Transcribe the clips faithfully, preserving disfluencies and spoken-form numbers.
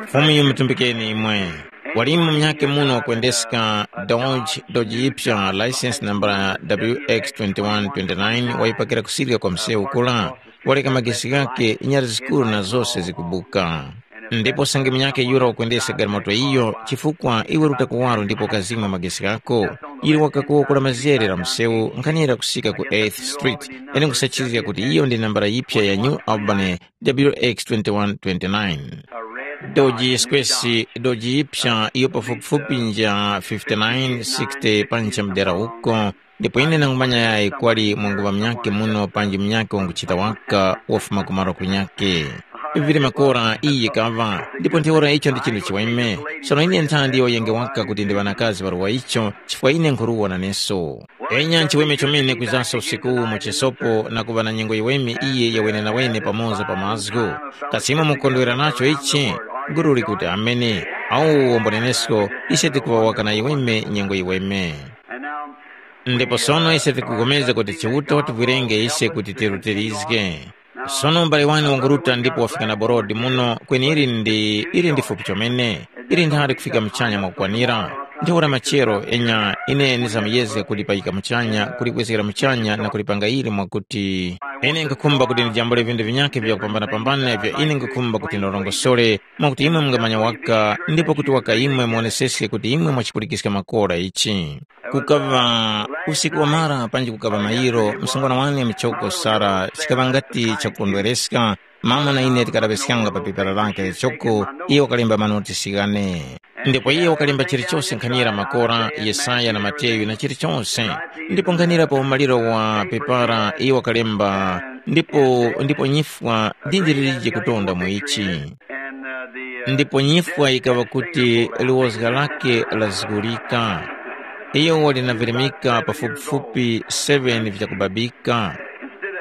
Fumu yimutumbikeni imwe. Walimu munyakhe muno wakwendeska Dodge, Dodge yipya license nambala W X twenty-one twenty-nine wayipakira kusirika kwa msewu kula, waleka magesi ghakhe nyara zikuru na zose zikubuka. Ndipo sange munyakhe yura wakwendesa galimoto iyo, chifukwa iwe ruta kuwaro ndipo ukazimwa magesi ghako, yili wakakuwokora mazere la msewu nkhanira kusika ku eighth Street, ene nkusachizga kuti iyo ndi nambala yipya ya New Albany W X twenty-one twenty-nine. Doji Square, doji yipsa iyo pafupifupi nja fifty-nine sixty pancha mdera uko, ndipo ine nangumanya yayi kwali mwanguŵa munyakhe muno panji munyakhe wanguchita waka wafuma kumaro kunyakhe. Vili makora iyi kaŵa, ndipo ntheura icho ndi chinthu chiweme. Sono ine nthandi yoyenge waka kuti ndi ŵanakazi ŵaruwa icho, chifukwa ine nkhuruwa naneso. Enya nchiweme chomene kwizanso usiku uwu mu chisopo na kuŵa na nyengo yiweme iye yawenenawene pamoza pa mazgu. Kasi imwe mukondwera nacho ichi? Guru likuti amene. Awu wombo nenesko, ise tikuŵa waka na yiweme nyengo yiweme. Ndipo sono ise tikupulikana kuti Chiuta wativwirenge ise kuti tirutilizge. Sono mbale wani wanguruta ndipo wafika na borodi muno, kweni ili ndi ili ndi fupi chomene, ili nthali kufika muchanya mwakukwanira. Ntheura machero enya ine ndizamuyezga kulipayika muchanya, kulibwezgera muchanya na kulipanga ili mwakuti ine nkukhumba kuti ndijambule vindu vinyakhe vyakupambanapambana ivyo ine nkukhumba kuti ndorongosole, mwakuti imwe mungamanya waka ndipo kuti waka imwe muoneseske kuti imwe mwachipulikiska makora ichi. Kukaŵa usiku wamara panji kukaŵa mayiro, msungwana wane muchoko Sara chikaŵa ngati chakukondwereska. Mama na ine tikalaŵeskanga pa pepala lake lichoko, iye wakalemba manotisi ghane. Ndipo iye wakalemba chilichose nkhanira makora, Yesaya na Mateyu na chilichose. Ndipo nkhanira pa umaliro wa pepala iye wakalemba, ndipo ndipo nyifwa ndi ndilirije kutonda mu ichi. Ndipo nyifwa yikaŵa kuti liwozga lake lazgulika. Iyo wali na virimika pafupifupi seven vyakubabika.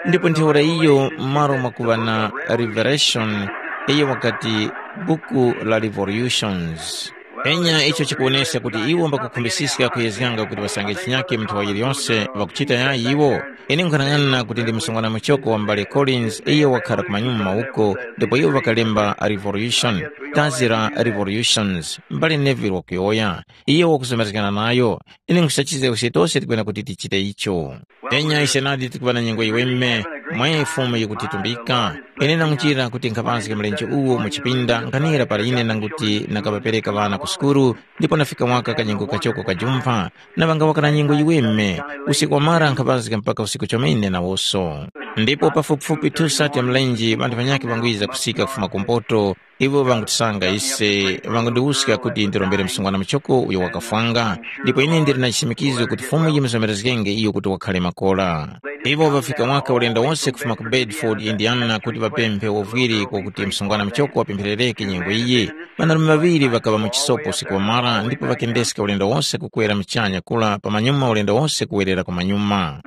Ndipo ntheura iyo m'malo mwakuŵa na revelation, iyo wakati buku la revolutions. Enya icho chikuwoneska kuti iwo mbakukhumbisiska kuyezganga kuti ŵasange chinyake mu nthaŵa yiliyose ŵakuchita yayi iwo. Ine nkhanang'ana kuti ndi msungwana muchoko wa m'bale Collins iyo wakhara ku manyuma uko, ndipo iwo ŵakalemba a revolution, dazi la revolutions, m'bale Neville wakuyowoya. Iyo wakuzomerezgana nayo. Ine nkhusachizga kuti tose tikwena kuti tichite icho. Enya ise nadi tikuŵa na nyengo yiweme, mwe Fumu yikutitumbika. Ine nanguchira kuti nkhapanzika mlenje uwo mu chipinda nkhanira para ine nanguti nakaŵapereka ŵana ku sukuru, ndipo nafika mwaka kanyengo kachoko kajumpha, na ŵangawaka na nyengo yiweme, usiku wamara nkhapanzika mpaka usiku chomene nawoso. Ndipo pafupifupi two sati ya mlenje ŵanthu ŵanyakhe ŵangwiza kusika kufuma kumpoto, iwo ŵangutisanga ise, ŵangundiwuska kuti ndirombere msungwana muchoko uyo wakafwanga, ndipo ine ndili na chisimikizo kuti Fumu yimuzomerezgenge iyo kuti wakhale makora. Iwo ŵafika mwaka ulendo wose kufuma ku Bedford, Indiana, kuti ŵapemphe uvwiri kwakuti msungwana muchoko wapempherereke nyengo iyi. Ŵanarume ŵaŵiri ŵakaŵa mu chisopo usiku wamara ndipo ŵakendeska ulendo wose kukwera muchanya kula pamanyuma ulendo wose kuwerera kumanyuma.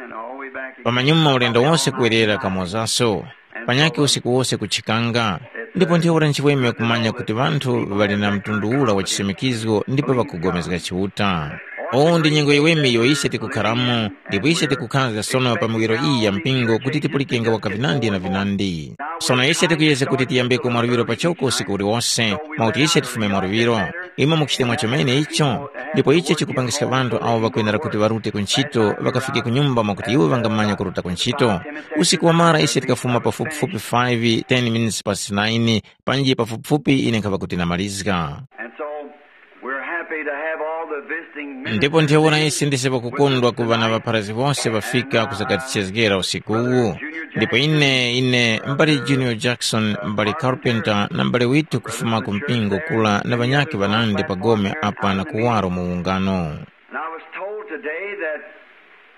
Pamanyuma ulendo wose kuwerera kamozaso. Panyakhe usiku wose kuchikanga. Ndipo ntheura nchiweme kumanya kuti ŵanthu ŵali na mtundu ura wa chisimikizgo ndipo ŵakugomezga Chiuta. Uwu ndi nyengo yiweme iyo ise tikukharamo, ndipo ise tikukhazga sono pa miwiro iyi ya mpingo kuti tipulikenge waka vinandi na vinandi. Sono ise tikuyezga kuti tiyambeko mwaluŵiro pachoko usiku uliwose, mwakuti ise tifume mwaluŵiro. Imwe mukuchita mwachomene icho? Ndipo icho chikupangiska ŵanthu awo ŵakwenera kuti ŵarute ku nchito ŵakafike ku nyumba mwakuti iwo ŵangamanya kuruta ku nchito. Usiku wamara ise tikafuma pafupifupi five, ten minutes past nine, panji pafupifupi ine nkhava kuti namalizga. And so, we're happy to have all the visiting ministers. Ndipo ntheura ise ndise pakukondwa kuŵa na ŵapharazgi wose ŵafika kuzakatichezgera usikuwu. Ndipo ine ine mbali Junior Jackson, mbali Carpenter na mbali Witu kufuma ku mpingo kula na ŵanyakhe ŵanandi pa gome apa na kuwaro mu ungano. And I was told today that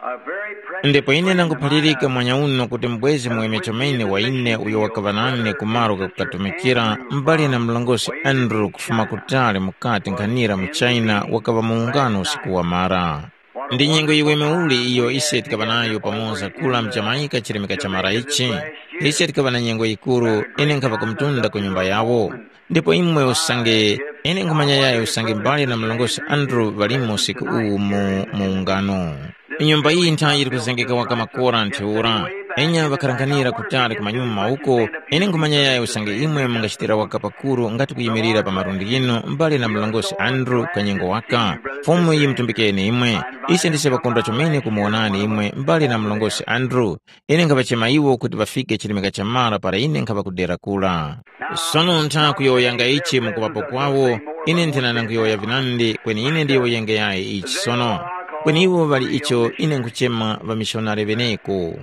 a very precious Ndipo ine friend of nanguphalirika mine, mwanya uno kuti mbwezi muweme chomene wa ine uyo wakaŵa nane ku malo kakukatumikira, mbali na mlongosi Andrew kufuma kutali mukati nkhanira mu China, wakaŵa mu ungano usiku wamara. Ndi nyengo yiweme uli iyo ise tikaŵa nayo pamoza kula mu Jamaica chilemeka cha mara ichi. Ise tikaŵa na nyengo yikuru, ine nkhava kumtunda ku nyumba yawo. Ndipo imwe usange, ine nkhumanya yayo usange mbale na mlongosi Andrew ŵalimo usiku uwu mu, mu ungano. Nyumba iyi nthayi yili kuzengeka waka makora ntheura. Enya ŵakharanghanira kutali kumanyuma uko, ine nkhumanya yayi usange imwe mungachitira waka pakuru ngati kuyimirira pa malundi ghinu mbale na mlongosi Andrew kanyengo waka. Fumu yimutumbikeni imwe. Ise ndise ŵakondwa chomene kumuwonani imwe mbale na mlongosi Andrew. Ine nkhaŵachema iwo kuti ŵafike chirimika cha mara para ine nkhaŵa kudera kura. Sono ntha kuyowoyanga ichi mukuŵapo kwawo, ine nthena nanguyowoya vinandi kweni ine ndiyowoyenge yayi ichi sono. Kweni iwo ŵali icho ine nkhuchema ŵamishonari ŵeneko.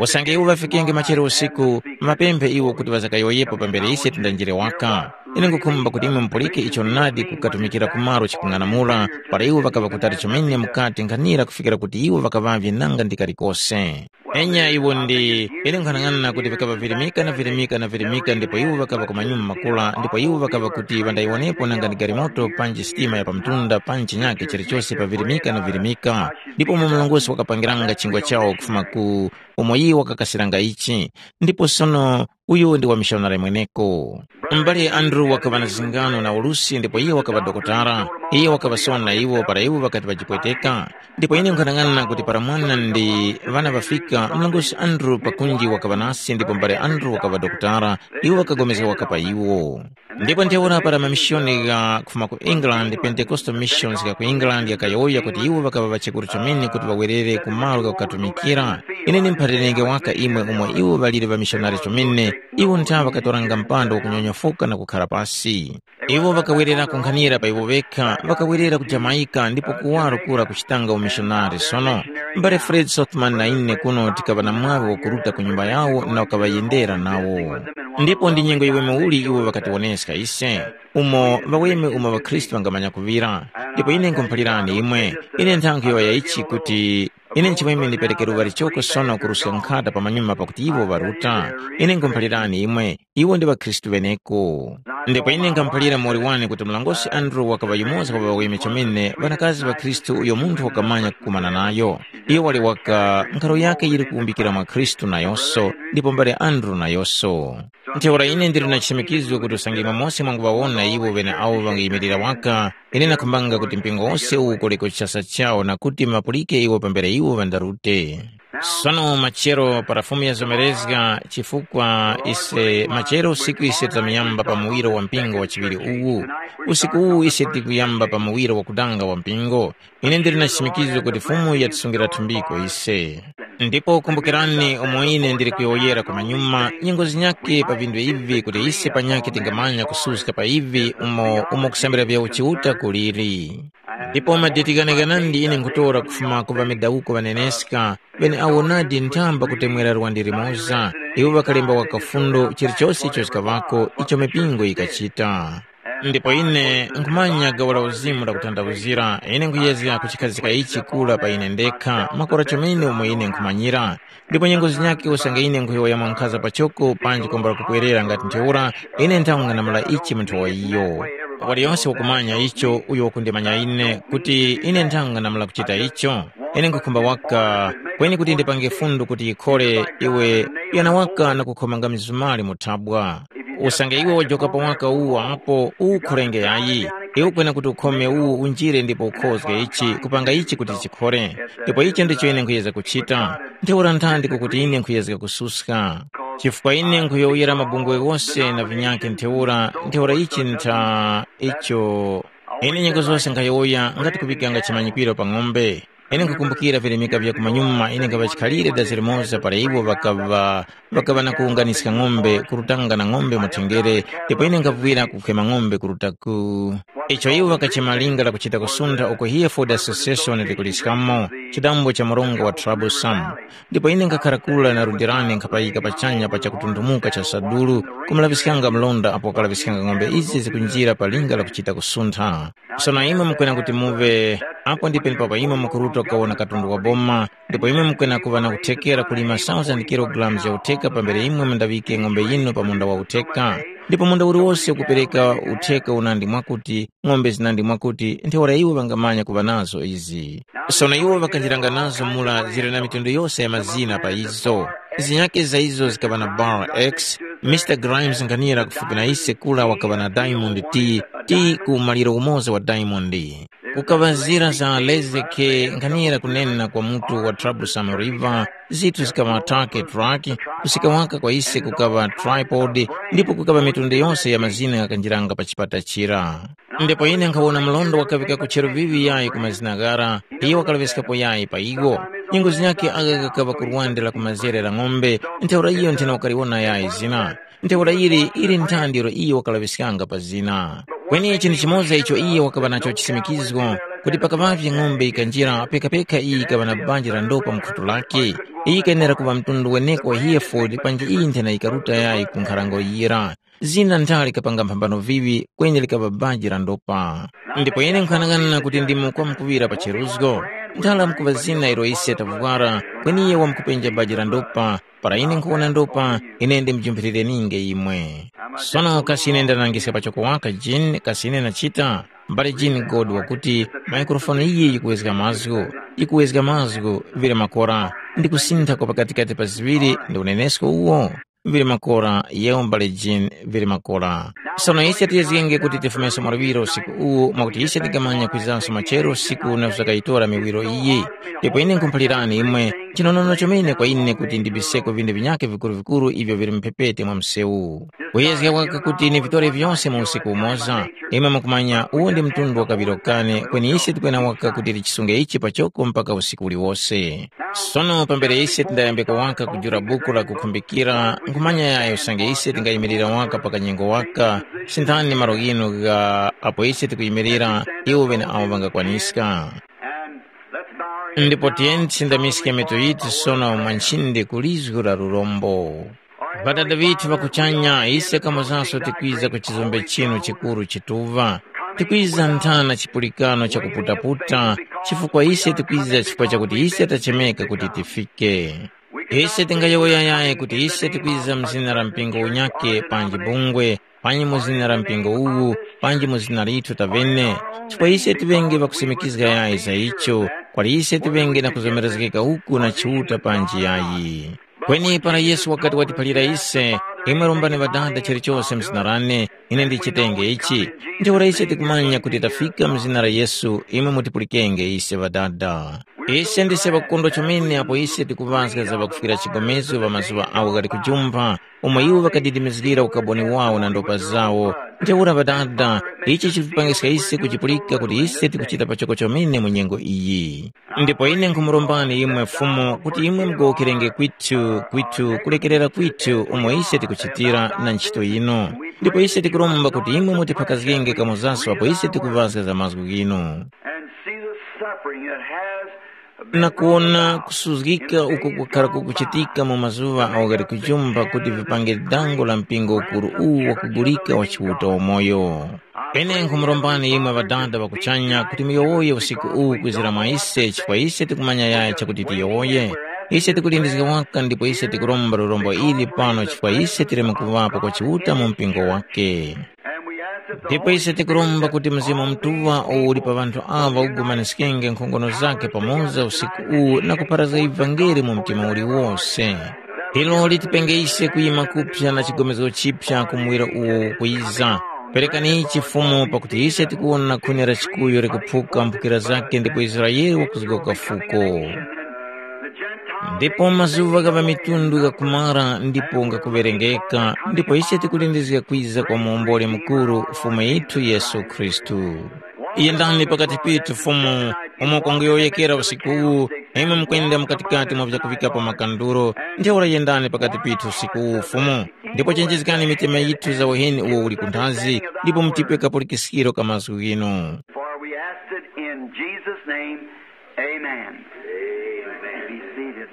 Usange iwo ŵafikenge machero usiku, mapemphe iwo kuti ŵazakayowoyepo pambere ise tindanjire waka. Ine nkhukhumba kuti imwe mupulike icho nadi kukatumikira ku malo chikung'anamula para iwo ŵakaŵa kutali chomene mukati nkhanira kufikira kuti iwo ŵakaŵavye nanga ndi kalikose. Enya iwo ndi ine nkhanang'ana kuti vikaŵa virimika na virimika na virimika ndipo iwo ŵakaŵa ku manyuma makula ndipo iwo ŵakaŵa kuti ŵandayiwonepo nanga ndi galimoto panji sitima ya pamtunda panji chinyake chilichose pa virimika na virimika. Ndipo umo mlongosi wakapangiranga chingwa chawo kufuma ku umo iye wakakasiranga ichi. Ndipo sono uyu ndi wamishonari mweneko. M'bale Andrew wakaŵa na zingano na ulusi ndipo iye wakaŵa dokotala. Iye wakaŵasona iwo para iwo ŵakati ŵajipweteka. Ndipo ine nkhanang'ana kuti para mwana ndi ŵana ŵafika, mlongosi Andrew pakunji wakaŵa nasi ndipo m'bale Andrew wakaŵa dokotala, iwo ŵakapulikana waka pa iwo. Ndipo ntheura para mamishoni gha kufuma ku England, Pentecostal Missions gha ku England ghakayowoya kuti iwo ŵakaŵa ŵachekuru chomene kuti ŵawerere ku malo ghakukatumikira, ine ndimphatirenge waka imwe umo iwo ŵaliri ŵamishonari chomene, iwo ntha ŵakatoranga mpando wakunyonyofoka na kukhara pasi. Iwo ŵakawerera kunkhanira pa iwo ŵekha, ŵakawerera ku Jamaica ndipo kuwaro kura kuchitanga umishonari. Sono, mbale Fred Sothman na ine kuno tikaŵa na mwaŵi wakuruta ku nyumba yawo na kukaŵayendera nawo. Ndipo ndi nyengo yiweme uli iwo ŵakatiwoneska ise, umo ŵaweme umo ŵakhristu ŵangamanya kuŵira. Ndipo ine nkhumuphalirani imwe, ine nthankhu yowoya ichi kuti ine nchimweme ndipereke luŵa lichoko sono kuruska nkhata pamanyuma pakuti iwo ŵaruta. Ine nkhumuphalirani imwe, iwo ndi ŵakhristu ŵeneko. Ndipo ine nkhamuphalira muwoli wane kuti mlongosi Andrew wakaŵa yumoza wa ŵaweme chomene ŵanakazi ŵakhristu uyo munthu wakamanya kukumana nayo. Iyo wali waka nkharo yake yili kuwumbikira mwa Khristu nayonso, ndipo mbale Andrew nayonso. Ntheura ine ndili na chichimikizo kuti usange imwe mose mwanguŵawona iwo ŵeneawo ŵanguyimirira waka, ine nakhumbanga kuti mpingo wose uwu ukoleko chasa chawo na kuti mapulike iwo pambere iwo ŵandarute. Sono machero para Fumu yazomerezga chifukwa ise machero usiku ise tamuyamba pa muwiro wa mpingo wa chiŵiri uwu. Usiku uwu ise tikuyamba pa muwiro wakudanga wa mpingo. Ine ndili na chichimikizo kuti Fumu yatisungira thumbiko ise. Ndipo kumbukirani umo ine ndili kuyowoyera kumanyuma nyengo zinyakhe pa vinthu ivi kuti ise panyakhe tingamanya kususka pa ivi umo umo kusambira vya uchiuta kuliri. Ndipo madeti ghanaghanandi ine nkhutora kufuma ku ŵamedawuko ŵaneneska, ŵeneawo nadi nthamba kutemwera lwandi limoza. Iwo ŵakalemba waka fundo chilichose icho chikaŵako icho mipingo yikachita. Ndipo ine nkhumanya gawo la uzimu lakutanthauzira, ine nkhuyezga kuchikhazika ichi kura pa ine ndekha makora chomene umo ine nkhumanyira. Ndipo nyengo zinyakhe usange ine nkhuyowoya mwankhaza pachoko panji kwambula kupwerera ngati ntheura, ine nthang'anamula ichi munthu wa iyo. Waliyonse wakumanya icho uyo wakundimanya ine kuti ine nthang'anamula kuchita icho. Ine nkhukhumba waka kweni kuti ndipange fundu kuti yikhole iwe yana waka na kukhomanga mizumali mu thabwa. Usange iwe wajokapo waka uwu apo uwukhorenge yayi. Iwe kwena kuti ukhome uwu unjire ndipo ukhozge ichi kupanga ichi kuti chikhore. Ndipo ichi ndicho ine nkhuyezga kuchita. Ntheura nthandi kukuti ine nkhuyezga kususka. Chifukwa ine nkhuyowoyera mabungwe ghose na vinyakhe ntheura ntheura ichi ntha icho. Ine nyengo zose nkhayowoya ngati kuŵikanga chimanyikwiro pa ng'ombe. Ine nkhukumbukira virimika vya kumanyuma ine nkhaŵa chikhalire dazi limoza para iwo ŵakaŵa ŵakaŵa na kuwunganiska ng'ombe kurutanga na ng'ombe mu thengere, ndipo ine nkhavuwira kukhema ng'ombe kurutaku. Icho iwo ŵakachema linga lakuchita kusuntha uko Hereford Association likuliskamo chidambo cha mrongo wa troublesome. Ndipo ine nkhakhara kura na lundi lane nkhapayika pachanya pa chakutunthumuka cha sadulu kumulaŵiskanga mlonda apo wakalaŵiskanga ng'ombe izi zikunjira pa linga lakuchita kusuntha. Sono imwe mukwena kuti muŵe apo ndi penepapo imwe mukuruta kukawona katundu wa boma, ndipo imwe mukwena kuŵa na kuthekera kulima thousand kilogalamu ya utheka pambere imwe mundaŵike ng'ombe yinu pa munda wa utheka. Ndipo munda uliwose ukupereka utheka unandi mwakuti ng'ombe zinandi mwakuti ntheura iwo ŵangamanya kuŵa nazo izi. Sono iwo ŵakanjiranga nazo mura zili na mitundu yose ya mazina pa izo. Zinyakhe za izo zikaŵa na Bar X, Mister Grimes nkhanira kufupi na ise kura wakaŵa na Diamond T, ti ku maliro umoza wa Diamond. Kukaŵa zira za Lezeke nkhanira kunena kwa mutu wa Troublesome River, zithu zikaŵa take track, kusika waka kwa ise kukaŵa tripod, ndipo kukaŵa mitundu yose ya mazina ghakanjiranga pa chipata chira. Ndipo ine nkhawona mlondo wakaŵika ku cheruvivi yayi ku mazina ghara, iyo wakalaŵiskapo yayi pa iwo. Nyengo zinyakhe agha ghakaŵa ku lwande la kumazere la ng'ombe, ntheura iyo nthena wakaliwona yayi zina. Ntheura ili ili nthandi ilo iyo wakalaŵiskanga pa zina. Kweni chinthu chimoza icho iyo wakaŵa nacho chisimikizgo, kuti pakaŵavye ng'ombe yikanjira pekapeka iyi yikaŵa na banja la ndopa mu khutu lake, iyi yikayenera kuŵa mtundu weneko wa Hereford panji iyi nthena yikaruta yayi ku nkhalango yira. Zina nthali likapanga mphambano viŵi kweni likaŵa banja la ndopa. Ndipo ine nkhanang'ana kuti ndimo kwamkuŵira pa cheruzgo. Nthali lamkuŵa zina ilo ise tavwara, kweni iye wamkupenja banja la ndopa. Para ine nkhuwona ndopa, ine ndimujumphirireninge imwe. Sono kasi ine ndanangiska pachoko waka Jean, kasi ine nachita? Mbale Jean God wakuti, maikrofoni iyi yikuwezga mazgu, yikuwezga mazgu, vire makora, ndi kusintha kwa pakatikati pa ziŵiri ndi unenesko uwo? Vili makora, yewo mbale Jean vili makora. Sono ise tiyezgenge kuti tifumeso mwaluŵiro usiku uwu mwakuti ise tikamanya kwizanso machero usiku na kuzakayitora miwiro iyi. Ndipo ine nkhumuphalirani imwe, chinonono chomene kwa ine kuti ndibiseko vinthu vinyakhe vikuru-vikuru ivyo vili mphepete mwa msewu. Kuyezga waka kuti nivitore vyose mu usiku umoza, imwe mukumanya uwu ndi mtundu wa kaŵiro kane kweni ise tikwena waka kuti tichisunge ichi pachoko mpaka usiku uliwose. Sono pambere ise tindayambika waka kujula buku la kukhumbikira, nkhumanya yayo usange ise tingayimirira waka pa kanyengo waka, sinthani malo ghinu gha apo ise tikuyimirira iwo ŵeneawo ŵangakwaniska. Ndipo tiyeni tisindamiske mitu yithu sono mwa nchindi ku lizgu la lurombo. Ŵadada ŵithu ŵa kuchanya, ise kamozaso tikwiza ku chizombe chinu chikuru chituŵa. Tikwiza nthana chipulikano cha kuputaputa, chifukwa ise tikwiza chifukwa chakuti ise tachemeka kuti tifike. Ise tingayowoya yayi kuti ise tikwiza mu zina la mpingo unyakhe panji bungwe, panji mu zina la mpingo uwu, panji mu zina lithu taŵene, chifukwa ise tiŵenge ŵakusimikizga yayi za icho, kwali ise tiŵenge na kuzomerezgeka uku na Chiuta panji yayi. Kweni para Yesu wakati watiphalira ise, imwe rombani Ŵadada chilichose mu zina lane, ine ndichitenge ichi. Ntheura ise tikumanya kuti tafika mu zina la Yesu, imwe mutipulikenge ise Ŵadada. Ise ndise ŵakukondwa chomene apo ise tikuŵazga za ŵakufwira chigomezo pa mazuŵa agho ghali kujumpha, umo iwo ŵakadidimizgira ukaboni wawo na ndopa zawo. Ntheura Ŵadada, ichi chikupangiska ise kuchipulika kuti ise tikuchita pachoko chomene mu nyengo iyi. Ndipo ine nkhumurombani imwe Fumu kuti imwe mugowokerenge kwithu, kwithu kulekerera kwithu umo ise tikuchitira na ntchito yinu. Ndipo ise tikuromba kuti imwe mutiphakazgenge kamozaso apo ise tikuŵazga za mazgu ghinu. And see the suffering that has been na kuwona kusuzgika uko kukhara kukuchitika mu mazuŵa awo ghali kujumba kuti vipange dango la mpingo ukuru uwu wakugulika wa Chiuta wamoyo. Ine nkhumurombani imwe Ŵadada ŵa kuchanya kuti muyowoye usiku uwu kwizira mwa ise chifukwa ise tikumanya yaya chakuti tiyowoye. Ise tikulindizga waka ndipo ise tikuromba lurombo ili pano chifukwa ise tireme kuŵapo kwa Chiuta mu mpingo wake. Ndipo ise tikuromba kuti Mzimu Mutuŵa uwo uli pa ŵanthu aŵa ugumaniskenge nkhongono zakhe pamoza usiku uwu na kupharazga ivangeli mu mtima uliwose. Ilo litipenge ise kuyima kuphya na chigomezgo chiphya ku muwiro uwo ukwiza. Perekani ichi Fumu pakuti ise tikuwona khuni la chikuyu likuphuka mphukira zakhe ndipo Israele wakuzgoka fuko. Ndipo mazuŵa gha ŵamitundu ghakumara ndipo ngakuŵerengeka, ndipo ise tikulindizga kwiza kwa muwomboli mukuru, Fumu yithu Yesu Khristu. Yendani pakati pithu, Fumu, umo kunguyowoyekera usiku uwu, imwe mukwenda mukatikati mwa vyakuvikapo makanduro, ntheura yendani pakati pithu usiku uwu, Fumu, ndipo chenjezgani mitima yithu za uheni uwo uli kunthazi, ndipo mutipe kapulikiskiro ka mazgu ghinu. For we ask it in Jesus' name. Amen. Be seated.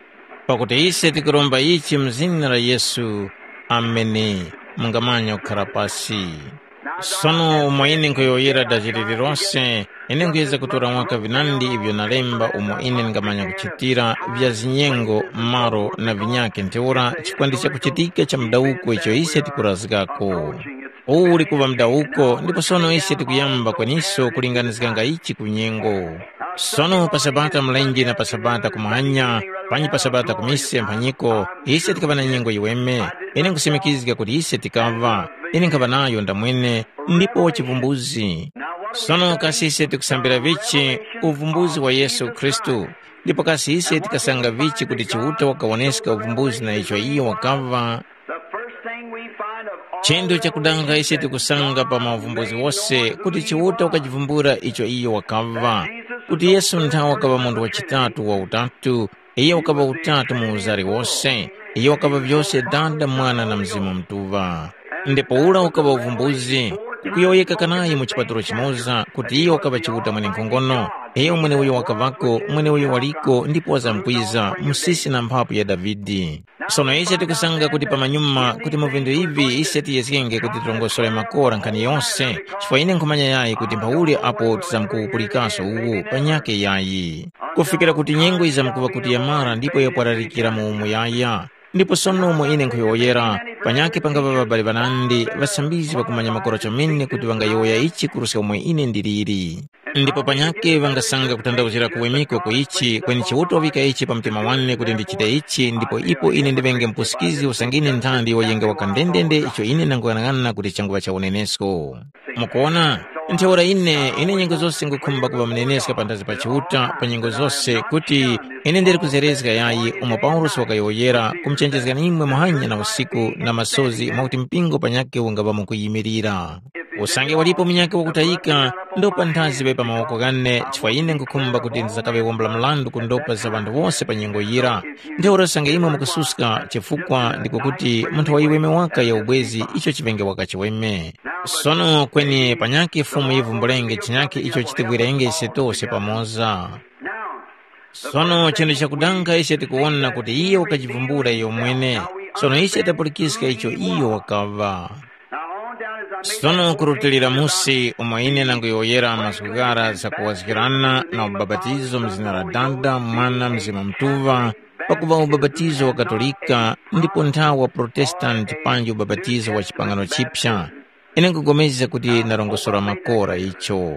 Pakuti ise tikuromba ichi mu zina la Yesu. Ameni. Mungamanya kukhara pasi. Sono umo ine nkhuyowoyera daziri lilose, ine nkhuyeza kutora mwaka vinandi ivyo nalemba umo ine ndingamanya kuchitira vya zinyengo, malo na vinyakhe ntheura chifukwa ndi chakuchitika cha mudawuko icho ise tikurazgako. Uwu uli kuŵa mudawuko ndipo sono ise tikuyamba kweniso kulinganizganga ichi ku nyengo. Sono pa Sabata mlenje na pa Sabata kumuhanya, panyi pa Sabata ku mise mphanyiko, ise tikaŵa na nyengo yiweme. Ine nkusimikizga kuti ise tikaŵa. Ine nkhaŵa nayo ndamwene, ndipo chivumbuzi. Sono kasi ise tikusambira vichi uvumbuzi wa Yesu Khristu? Ndipo kasi ise tikasanga vichi kuti Chiuta wakawoneska uvumbuzi na icho iyo wakaŵa? The first thing we find of all Chinthu chakudanga ise tikusanga pa mauvumbuzi wose kuti Chiuta wakachivumbula icho iyo wakaŵa, kuti Yesu nthawe wakaŵa munthu wachitatu wa utatu, iye wakaŵa utatu mu uzari wose, iye wakaŵa vyose Dada, Mwana na Mzimu Mutuŵa. Ndipo ura ukaŵa uvumbuzi, kukuyowoyeka kanayi mu chipatulo chimoza kuti iyo wakaŵa Chiuta mwenenkhongono, iyo mweneuyo wakaŵako, mweneuyo waliko ndipo wazamkwiza, musisi na mphapu ya Davide. Sono ise tikusanga kuti pamanyuma kuti mu vinthu ivi ise tiyezgenge kuti tirongosore makora nkhani yose, chifukwa ine nkhumanya yayi kuti mphauli apo tizamkuwupulikaso uwu panyakhe yayi. Kufikira kuti nyengo yizamkuŵa kuti yamara ndipo yapwararikira mu umuyaya. Ndipo sono umo ine nkhuyowoyera, panyakhe pangaŵa ŵabali ŵanandi ŵasambizgi ŵakumanya makora chomene kuti ŵangayowoya ichi kuruska umo ine ndiliri. Ndipo panyakhe ŵangasanga kuthandauzira kuwemekwa ku ichi, kweni Chiuta wavika ichi pa mtima wane kuti ndichite ichi, ndipo ipo ine ndiŵenge mupusikizi usange ine nthandi wayenge waka ndendende icho ine ndanguyang'ana kuti changuŵa cha unenesko. Mukuwona, ntheura ine, ine nyengo zose ngukhumba kuŵa muneneska panthazi pa Chiuta pa nyengo zose kuti ine ndili kuzerezga yayi umo Paulosi wakayowoyera kumuchenjezgani imwe muhanya na usiku na masozi mwakuti mpingo panyakhe ungaŵa mukuyimirira. Usange walipo munyakhe wakutayika, ndopa nthazi ŵe pa mawoko ghane chifukwa ine ngukhumba kuti ndizakaŵe wombula mrandu ku ndopa za ŵanthu wose pa nyengo yira. Ntheura usange imwe mukususka chifukwa ndiko kuti munthu wayiweme waka ya ubwezi icho chiŵenge waka chiweme. Sono kweni panyakhe Fumu yivumbulenge chinyakhe icho chitivwirenge ise tose pamoza. Sono chinthu chakudanga ise tikuwona kuti iyo wakachivumbula iyo mwene. Sono ise tapulikiska icho iyo wakaŵa. Sono kurutilira musi umo ine nanguyowoyera mazgu ghara zakuwazgirana na ubapatizo mu zina la Dada, Mwana, Mzimu Mutuŵa, pakuŵa ubapatizo wa Katolika ndipo nthawa wa Protestanti panji ubapatizo wa chipangano chipya. Ine nkupulikana kuti ndarongosora makora icho.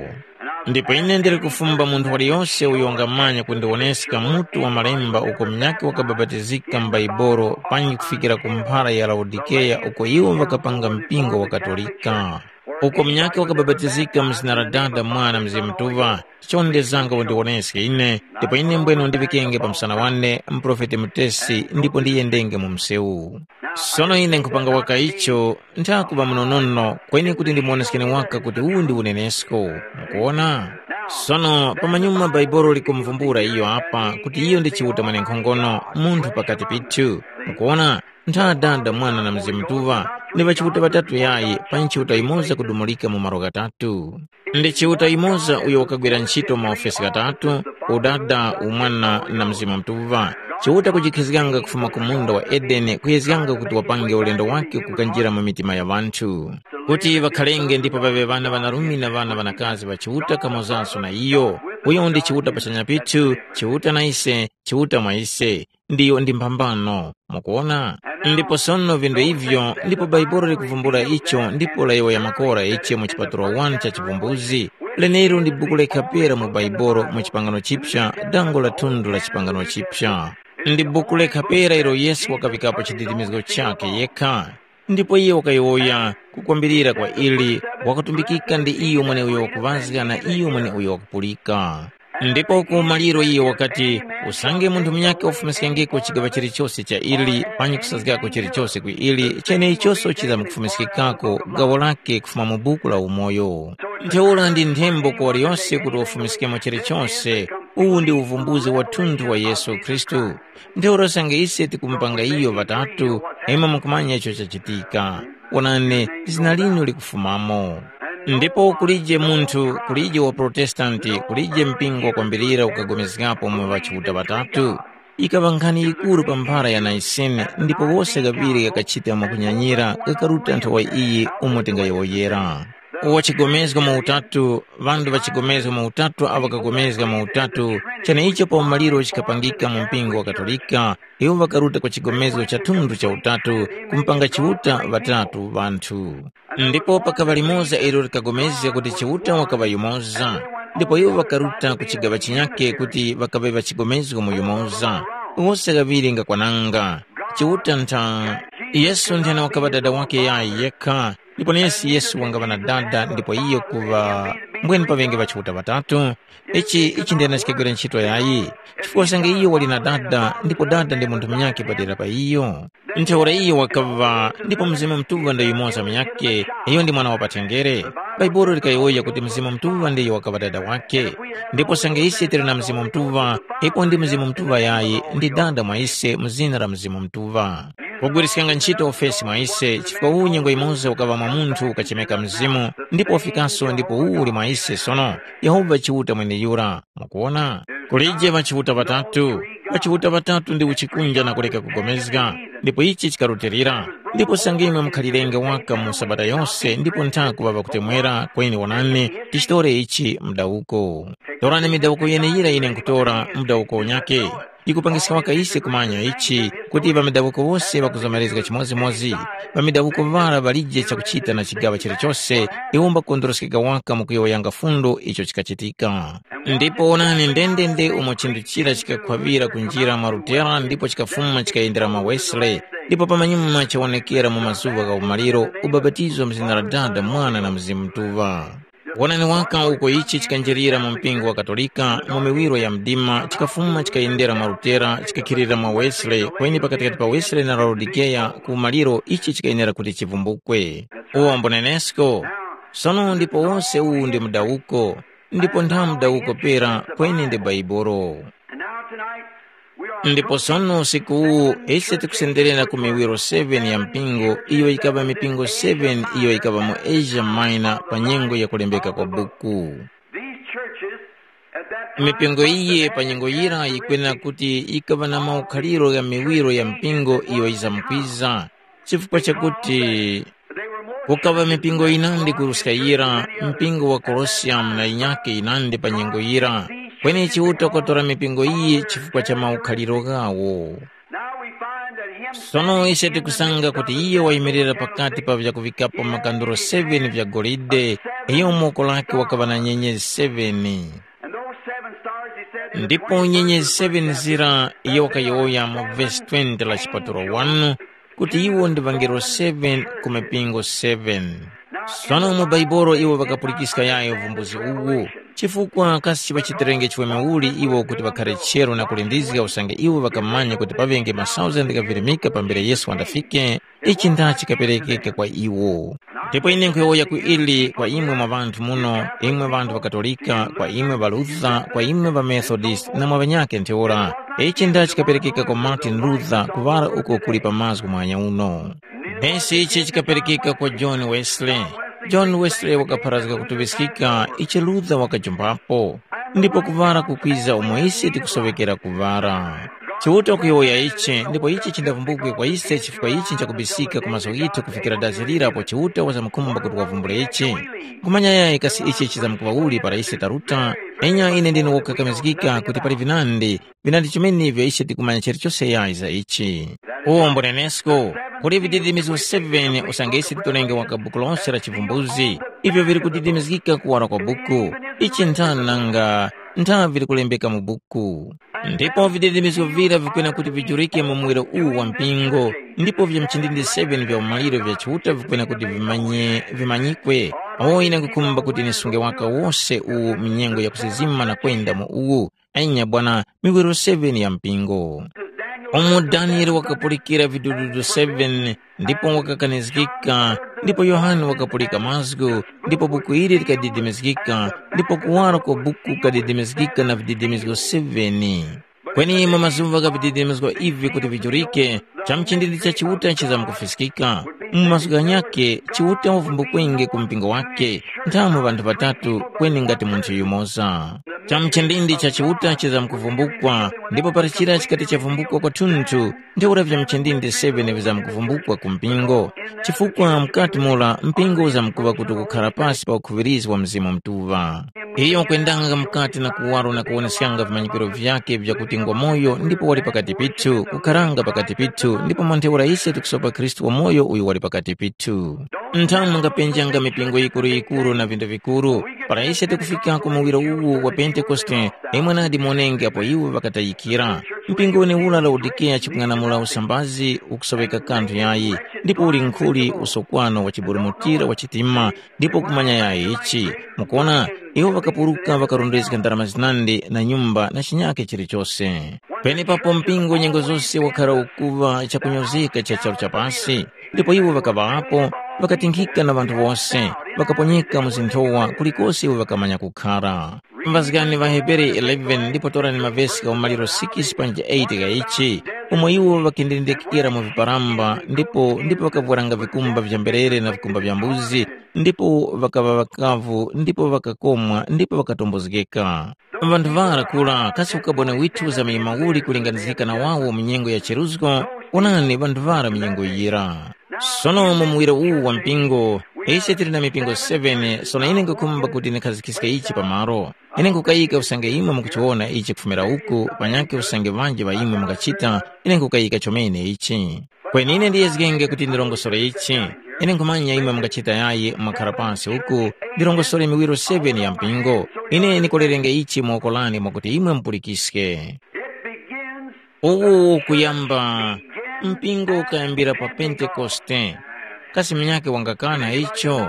Ndipo ine ndili kufumba munthu waliyose uyo wangamanya kundiwoneska mutu wa malemba uko munyakhe wakabapatizika m'Baibolo panji kufikira ku mphara ya Laodikeya uko iwo ŵakapanga mpingo wa Katolika. Uko munyakhe wakabapatizika mu zina la Dada, Mwana, Mzimu Mutuŵa, chonde zanga undiwoneske ine, ndipo ine mbwene undiŵikenge pa msana wane muprofeti mutesi ndipo ndiyendenge mu msewu. Sono ine nkhupanga waka icho, nthakuŵa munonono kweni kuti ndimuwoneskeni waka kuti uwu ndi unenesko. Mukuwona? Sono pamanyuma Bhaibuli likumuvumbula iyo apa kuti iyo ndi Chiuta mwenenkhongono, munthu pakati pithu. Mukuwona? Ntha Dada, Mwana na Mzimu Mutuŵa, ndi ŵachiuta ŵatatu yayi, panyi Chiuta yumoza kudumulika mu malo ghatatu. Ndi Chiuta yumoza uyo wakagwira nchito mu maofesi ghatatu, Udada, Umwana na Mzimu Mutuŵa. Chiuta kujikhizganga kufuma ku munda wa Edeni kuyezganga kuti wapange ulendo wakhe kukanjira mu mitima ya ŵanthu, kuti ŵakhalenge ndipo ŵaŵe ŵana ŵanarume na ŵana ŵanakazi ŵa Chiuta kamozanso na iyo. Uyo ndi Chiuta pachanya pithu, Chiuta na ise, Chiuta mwa ise. Ndiyo ndi mphambano. Mukuwona? Ndipo sono vinthu ivyo, ndipo Bhaibuli likuvumbula icho ndipo layowoya makora ichi mu chipatulo wani cha Chivumbuzi. Lenelo ndi buku lekha pera mu Bhaibuli mu Chipangano Chipya, dango la thundu la Chipangano Chipya. Ndi buku lekha pera ilo Yesu wakavikapo chididimizgo chakhe yekha. Ndipo iye wakayowoya kukwambirira kwa ili, wakutumbikika ndi iyo mweneuyo wakuŵazga na iyo mweneuyo wakupulika. Ndipo ku maliro iyo wakati, usange munthu munyakhe wafumiskengeko chigaŵa chilichose cha ili panyi kusazgako chilichose ku ili, cheneichoso chizamkufumiskikako gawo lakhe kufuma mu buku la umoyo. Ntheura ndi nthembo ku waliyose kuti wafumiskemo chilichose. Uwu ndi uvumbuzi wathunthu wa Yesu Khristu. Ntheura usange ise tikumupanga iyo ŵatatu, imwe mukumanya icho chachitika. Wonani, zina linu likufumamo. Ndipo kulije munthu, kulije wa Protestanti, kulije mpingo wakwambirira ukapulikanapo mu ŵachiuta ŵatatu. Yikaŵa nkhani yikuru pa mphara ya Naisene, ndipo wose ghaŵiri ghakachita mwakunyanyira, ghakaruta nthowa iyi umo tingayowoyera. Wachigomezgo mu utatu, ŵanthu ŵachigomezgo mu utatu awo ŵakapulikana mu utatu, cheneicho pa umaliro chikapangika mu mpingo wa Katolika, iwo ŵakaruta kwa chigomezgo cha thundu cha utatu, kumupanga Chiuta ŵatatu ŵanthu. Ndipo pakaŵa limoza ilo likapulikana kuti Chiuta wakaŵa yumoza, ndipo iwo ŵakaruta ku chigaŵa chinyakhe kuti ŵakaŵe ŵachigomezgo mu yumoza. Wose ghaŵiri ngakwananga. Chiuta ntha, Yesu nthena wakaŵa Dada wakhe yayi yekha, Ndipo nesi Yesu wangaŵa na Dada ndipo iyo kuŵa mbweni pa ŵenge ŵa Chiuta ŵatatu. Ichi ichi ndena chikagwira ntchito yayi, chifukwa usange iyo wali na Dada ndipo Dada ndi munthu munyakhe padera pa iyo. Ntheura iyo wakaŵa ndipo Mzimu Mutuŵa ndi yumoza munyakhe, iyo ndi mwana wa patengere. Bhaibuli likayowoya kuti Mzimu Mutuŵa ndiyo wakaŵa Dada wakhe. Ndipo usange ise tili na Mzimu Mutuŵa, ipo ndi Mzimu Mutuŵa yayi ndi Dada mwa ise mu zina la Mzimu Mutuŵa. Kugwiriskanga ntchito ufesi mwa ise chifukwa uwu nyengo yimoza ukaŵa mwa munthu ukachemeka Mzimu, ndipo ufikaso ndipo uwu uli mwa ise sono, Yehova Chiuta mweneyura. Mwakuwona? Kulije ŵachiuta ŵatatu. Ŵachiuta ŵatatu ndi uchikunja na kuleka kugomezga, ndipo ichi chikarutilira. Ndipo sangimwe mukhalirenge waka mu sabata yose ndipo nthaku ŵaŵa kutemwera kweni wonani, tichitore ichi mudawuko. Torani midawuko yeneyira ine nkutora mudawuko unyake. Yikupangiska waka ise kumanya ichi, kuti ŵamidawuko wose ŵakuzomerezga chimodzimodzi. Ŵamidawuko ŵara ŵalije chakuchita na chigaŵa chilichose, iwo mbakondoroskeka waka mukuyowoyanga fundo icho chikachitika. Ndipo wonani ndendende umo chinthu chira chikakhwaŵira kunjira mwa Lutera ndipo chikafuma chikayendera mwa Wesley, ndipo pamanyuma chawonekera mu mazuŵa gha umaliro, ubapatizo mu zina la Dada, Mwana na Mzimu Mutuŵa. Wonani waka uko ichi chikanjirira mu mpingo wa Katolika mu miwiro ya mdima, chikafuma chikayendera mwa Lutera, chikakhilira mwa Wesley, kweni pakatikati pa Wesley na Laodikeya ku umaliro ichi chikayenera kuti chivumbukwe. Uwo mbunenesko. Sono ndipo wose uwu ndi mudawuko, ndipo ntha mudawuko pera kweni ndi Bhaibuli. And now tonight, we are Ndipo sono usiku uwu ise tikusenderera ku miwiro seven ya mpingo iyo yikaŵa mipingo seven iyo yikaŵa mu Asia Minor pa nyengo ya kulembeka kwa buku. These churches at that time Mipingo iyi pa nyengo yira yikwenera kuti yikaŵa na maukhaliro gha miwiro ya mpingo iyo yizamkwiza, chifukwa chakuti kukaŵa mipingo yinandi kuruska yira, mpingo wa Kolosiyamu na yinyakhe yinandi pa nyengo yira, kweni Chiuta wakatora mipingo iyi chifukwa cha maukhaliro ghawo. Sono ise tikusanga kuti iye wayimirira pakati pa vyakuŵikapo makanduro seven vya golide, iyo mu woko lakhe wakaŵa na nyenyezi seven. Ndipo nyenyezi seven zira iyo wakayowoya mu vesi twenty la chipatulo one, kuti iwo ndi ŵangelo seven ku mipingo seven. Sono mu Baibolo iwo ŵakapulikiska yayo uvumbuzi uwu, chifukwa kasi chiŵachitirenge chiweme uli iwo kuti ŵakhare chero na kulindizga usange iwo ŵakamanya kuti paŵenge masauzandi ghavirimika pambere Yesu wandafike? Ichi nda chikaperekeka kwa iwo. Ndipo ine nkhuyowoya ku ili kwa imwe mwa ŵanthu muno, imwe ŵanthu ŵa Katolika, kwa imwe ŵa Luther, kwa imwe ŵa Methodist na mwa ŵanyakhe ntheura. Ichi nda chikaperekeka kwa Martin Luther kuŵala uko kuli pa mazgu mwanya uno. Nesi ichi chikaperekeka kwa John Wesley. John Wesley wakapharazga kutuŵiskika ichi Luther wakajumbapo, ndipo kuŵala kukwiza umo ise tikusoŵekera kuŵala. Chiuta kuyowoya ichi, ndipo ichi chindavumbukwe kwa ise chifukwa ichi nchakubisika ku maso ghithu kufikira dazi lira apo Chiuta wazamkhumba kuti wavumbule ichi. Nkhumanya yayi kasi ichi chizamkuŵa uli para ise taruta? Enya ine ndine wokakamizgika kuti pali vinandi, vinandi chomene ivyo ise tikumanya chilichose yayi za ichi. Uwo mbunenesko, kuli vididimizgo seven usange ise titolenge waka buku lose la chivumbuzi, ivyo vili kudidimizgika kuwara kwa buku. Ichi nthani nanga ntha vili kulembeka mu buku. Ndipo vididimizgo vira vikwena kuti vijurike mu muwiro uwu wa mpingo, ndipo vya mchindindi seven vya umaliro vya Chiuta vikwena kuti vimanye, vimanyikwe. Awo ine nkukhumba kuti nisunge waka wose uwu mu nyengo ya kusizima na kwenda mu uwu, enya bwana, miwiro seven ya mpingo. Umo Daniele wakapulikira vidududu seven, ndipo wakakanizgika, ndipo Yohane wakapulika mazgu, ndipo buku ili likadidimizgika, ndipo kuwara kwa buku kukadidimizgika na vididimizgo seven. Kweni mu mazuŵa gha vididimizgo ivi kuti vijurike, chamuchindindi cha Chiuta chizamkufiskika. Mu mazgu ghanyakhe, Chiuta wavumbukenge ku mpingo wakhe, nthamu ŵanthu ŵatatu, kweni ngati munthu yumoza. Chamuchindindi cha Chiuta chizamkuvumbukwa, ndipo para chira chikati chavumbukwa kwathunthu, ntheura vya muchindindi seven vizamkuvumbukwa ku mpingo. Chifukwa mukati mura mpingo uzamkuŵa kuti ukukhara pasi pa ukhuŵirizgi wa Mzimu Mutuŵa. Iyo ukwendanga mukati na kuwaro na kuwoneskanga vimanyikiro vyakhe vyakuti ngwamoyo ndipo wali pakati pithu, kukharanga pakati pithu, ndipo mwa ntheura ise tikusopa Khristu wamoyo uyo wali pakati pithu. Nthamu mungapenjanga mipingo yikuru-yikuru na vinda vikuru, para ise tikufika ku muwiro uwu wa Pentekoste, imwe nadi monenge apo iwo ŵakatayikira. Mpingo wenewura Laodikeya chikung'anamula usambazi ukusoŵeka kanthu yayi, ndipo uli nkhuli usokwano wa chiburumutira wa chitima, ndipo kumanya yayi ichi. Mukuona, iwo ŵakapuruka ŵakarondezga ndarama zinandi na nyumba na chinyake chilichose. Penepapo mpingo nyengo zose wakhara ukuŵa chakunyozeka cha charu cha pasi, ndipo iwo ŵakaŵapo, ŵakatinkhika na ŵanthu wose, ŵakaponyeka mu zinthowa kulikose iwo ŵakamanya kukhara. Mbazgani ŵa Hebere eleven ndipo torani mavesi gha umaliro six panja eight gha ichi, umo iwo ŵakindendekera mu viparamba ndipo ndipo ŵakavwaranga vikumba vya mberere na vikumba vya mbuzi, ndipo ŵakaŵa ŵakavu ndipo ŵakakomwa ndipo ŵakatombozgeka. Ŵanthu ŵara kura kasi ukaboni withu uzamanyima uli kulinganizgika na wawo mu nyengo ya cheruzgo? Onani ŵanthu ŵara mu nyengo yira. Sono mu muwiro uwu wa mpingo, ise tili na mipingo seven, sono ine nkukhumba kuti ndikhazikhiske ichi pamalo. Ine nkukayika usange imwe mukuchiwona ichi kufumira uku, panyakhe usange ŵanji ŵa imwe mungachita, ine nkukayika chomene ichi. Kweni ine ndiyezgenge kuti ndirongosore ichi. Ine nkhumanya imwe mungachita yayi mwakhara pansi uku, ndirongosore miwiro seven ya mpingo. Ine ndikolerenge ichi mu woko lane mwakuti imwe mupulikiske. It begins Uwu kuyamba, mpingo ukayambira pa Pentekoste. Kasi munyakhe wangakana icho?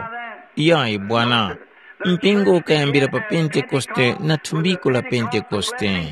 Yayi bwana. Mpingo ukayambira pa Pentekoste na thumbiko la Pentekoste.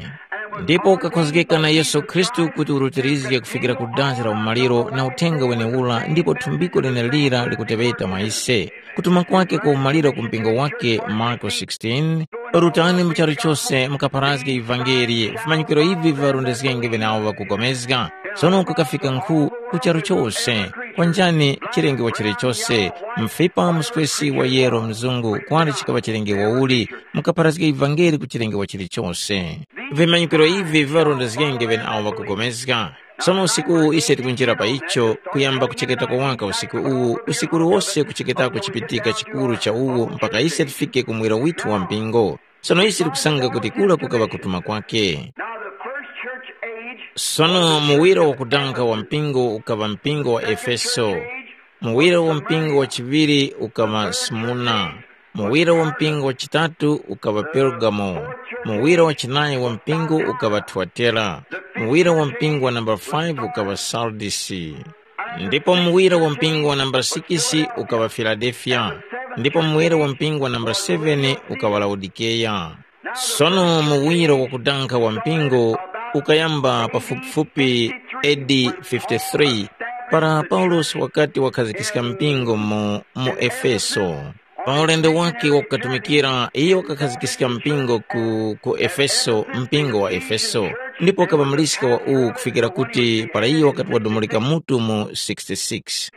Ndipo ukakhozgeka na Yesu Khristu kuti urutirizge kufikira ku dazi la umaliro na uthenga wenewura ndipo thumbiko lenelira likuteŵeta mwa ise. Kutuma kwake kwa umaliro ku mpingo wake Marko sixteen, rutani mu charu chose mukapharazge ivangeli, vimanyikiro ivi viŵarondezgenge ŵenawo ŵakupulikana. Sono kukafika nkhu ku charu chose, kwanjani chilenge wa chilichose, mfipa muswesi wa yero mzungu kwali chikaŵa chilenge wauli, mukapharazge ivangeli ku chilenge wa chilichose. Vimanyikiro ivi viŵarondezgenge ŵenawo ŵakupulikana. Sono usiku uwu ise tikunjira pa icho, kuyamba kucheketako waka usiku uwu, usiku uliwose kucheketako chipitika chikuru cha uwo mpaka ise tifike ku mwiro withu wa mpingo. Sono ise tikusanga kuti kura kukaŵa kutuma kwake. Now the first church age Sono muwiro wakudanga wa mpingo ukaŵa mpingo wa Efeso. Muwiro wa mpingo wa chiŵiri ukaŵa Smurna. Muwiro wa mpingo wa chitatu ukaŵa Pergamo. Muwiro wa chinayi wa mpingo ukaŵa Thuatera. Muwiro wa mpingo wa namba five ukaŵa Sardisi. Ndipo muwiro wa mpingo wa namba six ukaŵa Filadelfiya. Ndipo muwiro wa mpingo wa namba seven ukaŵa Laodikeya. Sono muwiro wakudanga wa mpingo ukayamba pafupifupi A D fifty-three, para Paulosi wakati wakhazikiska mpingo mu, mu Efeso. Pa ulendo wake wakukatumikira, iyo wakakhazikiska mpingo ku, ku Efeso, mpingo wa Efeso, ndipo wakaŵa muliska wa uwu kufikira kuti para iyo wakati wadumulika mutu mu sixty-six.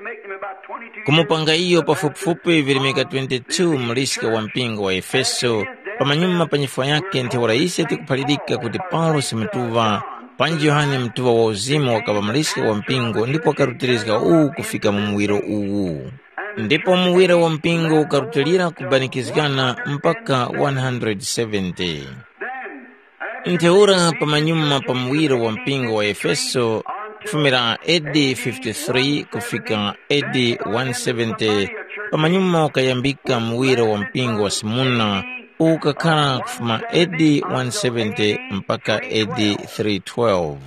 Kumupanga iyo pafupifupi virimika twenty-two muliska wa mpingo wa Efeso, pamanyuma pa nyifwa yake ntheura ise tikuphalirika kuti Paulosi mutuŵa, panji Yohane mutuŵa wa uzimu wakaŵa muliska wa mpingo ndipo wakarutirizga uwu kufika mu muwiro uwu. Ndipo muwiro wa mpingo ukarutilira kubanikizgana mpaka one hundred seventy. Ntheura pamanyuma pa muwiro wa mpingo wa Efeso, kufumira A D fifty-three kufika A D one seventy, pamanyuma ukayambika muwiro wa mpingo wa Simuna, ukakhara kufuma A D one seventy mpaka A D three twelve.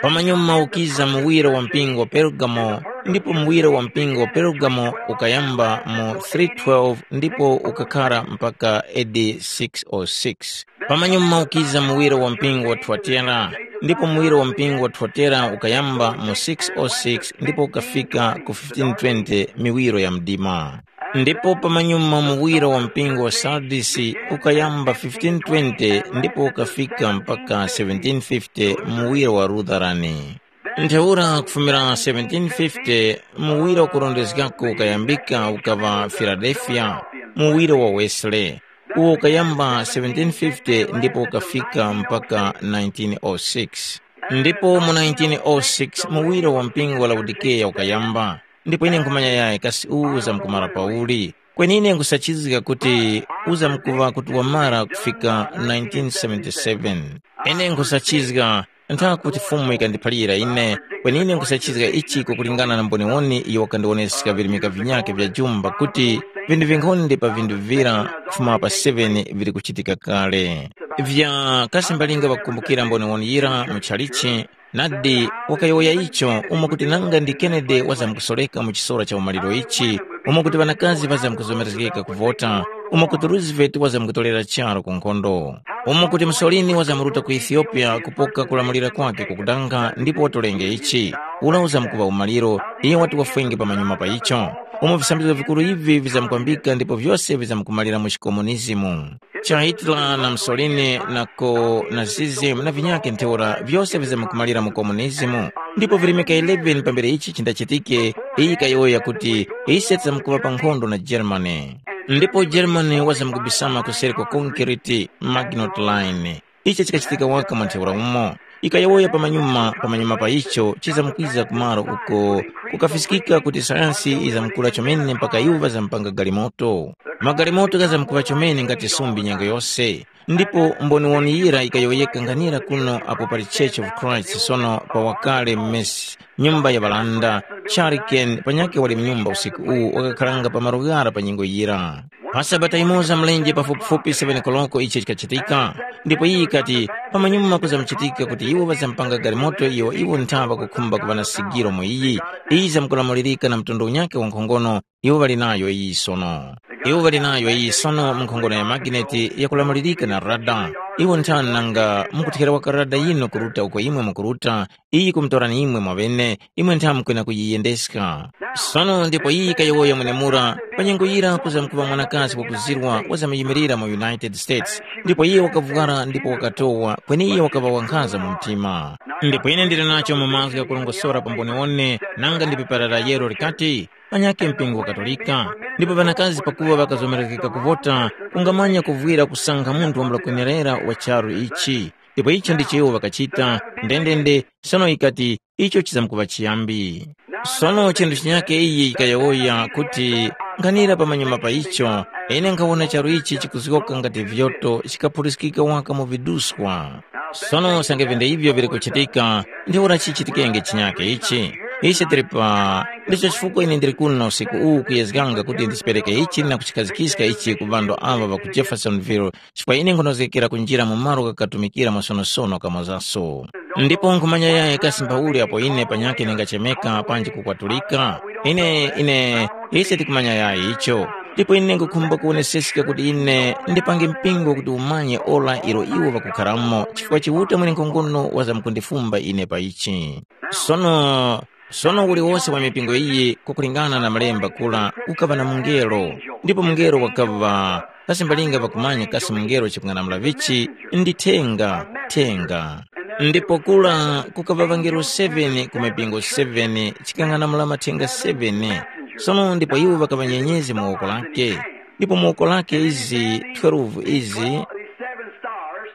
Pamanyuma ukiza muwiro wa mpingo wa Pergamo, ndipo muwiro wa mpingo wa Pergamo ukayamba mu three twelve ndipo ukakhara mpaka A D six oh six. Pamanyuma ukiza muwiro wa mpingo wa Thuatira, ndipo muwiro wa mpingo wa Thuatira ukayamba mu six oh six ndipo ukafika ku fifteen twenty miwiro ya mdima. Ndipo pamanyuma muwiro wa mpingo wa Sardisi ukayamba fifteen twenty ndipo ukafika mpaka seventeen fifty muwiro wa Lutherani. Ntheura kufumira seventeen fifty, muwiro wakurondezgako ukayambika ukaŵa Filadelfiya, muwiro wa Wesley. Uwo ukayamba seventeen fifty ndipo ukafika mpaka nineteen oh six. Ndipo mu nineteen oh six muwiro wa mpingo wa Laodikeya ukayamba. Ndipo ine nkhumanya yayi kasi uwu uzamkumara pauli. Kweni ine nkhusachizga kuti uzamkuŵa kuti wamara kufika nineteen seventy-seven. Ine nkhusachizga nthawi kuti Fumu yikandiphalira ine, kweni ine nkhusachizga ichi kukulingana na mboniwoni iyo wakandiwoneska virimika vinyakhe vya jumba kuti vinthu vinkhonde pa vinthu vira kufuma pa seven vili kuchitika kale. Vya kasi mbalinga ŵakukumbukira mboniwoni yira mu chalichi, nadi wakayowoya icho umo kuti nanga ndi Kennedy wazamkusoreka mu chisora cha umaliro ichi, umo kuti ŵanakazi ŵazamkuzomerezgeka kuvota, umo kuti Roosevelt wazamkutolera charu ku nkhondo, umo kuti Mussolini wazamruta ku Ethiopia kupoka kulamulira kwake kukudanga ndipo watolenge ichi, ula uzamkuŵa umaliro, iye wati wafwenge pamanyuma pa icho, umo visambizgo vikuru ivi vizamkwambika ndipo vyose vizamkumalira mu chikomunizimu. Cha Hitler na Mussolini na ko na Nazism na vinyakhe ntheura vyose vizamkumalira mu komunizimu. Ndipo virimika eleven pambere ichi chindachitike, iyi kayowoya kuti, ise tizamkuŵa pa nkhondo na Germany. Ndipo Germany wazamkubisama kuseri kwa concrete Maginot Line. Ichi chikachitika waka mwa ntheura umo. Ikayowoya pamanyuma pamanyuma pa icho chizamkwiza kumaro uko kukafiskika kuti sayansi izamkula chomene mpaka iwo ŵazampanga galimoto. Magalimoto ghazamkuŵa chomene ngati sumbi nyengo yose. Ndipo mboniwoni yira ikayowoyeka nganira kuno apo pali Church of Christ sono pa wakale mmesi nyumba ya ŵalanda, Charken panyakhe wali mnyumba usiku uwu wakakharanga pa malo ghara pa nyengo yira. Pa sabata yimoza mlenje pafupifupi seven koloko ichi chikachitika, ndipo iyi yikati pamanyuma kuzamuchitika kuti iwo ŵazampanga galimoto iyo iwo nthawa kukhumba kuŵa na sigiro mu iyi, iyi zamkulamulirika na mtundu unyakhe wa nkhongono iwo ŵali nayo iyi sono. Iwo ŵali nayo iyi sono mu nkhongono ya magineti yakulamulirika na rada. Iwo nthani nanga mukuthera waka rada yinu kuruta uko imwe mukuruta, iyi kumutorani imwe mwaŵene, imwe ntha mukwena kuyiyendeska. Sono ndipo iyi kayowoya mwenemura, pa nyengo yira kuza mkuŵa mwanakazi wakuzirwa wazamuyimilira mu United States, ndipo iye wakavwara ndipo wakatowa, kweni iye wakaŵa wankhaza mu mtima. Ndipo ine ndili nacho mu mazgu ghakurongosora pa mboniwone, nanga ndi pepara la yero likati, panyakhe mpingo wa Katolika, ndipo ŵanakazi pakuŵa ŵakazomerezgeka kuvota, kungamanya kuvwira kusankha munthu wambula kwenerera wa charu ichi. Ndipo icho ndicho iwo ŵakachita, ndendende, sono yikati, icho chizamkuŵa chiyambi. Sono chinthu chinyakhe iyi yikayowoya kuti, nkhanira pamanyuma pa icho, ine nkhawona charu ichi chikuzgoka ngati vyoto chikaphuliskika waka mu viduswa. Sono usange vyendeivyo vili kuchitika, ntheura chichitikenge chinyakhe ichi? Ise tili pa ndicho chifukwa ine ndili kuno usiku uwu kuyezganga kuti ndichipereke ichi na kuchikhazikiska ichi ku ŵanthu aŵa ŵa ku Jeffersonville, chifukwa ine nkhunozgekera kunjira mu malo ghakatumikira mwasonosono kamozaso. Ndipo nkhumanya yayi kasi mphauli apo ine panyakhe ndingachemeka panji kukwatulika? Ine, ine, ise tikumanya yayi icho. Ndipo ine nkhukhumba kuwoneseska kuti ine ndipange mpingo kuti umanye ora ilo iwo ŵakukharamo, chifukwa Chiuta mwenenkhongono wazamkundifumba ine pa ichi. Sono, sono uliwose wa mipingo iyi, kwakulingana na malemba kula, ukaŵa na mungelo, ndipo mungelo wakaŵa, kasi mbalinga ŵakumanya kasi mungelo chikung'anamula vichi, ndi thenga, thenga. Ndipo kula kukaŵa ŵangelo seven ku mipingo seven, chikang'anamula mathenga seven. Sono ndipo iwo ŵakaŵa nyenyezi mu woko lake, ndipo mu woko lake izi twelve izi,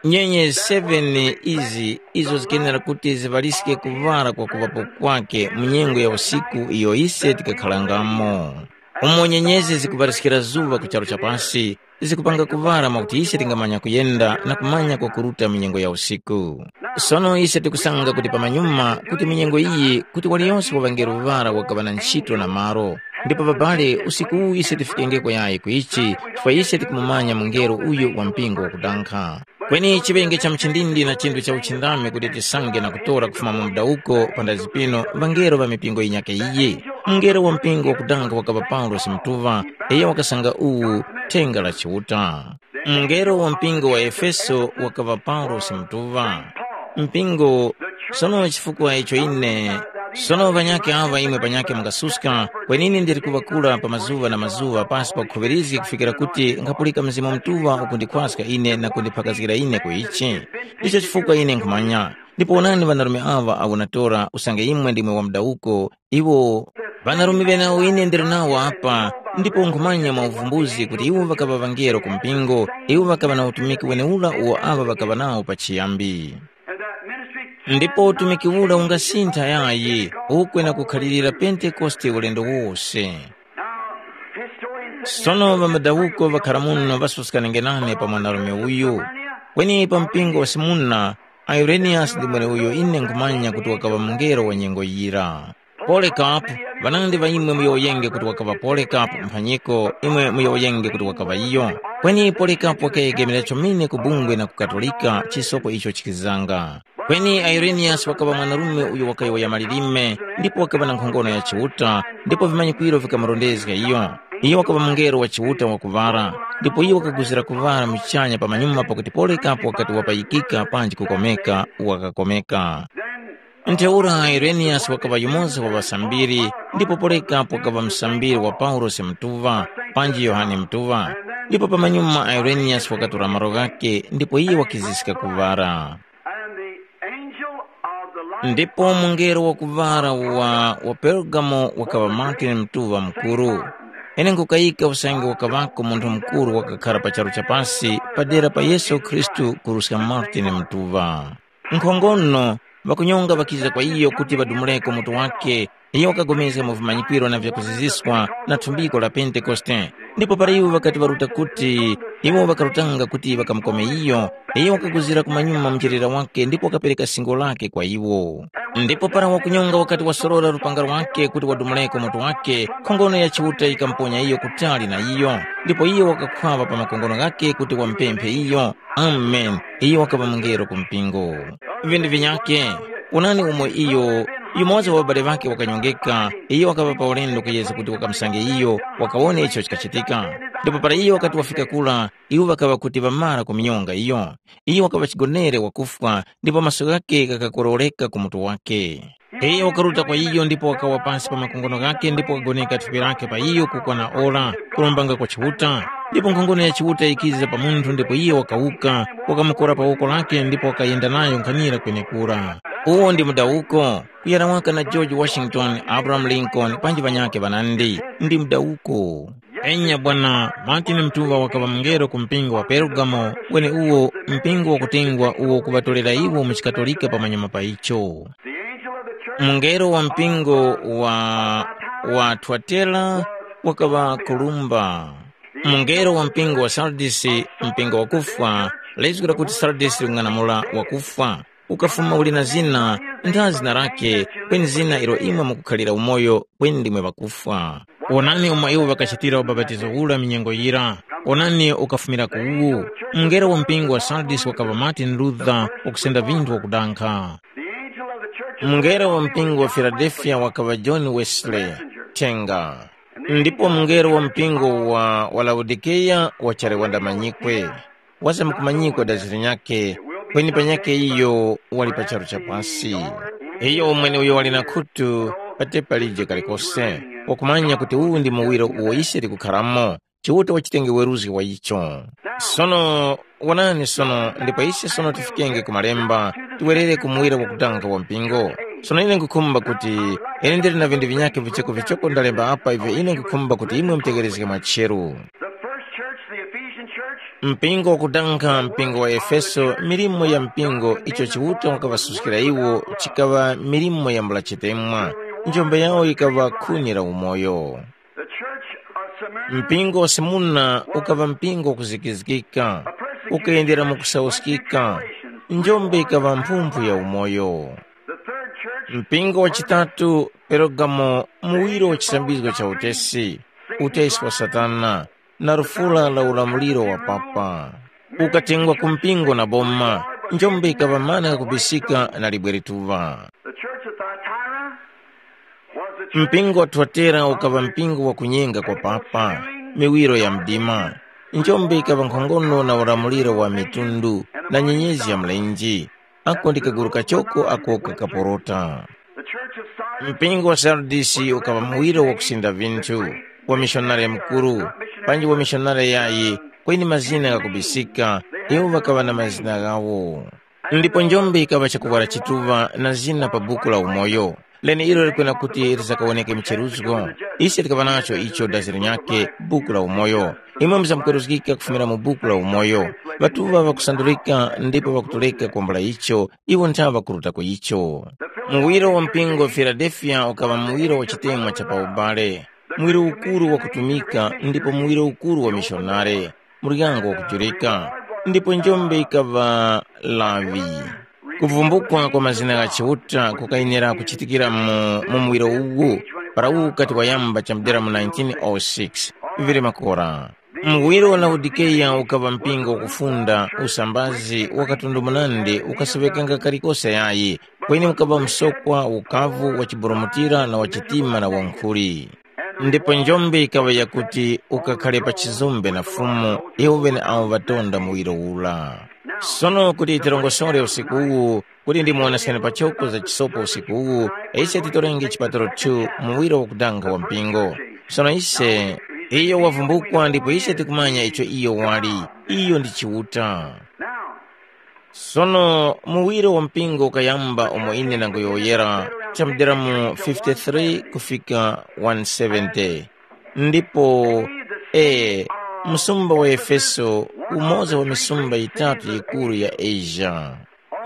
nyenye seven izi izo zikenera kuti ziŵaliske kuŵala kwa kuŵapo kwake mu nyengo ya usiku iyo ise tikakharangamo. Umo nyenyezi zikuŵaliskira zuŵa ku charu cha pasi, zikupanga kuŵala mwakuti ise tingamanya kuyenda na kumanya kwakuruta mu nyengo ya usiku. Sono ise tikusanga kuti pamanyuma kuti mu nyengo iyi kuti waliyonse wa ŵangelo ŵara wakaŵa na nchito na malo. Ndipo babale, usiku uwu ise tifikengeko yayi ku ichi, chifukwa ise tikumumanya mungelo uyu wa mpingo wakudankha. Kweni chiŵenge cha mchindindi na chinthu cha uchindami kuti tisange na kutora kufuma mu mudawuko panda zipino ŵangelo ŵa mipingo yinyakhe iyi. Mungelo wa mpingo wakudankha wakaŵa Paulosi mutuŵa, iyo wakasanga uwu thenga la Chiuta. Mungelo wa mpingo wa Efeso wakaŵa Paulosi mutuŵa. Mpingo, sono chifukwa icho ine, sono ŵanyakhe aŵa imwe panyakhe mungasuska, kweni ine ndili kuŵakula pa mazuŵa na mazuŵa pasi pa kukhuŵirizgi kufikira kuti nkhapulika Mzimu Mutuŵa ukundikhwaska ine na kundiphakazgira ine ku ichi. Ndicho chifukwa ine nkhumanya. Ndipo wonani ŵanarume aŵa awo natora usange imwe ndimwe wa mudawuko, iwo ŵanarume ŵenawo ine ndili nawo apa, ndipo nkhumanya mwa uvumbuzi kuti iwo ŵakaŵa ŵangelo ku mpingo, iwo ŵakaŵa na utumiki wenewura uwo aŵa ŵakaŵa nawo pachiyambi. Ndipo utumiki ura ungasintha yayi, ukwe na kukhalirira Pentekoste ulendo wose. Sono ŵamadawuko ŵakhara muno ŵasuskanienge nane pa mwanarume uyu. Kweni pa mpingo wa Simuna, Ireniyasi ndi mweneuyo ine nkhumanya kuti wakaŵa mungelo wa nyengo yira. Polekapu, ŵanandi ŵa imwe muyowoyenge kuti wakaŵa Polekapu mphanyiko, imwe muyowoyenge kuti wakaŵa iyo. Kweni Polekapu wakayegemera chomene ku bungwe na ku Katolika, chisoko icho chikizanga. Kweni Ireniyasi wakaŵa mwanarume uyo wakayowoya malilime, ndipo wakaŵa na nkhongono ya Chiuta, ndipo vimanyikwiro vikamurondezga iyo. Iyo wakaŵa mungelo wa Chiuta wakuŵala, ndipo iyo wakaguzira kuŵala muchanya pamanyuma pakuti Polekapu wakati wapayikika panji kukomeka, wakakomeka. Ntheura Ireniyasi wakaŵa yumoza wa ŵasambiri, ndipo Polekapu wakaŵa musambiri wa Paulosi Mutuŵa, panji Yohane Mutuŵa. Ndipo pamanyuma Ireniyasi wakatora malo ghakhe, ndipo iye wakiziska kuŵala. And the angel of the light Ndipo mungelo wakuŵala wa, wa Pergamo wakaŵa Martin Mtuŵa Mukuru. Ine nkukayika usange wakaŵako munthu mukuru wakakhara pa charu cha pasi padera pa Yesu Khristu kuruska Martin Mtuŵa. Nkhongono, ŵakunyonga ŵakiza kwa iyo kuti ŵadumuleko mutu wake, iyo wakapulikana mu vimanyikwiro na vyakuziziswa na thumbiko la Pentekoste. Ndipo para iwo ŵakati ŵaruta kuti, iwo ŵakarutanga kuti ŵakamukome iyo, iyo wakaguzira kumanyuma mcherera wake ndipo wakapereka singo lake kwa iwo. Ndipo para wakunyonga wakati wasorora lupanga lwake kuti wadumuleko mutu wake, nkhongono ya Chiuta yikamuponya iyo kutali na iyo, ndipo iyo wakakhwaŵa pa makongono ghake kuti wamupemphe iyo. Amen. Iyo wakaŵa mungelo ku mpingo. Vinthu vinyakhe, wonani umo iyo, yumoza wa ŵabale ŵakhe wakanyongeka, iyo wakaŵa pa ulendo kuyezga kuti wakamusange iyo, wakawone icho chikachitika. Ndipo para iyo wakati wafika kura, iwo ŵakaŵa kuti ŵamara kumunyonga iyo. Iyo wakaŵa chigonere wakufwa, ndipo maso ghakhe ghakakororeka ku mutu wakhe. Iyo wakaruta kwa iyo ndipo wakawa pasi pa makongono ghakhe ndipo wakagoneka thupi lakhe pa iyo kukwana ora, kulombanga kwa Chiuta. Ndipo nkhongono ya Chiuta yikiza pa munthu ndipo iyo wakawuka, wakamukora pa woko lakhe ndipo wakayenda nayo nkhanira kwenekura. Uwo ndi mudawuko, kuyana waka na George Washington, Abraham Lincoln, panji ŵanyakhe ŵanandi. Ndi mudawuko. Enya bwana, Martin Mtuŵa wakaŵa mungelo ku mpingo wa Pergamo, kweni uwo mpingo wakutengwa uwo kuŵatorera iwo mu chikatolika pamanyuma pa icho. Mungelo wa mpingo wa, wa Twatera wakaŵa Kolumba. Mungelo wa mpingo wa Sardisi, mpingo wakufwa, lizgu lakuti Sardisi ling'anamula wakufwa, ukafuma uli na zina, ntha zina lakhe, kweni zina ilo imwe mukukhalira umoyo, kweni ndimwe ŵakufwa. Wonani umo iwo ŵakachitira ubapatizo ura minyengo yira. Wonani ukafumira ku uwu. Mungelo wa mpingo wa Sardis wakaŵa Martin Luther wakusenda vinthu wakudankha. Mungelo wa mpingo wa Filadelfiya wakaŵa John Wesley, thenga. Ndipo mungelo wa mpingo wa, wa Laodikeya wachali wandamanyikwe. Wazamkumanyikwa daziri nyakhe, kweni panyakhe iyo wali pa charu cha pasi. Iyo umwene uyo wali na khutu patepa lije kalikose, wakumanya kuti uwu ndi muwiro uwo ise tikukharamo, Chiuta wachitenge weruzgi wa icho. Sono, wonani sono, ndipo ise sono tifikenge ku malemba, tiwerere ku muwiro wakudanga wa mpingo. Sono ine nkukhumba kuti, ine ndili na vinthu vinyakhe vichoko vichoko ndalemba apa ivyo ine nkukhumba kuti imwe mutegherezge mwacheru. The first church, the Ephesian church, Mpingo wakudanga mpingo wa Efeso, milimo ya mpingo icho Chiuta wakaŵasuskira iwo chikaŵa milimo ya mbula chitemwa. Njombe yawo yikaŵa khuni la umoyo. The church of Smyrna, Mpingo wa Simuna ukaŵa mpingo wakuzikizgika, ukayendera mu kusauskika. Njombe ikaŵa mphumphu ya umoyo. The third church, Mpingo wa chitatu, Pergamo, muwiro wa chisambizgo cha utesi, utesi wa Satana, na lufula la ulamuliro wa papa. Ukatengwa ku mpingo na boma, njombe ikaŵa mana kakubisika na libwe lituŵa. The church of Thyatira was the church Mpingo wa Twatera ukaŵa mpingo wa kunyenga kwa papa, miwiro ya mdima. Njombe ikaŵa nkhongono na ulamuliro wa mitundu na nyenyezi ya mlenje. Ako ndi kaguru kachoko ako kakaporota. The church of Sardis Mpingo wa Sardisi ukaŵa muwiro wakusinda vinthu, wa mishonare mukuru, panji wa mishonare yayi, kweni mazina ghakubisika, iwo ŵakaŵa na mazina ghawo. Ndipo njombe ikaŵa chakuwara chituŵa na zina pa buku la umoyo, leneilo likwena kuti lizakawoneke mcheruzgo. Ise tikaŵa nacho icho daziro nyakhe, buku la umoyo. Imwe muzamkweruzgika kufumira mu buku la umoyo. Ŵatuŵa ŵakusandulika ndipo ŵakutoleka kwambula icho, iwo nthawe ŵakuruta ku icho. Muwiro wa mpingo wa Filadelfiya ukaŵa muwiro wa chitemwa cha pa ubale, muwiro ukuru wa kutumika ndipo muwiro ukuru wa mishonare, muryango wakujurika, ndipo njombe yikaŵa laŵi. Kuvumbukwa kwa mazina gha Chiuta kukayenera kuchitikira mu, mu muwiro uwu, para uwu ukati wayamba chamudera mu nineteen oh six. Vili makora. Muwiro wa Laodikeya ukaŵa mpingo wakufunda, usambazi wa katundu munandi ukasoŵekanga kalikose yayi, kweni ukaŵa msokwa, ukavu wa chiburumutira na wa chitima na wankhuli. Ndipo njombe yikaŵa yakuti ukakhare pa chizumbe na Fumu, iwo ŵeneawo ŵatonda muwiro ura. Sono kuti tirongosore usiku uwu, kuti ndimuwoneseni pachoko za chisopo usiku uwu, ise titorenge chipatalo two muwiro wakudanga wa mpingo. Sono ise, iyo wavumbukwa ndipo ise tikumanya icho iyo wali. Iyo ndi Chiuta. Sono muwiro wa mpingo ukayamba umo ine ndangoyowoyera, chamudera mu fifty-three kufika one seventy. Ndipo, e, msumba wa Efeso, umoza wa misumba yitatu yikuru ya Asia.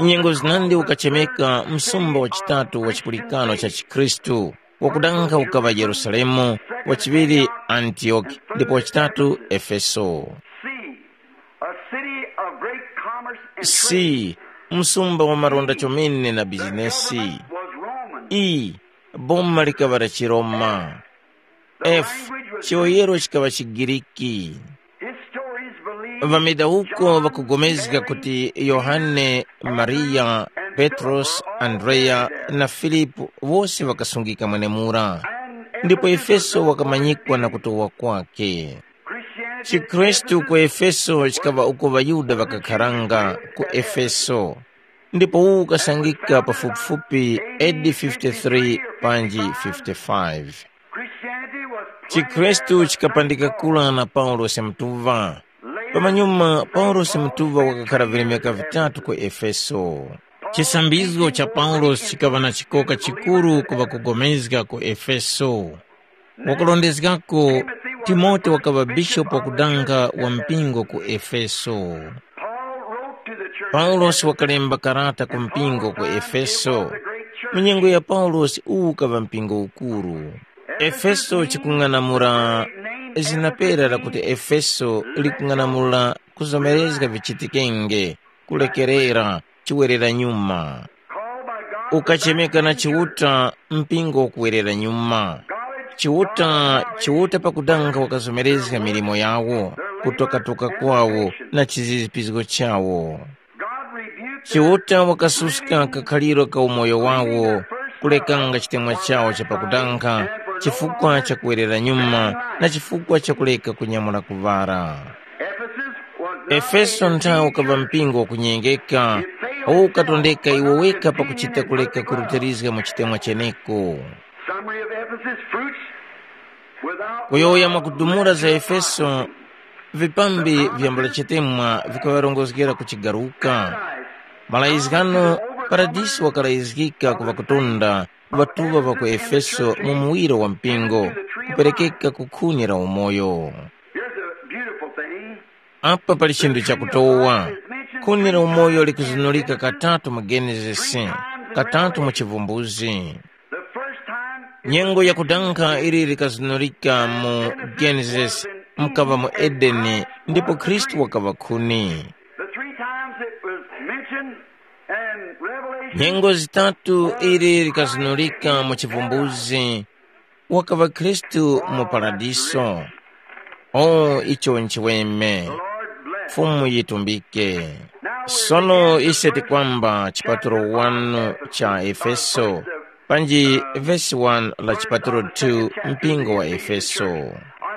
Nyengo zinandi ukachemeka msumba wa chitatu wa chipulikano cha chikhristu, wakudanga ukaŵa Yerusalemu, wachiŵiri Antiyoki, ndipo wachitatu Efeso. C, a city of great commerce and C, trade. Msumba wa maronda chomene na bizinesi. Was Roman. E, boma likaŵa la Chiroma. F, chiyoyero chikaŵa Chigiriki. Historians believe Ŵamedauko ŵakugomezga kuti Yohane, Mariya, Petros, Andreya na Filipu wose ŵakasungika mwenemura. Ndipo Efeso wakamanyikwa na kutowa kwake. Chikhristu ku Efeso chikaŵa uko ŵaYuda ŵakakharanga ku Efeso, ndipo uwu ukasangika pafupifupi A D fifty-three panji fifty-five. Chikhristu chikapandika kula na Paulosi Mutuŵa. Pamanyuma, Paulosi Mutuŵa wakakhara vilemeka vitatu ku Efeso. Chisambizgo cha Paulosi chikaŵa na chikoka chikuru ku ŵakugomezga ku Efeso. Wakulondezgako, Timote wakaŵa bishopu wakudanga wa mpingo ku Efeso. Paulosi wakalemba karata ku mpingo ku Efeso. Mu nyengo ya Paulosi uwu ukaŵa mpingo ukuru. Efeso chikung'anamula, zina pera lakuti Efeso likung'anamula kuzomerezga vichitikenge, kulekerera, chiwerera nyuma. Ukachemeka na Chiuta mpingo ukuwerera nyuma. Chiuta, Chiuta pakudanga wakazomerezga milimo yawo, kutokatoka kwawo na chizizipizgo chawo. Chiuta wakasuska kakhaliro ka umoyo wawo, kulekanga chitemwa chawo cha pakudanga, chifukwa cha kuwerera nyuma na chifukwa cha kuleka kunyamula kuŵara. Efeso nthawe ukaŵa mpingo wakunyengeka, ukatondeka iwo weka pakuchita kuleka kurutilizga mu chitemwa cheneko. Summary of Ephesus, fruits without Kuyowoya mwakudumula za Efeso, vipambi vyambula chitemwa vikaŵarongozgera ku chigaruka. Malayizgano, Paradisi wakalayizgika ku ŵakutunda, ŵatuŵa ŵa ku Efeso mu muwiro wa mpingo, kuperekeka ku khuni la umoyo. Here's a beautiful thing. Apa pali chinthu chakutowa. Khuni la umoyo likuzunulika katatu mu Genesis, katatu mu Chivumbuzi. The first time it Nyengo was yakudanga ili likazunulika mu Genesis, mkaŵa mu Edeni, ndipo Khristu wakaŵa khuni. The three times it was mentioned in Revelation. Nyengo zitatu ili likazunulika mu Chivumbuzi, wakaŵa Khristu mu Paradiso. O, icho nchiweme. Fumu yitumbike. Sono ise tikwamba chipatulo one cha Efeso, panji vesi one la chipatulo two mpingo wa Efeso.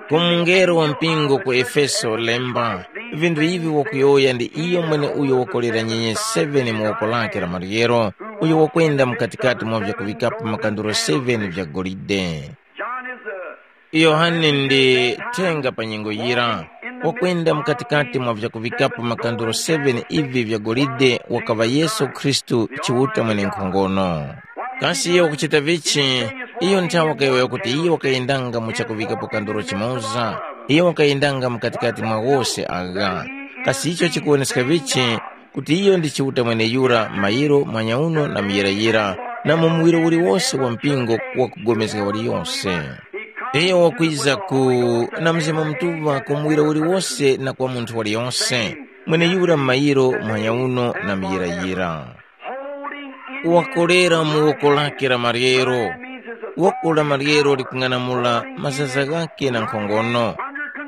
Ku mungelo wa mpingo ku Efeso lemba, vinthu ivi wakuyowoya ndi iyo mwene uyo wakolera nyenye seven mu woko lake la maryero, uyo wakwenda mukatikati mwa vyakuŵikapo makanduro seven vya golide. John is the Yohane ndi thenga pa nyengo yira, wakwenda mukatikati mwa vyakuŵikapo makanduro seven ivi vya golide wakaŵa Yesu Khristu Chiuta mwenenkhongono. Kasi iyo wakuchita vichi? Iyo nthawe wakayowoya kuti iyo wakayendanga mu chakuŵikapo kanduro chimoza, iyo wakayendanga mukatikati mwa wose agha. Kasi icho chikuwoneska vichi? Kuti iyo ndi Chiuta mweneyura mayiro mwanyauno na muyirayira, na mu muwiro uliwose wa mpingo wakupulikana waliyose. Iyo wakwiza ku na Mzimu Mutuŵa ku muwiro uliwose na kwa munthu waliyose, mweneyura mayiro mwanyauno na muyirayira. Wakolera mu woko lake la maryero. Woko la maryero likung'anamula mazaza ghake na nkhongono.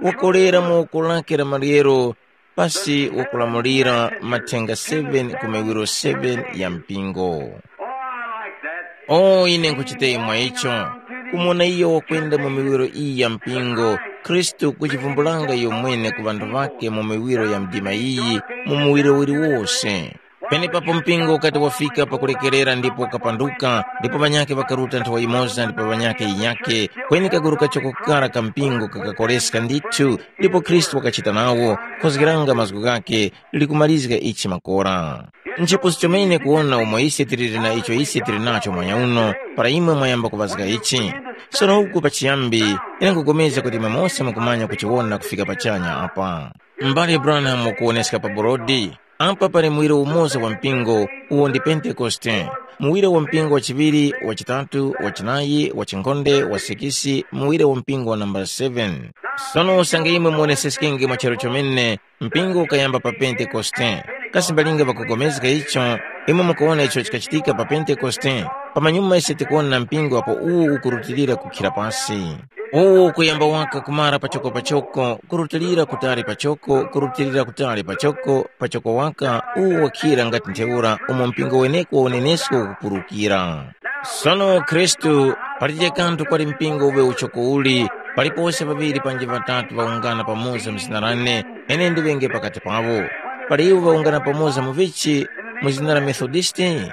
Wakolera mu woko lake la maryero pasi wakulamulira mathenga seven ku miwiro seven ya mpingo. Oh, I like that. Oh, ine nkuchita imwe icho. Kumona iyo wakwenda mu miwiro iyi ya mpingo, Khristu kuchivumbulanga iyo mwene ku ŵanthu ŵake mu miwiro ya mdima iyi, mu muwiro uliwose. Penepapo mpingo ukati wafika pakulekerera ndipo ukapanduka, ndipo ŵanyakhe ŵakaruta nthawa yimoza ndipo ŵanyakhe yinyakhe, kweni kaguru kachoko kara ka mpingo kakakoreska ndithu, ndipo Khristu wakachita nawo, khozgeranga mazgu ghakhe, likumarizga ichi makora. Nchipusu chomene kuwona umo ise tiliri na icho ise tili nacho mwanya uno, para imwe mwayamba kuŵazga ichi. Sono uku pachiyambi, ine nkupulikana kuti imwe mose mukumanya kuchiwona kufika pachanya apa. M'bale Branham wakuwoneska pa borodi, apa pali muwiro umoza wa mpingo, uwo ndi Pentekoste. Muwiro wa mpingo wa chiŵiri, wa chitatu, wa chinayi, wa chinkhonde, wa sikisi, muwiro wa mpingo wa nambala seven. Sono usange imwe muwoneseskenge mwa charu chomene, mpingo ukayamba pa Pentekoste. Kasi mbalinga ŵakupulikana icho, imwe mukuwona icho chikachitika pa Pentekoste? Pamanyuma ise tikuwona mpingo apo uwu ukurutilira kukhira pasi. Uwu ukuyamba waka kumara pachoko pachoko, kurutilira kutali pachoko, kurutilira kutali pachoko, pachoko waka, uwu wakhira ngati ntheura umo mpingo weneko wa unenesko ukupurukira. Sono Khristu, palibe kanthu kwali mpingo uŵe uchoko uli, palipose ŵaŵiri panji ŵatatu ŵawungana pamoza mu zina lane, ine ndiŵenge pakati pawo. Pali iwo ŵawungana pamoza mu vichi, mu zina la Methodisti,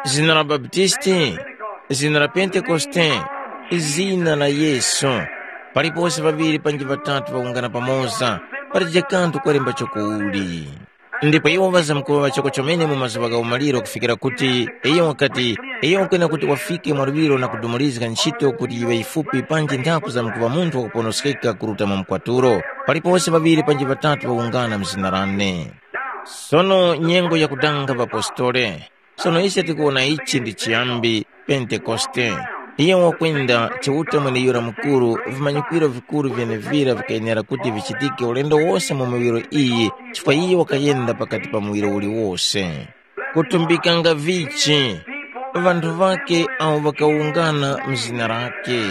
zina la Baptisti, zina la Pentekoste, zina la Yesu. Palipose ŵaŵiri panji ŵatatu ŵawungana pamoza, palibe kanthu kwalemba choko uli. Ndipo iwo ŵazamkuŵa ŵachoko chomene mu mazuŵa gha umaliro kufikira kuti, iyo wakati, iyo wakwena kuti wafike mwa luŵiro na kudumulizga ntchito kuti yiŵe yifupi panji nthaku zamkuŵa munthu wakuponoskeka kuruta mu mkwatulo. Palipose ŵaŵiri panji ŵatatu ŵawungana mu zina lane. Sono nyengo yakudanga ŵapostole. Sono ise tikuwona ichi ndi chiyambi, Pentekoste. Iyo wakwenda Chiuta mweneyura mukuru, vimanyikwiro vikuru vyenevira vikayenera kuti vichitike ulendo wose mu miwiro iyi, chifukwa iyo wakayenda pakati pa muwiro uliwose. Kutumbikanga vichi, ŵanthu ŵake awo ŵakawungana mu zina lake.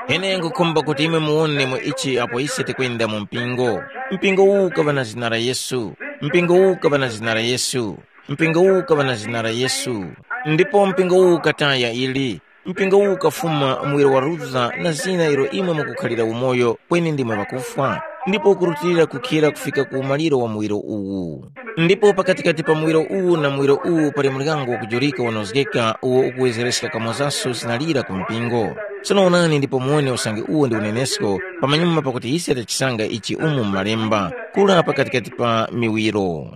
Ine nkhukhumba kuti imwe muwone mu ichi apo ise tikwenda mu mpingo. Mpingo uwu ukaŵa na zina la Yesu. Mpingo uwu ukaŵa na zina la Yesu. Mpingo uwu ukaŵa na zina la Yesu, ndipo mpingo uwu ukataya ili. Mpingo uwu ukafuma muwiro wa Luther na zina ilo imwe mukukhalira umoyo, kweni ndimwe ŵakufwa, ndipo ukurutilira kukhira kufika ku umaliro wa muwiro uwu. Ndipo pakatikati pa muwiro uwu na muwiro uwu pali muryango wakujurika wanozgeka uwo ukuwezereska kamozaso zina lira ku mpingo. Sono onani ndipo muwone usange uwo ndi unenesko, pamanyuma pakuti ise tachisanga ichi umu mu Malemba, kura pakatikati pa miwiro.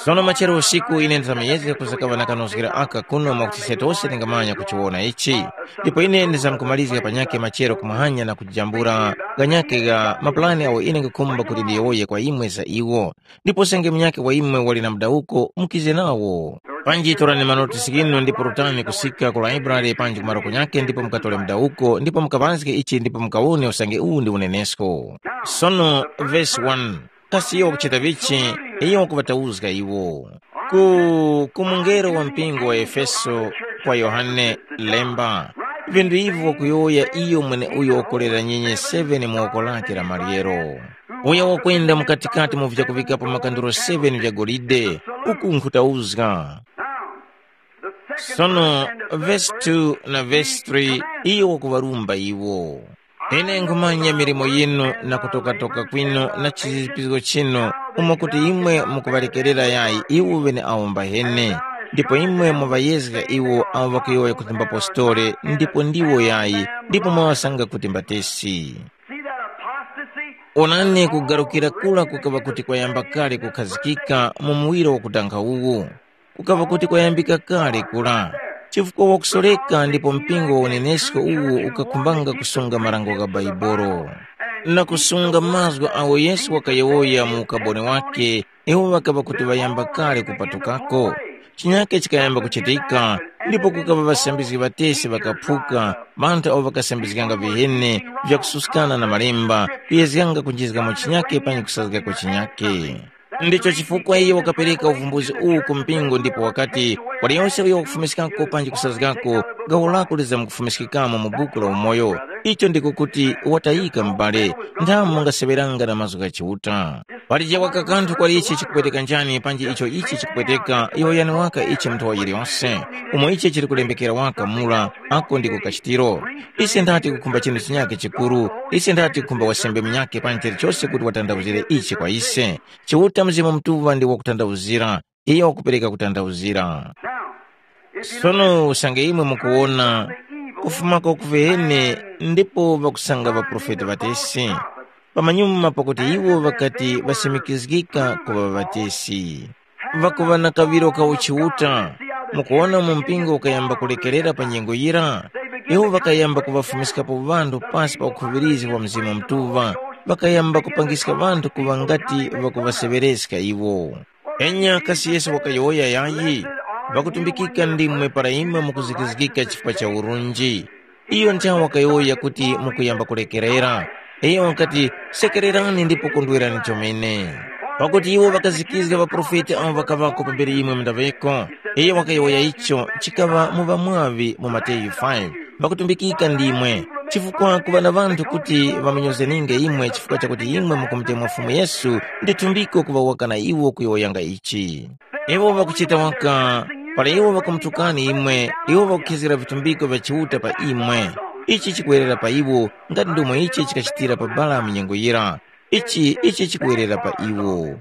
Sono machero usiku ine ndizamuyezga kuzakaŵa na kanozgero aka kuno mwakuti ise tose tingamanya kuchiwona ichi. Ndipo ine ndizamkumarizga panyakhe machero kumahanya na kujambula ghanyakhe gha mapulani agho ine nkhukhumba kuti ndiyowoye kwa imwe za iwo. Ndipo senge munyakhe wa imwe wali na mudawuko, mukize nawo. Panji torani manotisi ghinu ndipo rutani kusika ku laibrale panji ku maroko nyakhe ndipo mukatore mudawuko ndipo mukaŵazge ichi ndipo mukawone usange uwu ndi unenesko. Sono vesi one. Kasi iyo wakuchita vichi? Iyo wakuŵatauzga iwo. Ku, ku mungelo wa mpingo wa Efeso kwa Yohane lemba, vinthu ivi wakuyowoya iyo mweneuyo wakolera nyenye seven mu woko lake la maryero, uyo wakwenda mukatikati mu vyakuŵikapo makanduro seven vya golide, uku nkhutauzga. Sono vesi two na vesi three iyo wakuŵarumba iwo. Ine nkhumanya milimo yinu na kutokatoka kwinu na chizizipizgo chinu, umo kuti imwe mukuŵalekerera yayi iwo ŵeneawo mbahene, ndipo imwe muŵayezga iwo awo ŵakuyowoya kuti mbapostole ndipo ndiwo yayi, ndipo mwaŵasanga kuti mbatesi. Onani, kugarukira kura kukaŵa kuti kwayamba kale kukhazikika mu muwiro wakudanga uwu. Kukaŵa kuti kwayambika kale kura, chifukwa wakusoreka ndipo mpingo wa unenesko uwu ukakhumbanga kusunga marango gha Baibolo, na kusunga mazgu agho Yesu wakayowoya mu ukaboni wakhe, iwo ŵakaŵa kuti ŵayamba kale kupatukako. Chinyake chikayamba kuchitika, ndipo kukaŵa ŵasambizgi ŵatesi ŵakaphuka, ŵanthu awo ŵakasambizganga viheni vyakususkana na Malemba, kuyezganga kunjizgamo chinyake panyi kusazgako chinyake. Ndicho chifukwa iye wakapereka uvumbuzi uwu ku mpingo ndipo wakati, waliyose uyo wakufumiskako panji kusazgako, gawo lako lizamkufumiskikamo mu buku la umoyo. Icho ndiko kuti watayika m'bale, nthamu mungaseŵeranga na mazgu gha Chiuta. Palije waka kanthu kwali ichi chikupweteka njani panji icho ichi chikupweteka, yowoyani waka ichi munthu wa yiliyose, umo ichi chili kulembekera waka mura, ako ndiko kachitiro. Ise ndati kukhumba chinthu chinyakhe chikuru, ise ndati kukhumba wasembe munyakhe panji chilichose kuti watandawuzire ichi kwa ise. Chiuta Mzimu Mutuŵa ndi wakutandawuzira, iyo wakupereka kutandawuzira. Sono usange imwe mukuwona kufumako kuvene ndipo ŵakusanga ŵaprofeti ŵatesi, pamanyuma pakuti iwo ŵakati ŵasimikizgika kuŵa ŵatesi, ŵakuŵa na kaŵiro ka uchiuta, mukuwona mu mpingo ukayamba kulekerera pa nyengo yira, iwo ŵakayamba kuŵafumiskapo ŵanthu pasi pa ukhuŵirizi wa Mzimu Mutuŵa, ŵakayamba kupangiska ŵanthu kuŵa ngati ŵakuŵaseŵereska iwo. Enya kasi Yesu wakayowoya yayi, ŵakutumbikika ndimwe para imwe mukuzikizgika chifukwa cha urunji. Iyo nthawe wakayowoya kuti mukuyamba kulekerera. Iyo wakati, sekererani ndipo kondwerani chomene. Pakuti iwo ŵakazikizga ŵaprofeti awo ŵakaŵako pambere imwe mundaŵeko. Iyo wakayowoya icho chikaŵa mu ŵamwaŵi mu Mateyu five. Ŵakutumbikika ndimwe, chifukwa kuŵa na ŵanthu kuti ŵamunyozeninge imwe chifukwa chakuti imwe mukumutemwa Fumu Yesu, ndi thumbiko kuŵa waka na iwo kuyowoyanga ichi. Iwo ŵakuchita waka, para iwo ŵakumutukani imwe, iwo ŵakukhizgira vitumbiko vya Chiuta pa imwe. Ichi chikuwerera pa iwo, ngati ndomwe ichi chikachitira pa Balamu nyengo yira. Ichi, ichi chikuwerera pa iwo.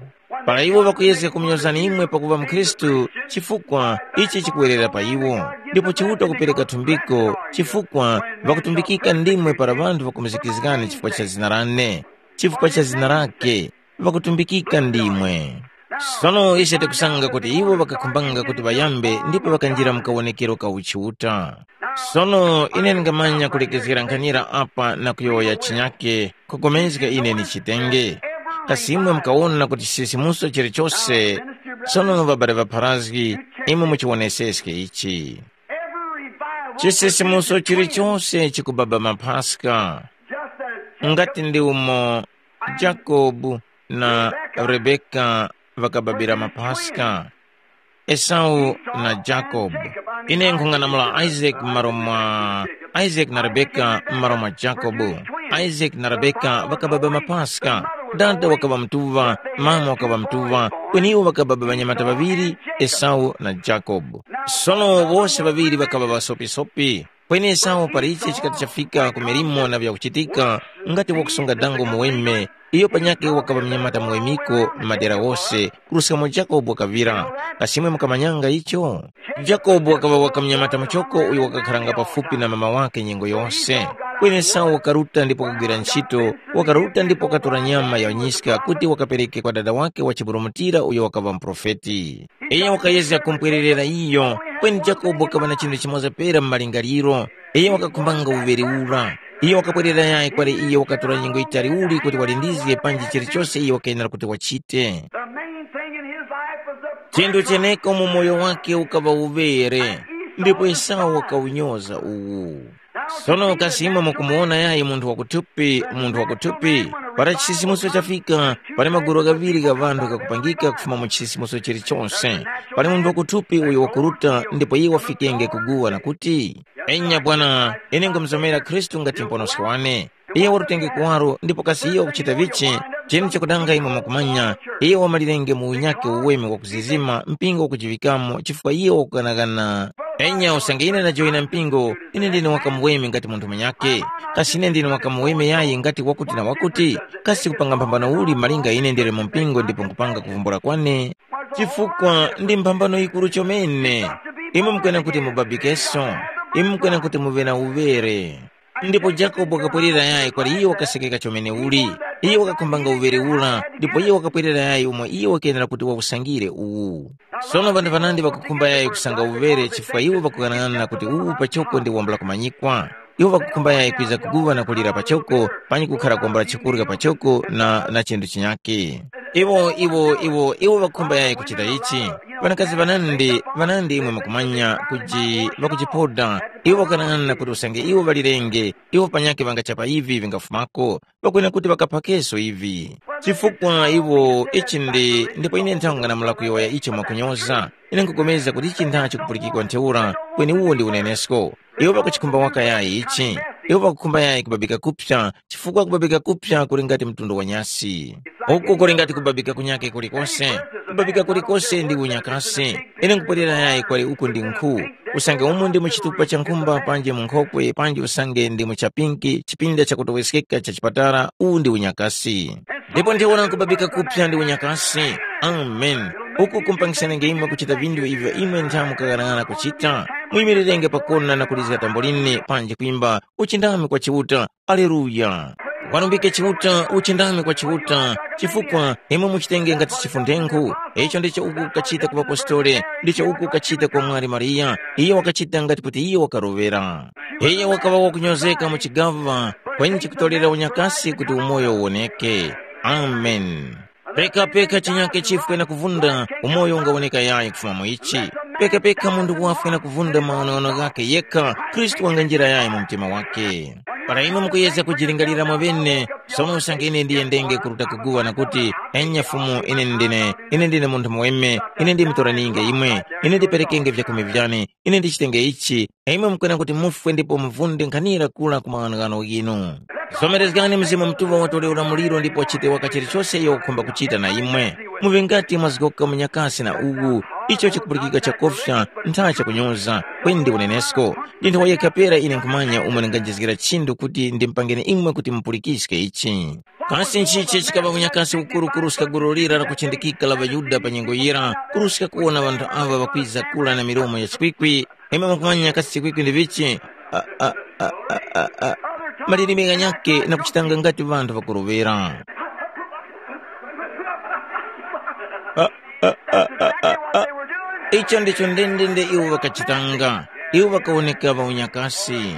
Para iwo ŵakuyezga kumunyozani imwe pakuŵa mukhristu, chifukwa ichi chikuwerera pa iwo, ndipo Chiuta kupereka thumbiko, chifukwa ŵakutumbikika ndimwe para ŵanthu ŵakumuzikizgani chifukwa cha zina lane, chifukwa cha zina lake, ŵakutumbikika ndimwe. Sono ise tikusanga kuti iwo ŵakakhumbanga kuti ŵayambe ndipo ŵakanjira mu kawonekero ka uchiuta. Sono ine ndingamanya kulekezgera nkhanira apa na kuyowoya chinyake, kugomezga ine ni chitenge. Kasi imwe mukawona kuti chisisimuso chilichose, sono ŵabale ŵapharazgi, imwe muchiwoneseske ichi. Chisisimuso chilichose chikubaba maphaska, ngati ndi umo Jakobu na Rebeka ŵakababira maphaska. Esau na Jakobo. Ine nkhung'anamula Isaac m'malo mwa Isaac na Rebeka m'malo mwa Jakobo. Isaac na Rebeka ŵakababa mapaska. Dada wakaŵa mtuŵa, mama wakaŵa mtuŵa, kweni iwo ŵakababa ŵanyamata ŵaŵiri, Esau na Jakobo. Sono wose ŵaŵiri ŵakaŵa ŵasopisopi. Kweni Esau palichi chikati chafika ku milimo na vyakuchitika, ngati wakusunga dango muweme, iyo panyakhe wakaŵa mnyamata muwemiko m'madera ghose, kuruskamo Jakobo wakaŵira. Kasi imwe mukamanyanga icho? Jakobo wakaŵa waka mnyamata muchoko uyo wakakharanga pafupi na mama wakhe nyengo yose. Kweni Esau wakaruta ndipo wakagwira ntchito, wakaruta ndipo wakatora nyama ya nyiska kuti wakapereke kwa dada wakhe wachiburumutira uyo wakaŵa muprofeti. Iyo wakayezga kumpwererera iyo, kweni Jakobo wakaŵa na chinthu chimoza pera mu malingaliro. Iyo wakakhumbanga uŵere ura. Iyo wakapwerera yayi kwali iyo wakatora nyengo yitali uli kuti walindizge panji chilichose iyo wakayenera kuti wachite. The main thing in his life was the Chinthu cheneko mu moyo wake ukaŵa uŵere, ndipo Esau wakawunyoza uwu. Sono kasi imwe mukumuwona yayi munthu wakuthupi, munthu wakuthupi, para chisisimuso chafika, pali magulu ghaŵiri gha ŵanthu ghakupangika kufuma mu chisisimuso chilichose. Pali munthu wakuthupi uyo wakuruta ndipo iye wafikenge kuguwa na kuti, enya Bwana, ine nkhumuzomera Khristu ngati Muponoski wane. Iye warutenge kuwaro ndipo kasi iye wakuchita vichi, chinu chakudanga imwe mwakumanya, iye wamalirenge mu unyakhe uweme wakuzizima mpingo wakujiŵikamo chifukwa iye wakughanaghana. Enya usange ine ndajoyina mpingo, ine ndine wakamuweme ngati munthu munyakhe. Kasi ine ndine wakamuweme yayi ngati wakuti na wakuti? Kasi kupanga mphambano uli malinga ine ndili mu mpingo ndipo nkupanga kuvumbula kwane? Chifukwa ndi mphambano yikuru chomene. Imwe mukwena kuti mubabikeso, imwe mukwena kuti muŵe na uŵere. Ndipo Jakobo wakapwerera yayi kwali iyo wakasekeka chomene uli. Iyo wakakhumbanga uŵere ura, ndipo iyo wakapwerera yayi umo iyo wakenera kuti wawusangire uwu. Sono ŵanthu ŵanandi ŵakukhumba yayi kusanga uŵere chifukwa iwo ŵakughanaghanana kuti uwu pachoko ndi wambula kumanyikwa. Iwo ŵakukhumba yayi kwiza kuguŵa na kulira pachoko, panyi kukhara kwambula chikurya pachoko na, na chinthu chinyakhe. Iwo, iwo, iwo, iwo ŵakukhumba yayi kuchita ichi. Ŵanakazi ŵanandi, ŵanandi imwe mukumanya kuji ŵakujipoda. Iwo ŵakanang'ana kuti usange iwo ŵalirenge, iwo panyakhe ŵangachapa ivi vingafumako. Pakwene kuti ŵakaphakeso ivi. Chifukwa iwo ichi ndi ndipo ine nthang'ana mulakuyowoya icho mwakunyoza. Ine nkhupulikana kuti ichi ntha chikupulikikwa ntheura, kweni uwo ndi unenesko. Iwo ŵakuchikhumba waka yayi ichi. Iwo ŵakukhumba yayi kubabika kupsa, chifukwa kubabika kupsa kuli ngati mtundu wa nyasi. Uku kuli ngati kubabika kunyake kulikose. Kubabika kulikose ndi unyakasi. Ine nkupwerera yayi kwali uku ndi nkhu. Usange umu ndi mu chitupa cha nkhumba panji mu nkhokwe panji usange ndi mu chapinki chipinda chakutoweskeka cha chipatala, uwu ndi unyakasi. Ndipo ndiwona kubabika kupsa ndi unyakasi. Amen. Uku kumpangisanenge imwe kuchita vinthu ivyo imwe ntha mukaghanag'ana kuchita. Muyimirirenge pakona na kulizga tambolini panji kwimba, uchindami kwa Chiuta. Aleluya. Warumbike Chiuta, uchindami kwa Chiuta, chifukwa imwe muchitenge ngati chifundenkhu. Icho ndicho uku kachita ku ŵapostoli, ndicho uku kachita kwa mwali Mariya. Iyo wakachita ngati kuti iyo wakaroŵera. Iyo wakaŵa wakunyozeka mu chigaŵa, kweni chikutorera unyakasi kuti umoyo uwoneke. Amen. Peka peka chinyake chifwe na kuvunda, umoyo ungawoneka yayi kufuma mu ichi. Peka peka munthu wafwe na kuvunda maonono ghakhe yekha, Khristu wanganjira yayi mu mtima wakhe. Para imwe mukuyezga kujilingalira mwaŵene, sono usange ine ndiyendenge kuruta kuguŵa na kuti, enya Fumu, ine ndine, ine ndine munthu muweme, ine ndimtoraninge imwe, ine ndiperekenge vyakhumi vyane, ine ndichitenge ichi, imwe mukwena kuti mufwe ndipo muvunde nkhanira kula ku maghanoghano ghinu. Zomerezgani Mzimu Mutuŵa watore ulamuliro ndipo chite waka chilichose iyo wakukhumba kuchita na imwe. Muŵe ngati mwazgoka munyakasi na uwu, icho chikupulikika chakofya, ntha chakunyoza, kweni ndi unenesko. Ndi nthawa yekha pera ine nkhumanya umo ndinganjizgira chinthu kuti ndimpangeni imwe kuti mupulikiske ichi. Kasi nchichi chikaŵa unyakasi ukuru kuruska gulu lira lakuchindikika la ŵaYuda pa nyengo yira, kuruska kuwona ŵanthu aŵa ŵakwiza kula na milomo ya chikwikwi, imwe mukumanya kasi chikwikwi ndi vichi? A, a, a, a, a, a. Malilime ghanyakhe na kuchitanga ngati ŵanthu ŵakuroŵera. A, a, a, a, a, a. Icho ndicho ndendende iwo ŵakachitanga. Iwo ŵakawoneka ŵaunyakasi.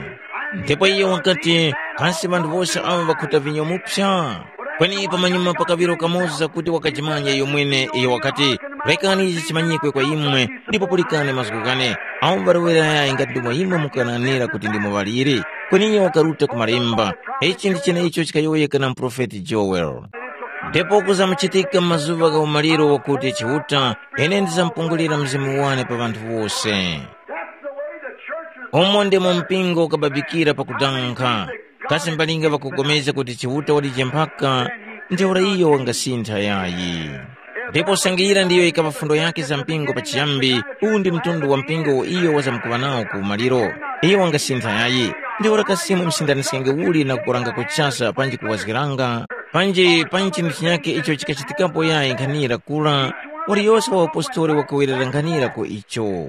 Ndipo iyo wakati, kasi ŵanthu wose awo ŵakhuta vinyo mupsa? Kweni pamanyuma pakaŵiro kamoza kuti wakajimanya iyo mwene, iyo wakati, rekani ichi chimanyikwe kwa imwe, ndipo pulikani mazgu ghane, awo ŵarowera yayi ngati ndomwe imwe mukananira kuti ndimo ŵaliri. Kweni iyo wakaruta ku malemba, ichi ndi cheneicho chikayowoyeka na muprofeti Joel. Ndipo kuzamuchitika mu mazuŵa gha umaliro wakuti Chiuta, ine ndizamupungulira mzimu wane pa ŵanthu wose. Umo ndimo mpingo ukababikira pakudanga. Kasi mbalinga ŵakupulikana kuti Chiuta walije mphaka, ntheura iyo wangasintha yayi. Ndipo sangiyira ndiyo yikaŵa fundo yakhe za mpingo pachiyambi, uwu ndi mtundu wa mpingo uwo iyo wazamkuŵa nawo ku umaliro. Iyo wangasintha yayi. Ntheura kasi msindaniskenge uli na kukuranga kuchasa panji kuwazgiranga, panji panji chinthu chinyakhe icho chikachitikapo yayi nkhanira kura, waliyose wa apostoli wakawerera nkhanira ku icho.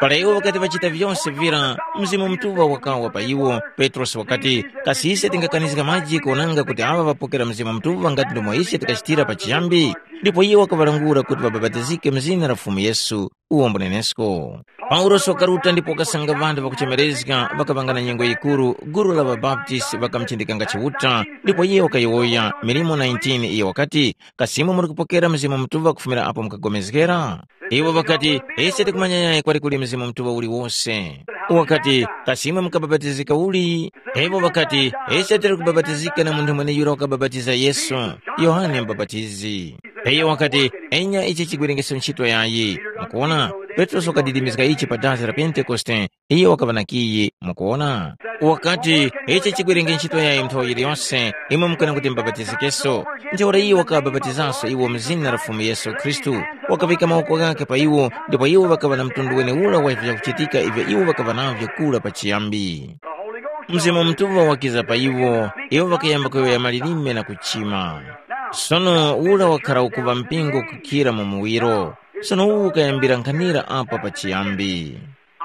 Para iwo ŵakati ŵachita vyose vira, Mzimu Mutuŵa wakawa pa iwo. Petrosi wakati, kasi ise tingakanizga maji kuwonanga kuti aŵa ŵapokera Mzimu Mutuŵa ngati ndomwe ise tikachitira pachiyambi? Ndipo iye wakaŵalangula kuti ŵabapatizike mu zina la Fumu Yesu, uwo mbunenesko. Paulosi wakaruta ndipo wakasanga ŵanthu ŵakuchemerezga ŵakaŵanga na nyengo yikuru, gulu la ŵabaptisi ŵakamuchindikanga Chiuta, ndipo iye wakayowoya, milimo nineteen iyo wakati, kasi imwe muli kupokera Mzimu Mutuŵa kufumira apo mukapulikana? Iwo ŵakati, ise tikumanya yayi kwali kuli Mzimu Mutuŵa uliwose. Wakati, kasi imwe mukabapatizika uli? Iwo ŵakati, ise tili kubapatizika na munthu mweneyura wakabapatiza Yesu, Yohane Mubapatizi. Iyo wakati, enya ichi chigwerengeso nchito yayi. Mukuona, Petrosi wakadidimizga ichi pa dazi la Pentekoste, iyo wakaŵa na kiyi, mukuona? Wakati, ichi chigwerenge nchito yayi nthawi yiliyose, imwe mukana kuti mubapatizikenso. Ntheura iyo wakabapatizanso iwo mu zina la Fumu Yesu Khristu, wakaŵika mawoko ghakhe pa iwo, ndipo iwo ŵakaŵa na mtundu weneura wa vyakuchitika ivyo iwo ŵakaŵa navyo kura pachiyambi. Mzimu Mutuŵa wakiza pa iwo, iwo ŵakayamba kuyowoya malilime na kuchima. Sono ura wakhara ukuŵa mpingo kukhira mu muwiro. Sono uwu ukayambira nkhanira apa pachiyambi.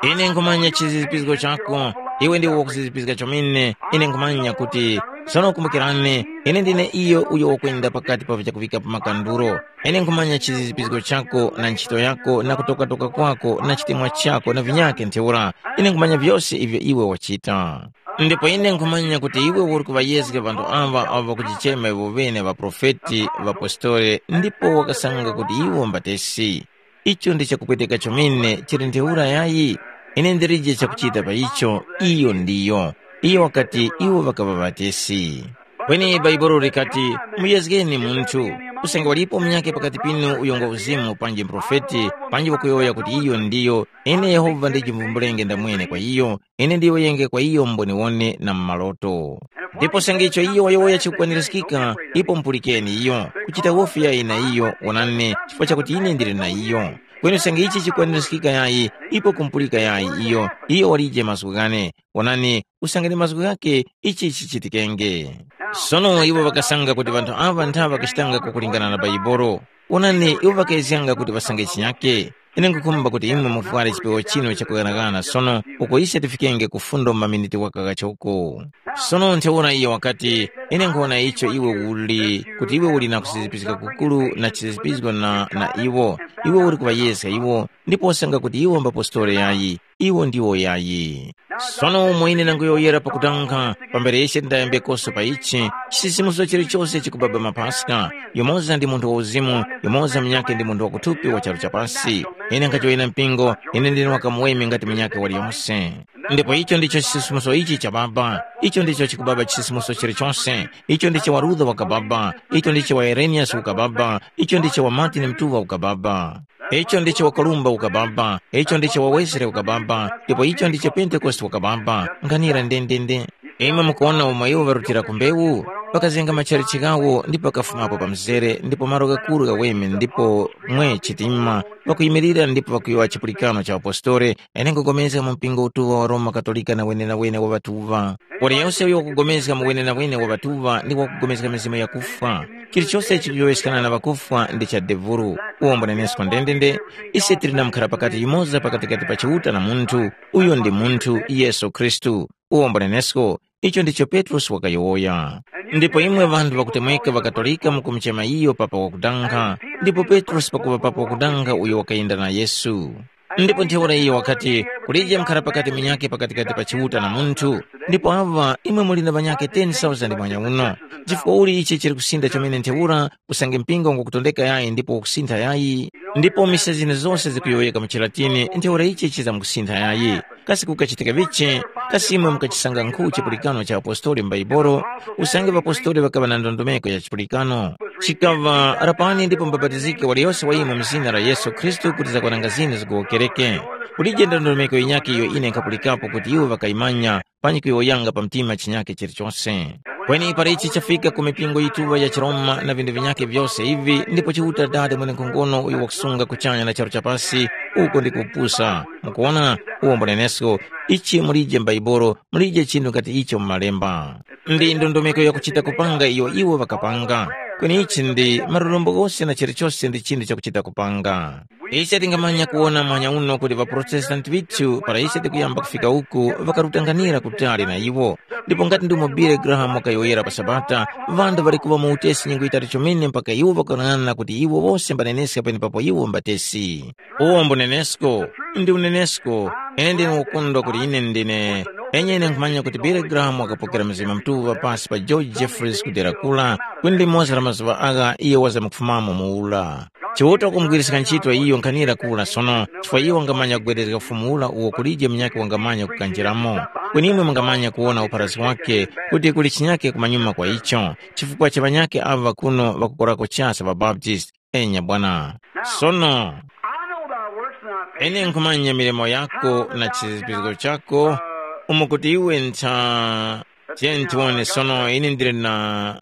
Ine nkhumanya chizizipizgo chako, iwe ndiwe wakuzizipizga chomene. Ine nkhumanya kuti, sono kumbukirani, ine ndine iyo uyo wakwenda pakati pa vyakuŵika pa makanduro. Ine nkhumanya chizizipizgo chako na nchito yako na kutokatoka kwako na chitemwa chako na vinyakhe ntheura. Ine nkhumanya vyose ivyo iwe wachita. Ndipo ine nkhumanya kuti iwe uli kuŵayezga ŵanthu aŵa avo ŵakujichema iwo ŵene ŵaprofeti, ŵapostoli, ndipo wakasanga kuti iwo mbatesi. Icho ndi chakupweteka chomene chili ntheura yayi? Ine ndilije chakuchita pa icho, iyo ndiyo. Iyo wakati iwo ŵakaŵa ŵatesi. Kweni Bhaibuli likati, muyezgeni munthu, usange walipo munyakhe pakati pinu uyo ngwa uzimu panji muprofeti, panji wakuyowoya kuti iyo ndiyo, ine Yehova ndijimvumbulenge ndamwene kwa iyo, ine ndiyowoyenge kwa iyo mboniwone na mu maloto. Ndipo usange icho iyo wayowoya chikukwanirizgika, ipo mupulikeni iyo, kuchita wofi yayi na iyo, wonani, chifukwa chakuti ine ndili na iyo. Kweni usange ichi chikwanirizgika yayi, ipo kumpulika yayi iyo, iyo walije mazgu ghane. Wonani, usange ndi mazgu ghakhe, ichi chichitikenge. Sono iwo ŵakasanga kuti ŵanthu aŵa ntha ŵakachitanga kukulingana na Baibolo. Wonani, iwo ŵakayezganga kuti ŵasange chinyake. Ine nkhukhumba kuti imwe muvware chipewa chinu chakughanagana sono uko ise tifikenge ku fundo mu maminiti waka ghachoko. Sono ntheura iyo wakati, ine nkhuwona icho iwe uli, kuti iwe uli na kusizipizga kukuru na chisizipizgo na, na iwo, iwe uli kuŵayeska iwo, ndipo wasanga kuti iwo mbapostoli yayi, iwo ndiwo yayi. Sono umo ine nanguyowoyera pakutankha, pambere ise tindayambekoso pa ichi, chisisimuso chilichose chikubaba mapaska, yumoza ndi munthu wa uzimu, yumoza munyakhe ndi munthu wa kuthupi wa charu cha pasi. Ine nkhachoyera mpingo, ine ndine wakamuweme ngati munyakhe waliyose. Ndipo icho ndicho chisisimuso ichi cha Baba, icho ndicho chikubaba chisisimuso chilichose, icho ndicho wa Luther wakababa, icho ndicho wa Irenaeus ukababa, icho ndicho wa Martin Mtuva ukababa. Icho ndicho wakalumba ukababa, icho ndicho wa Wesley ukababa, ndipo icho ndicho Pentekoste wakababa, nkhanira ndendende. Imwe mukuwona umo iwo ŵarutira ku mbewu, ŵakazenga matchalitchi ghawo ndipo ŵakafumapo pa mzere ndipo malo ghakuru ghaweme ndipo mwe chitima, ŵakuyimilira ndipo ŵakuyowoya chipulikano cha apostoli, ene nkugomezga mu mpingo utuŵa wa Roma Katolika na wenenawene wa ŵatuŵa. Waliyose uyo wakugomezga mu wenenawene wa ŵatuŵa ndi wakugomezga mizimu yakufwa. Chilichose chikuyowoyeskana na ŵakufwa ndi cha devulu. Uwo mbunenesko ndendende, ise tili na mukharapakati yumoza pakatikati pa Chiuta na munthu, uyo ndi munthu, Yesu Khristu. Uwo mbunenesko, icho ndicho Petrosi wakayowoya. Ndipo imwe ŵanthu ŵakutemweka ŵaKatolika mukumuchema iyo papa wakudanga, ndipo Petrosi pakuŵa papa wakudanga uyo wakayenda na Yesu. Ndipo ntheura iyo wakati, kulije mkhara pakati munyakhe pakatikati pa Chiuta na munthu, ndipo aŵa imwe muli na ŵanyakhe ten thousand mwanya uno. Chifukwa uli ichi chili kusinda chomene ntheura, usange mpingo ngukutondeka yayi ndipo ukusintha yayi, ndipo mise zine zose zikuyowoyeka mu chilatini, ntheura ichi chizamkusintha yayi. Kasi kukachitika vichi? Kasi imwe mukachisanga nkhu chipulikano cha apostoli m'Baibolo? Usange ŵapostoli ŵakaŵa na ndondomeko ya chipulikano. Chikaŵa, rapani ndipo mubapatizike waliyose wa imwe mu zina la Yesu Khristu kuti zakwananga zinu zikuwokereke. Kulije ndondomeko yinyakhe iyo ine nkhapulikapo kuti iwo ŵakayimanya panyi kuyowoyanga pa mtima chinyakhe chilichose. Kweni para ichi chafika ku mipingo yituŵa ya chiRoma na vinthu vinyakhe vyose ivi, ndipo Chiuta Dada mwenenkhongono uyo wakusunga kuchanya na charu cha pasi, uko ndi kupusa. Mukuwona, uwo mbunenesko, ichi mulije m'Baibolo, mulije chinthu ngati icho mu Malemba. Ndi ndondomeko yakuchita kupanga iyo iwo ŵakapanga. Kweni ichi ndi malurombo ghose na chilichose ndi chinthu chakuchita kupanga. Ise tingamanya kuwona mwanya uno kuti ŵaProtestanti ŵithu para ise tikuyamba kufika uku ŵakarutanganira kutali na iwo. Ndipo ngati ndimo Billy Graham wakayowoyera pa Sabata, ŵanthu ŵali kuŵa mu utesi nyengo yitali chomene mpaka iwo ŵakanang'ana kuti iwo wose mbaneneska penepapo iwo mbatesi. Uwo mbunenesko, ndi unenesko, ine ndine ukondwa kuti ine ndine. Enyene nkhumanya kuti Billy Graham wakapokera Mzimu Mutuŵa pasi pa George Jeffreys ku dera kula, kweni ndi limodzi la mazuŵa agha iyo wazamkufumamo muwura. Chiuta wakumugwiriska ntchito iyo nkhanira kula sono, chifukwa iyo wangamanya kugwedezga ufumu ula uwo kulije munyakhe wangamanya kukanjiramo. Kweni imwe mungamanya kuwona upharasi wakhe kuti kuli chinyakhe kumanyuma kwa icho, chifukwa cha ŵanyakhe ava kuno ŵakukorako chase ŵaBaptist. Enya bwana. Sono, I know thy works and thy faith. Ine nkhumanya milimo yako na chizipizgo chako, umo kuti iwe ntha. Tiyeni tiwone sono, ine ndili na.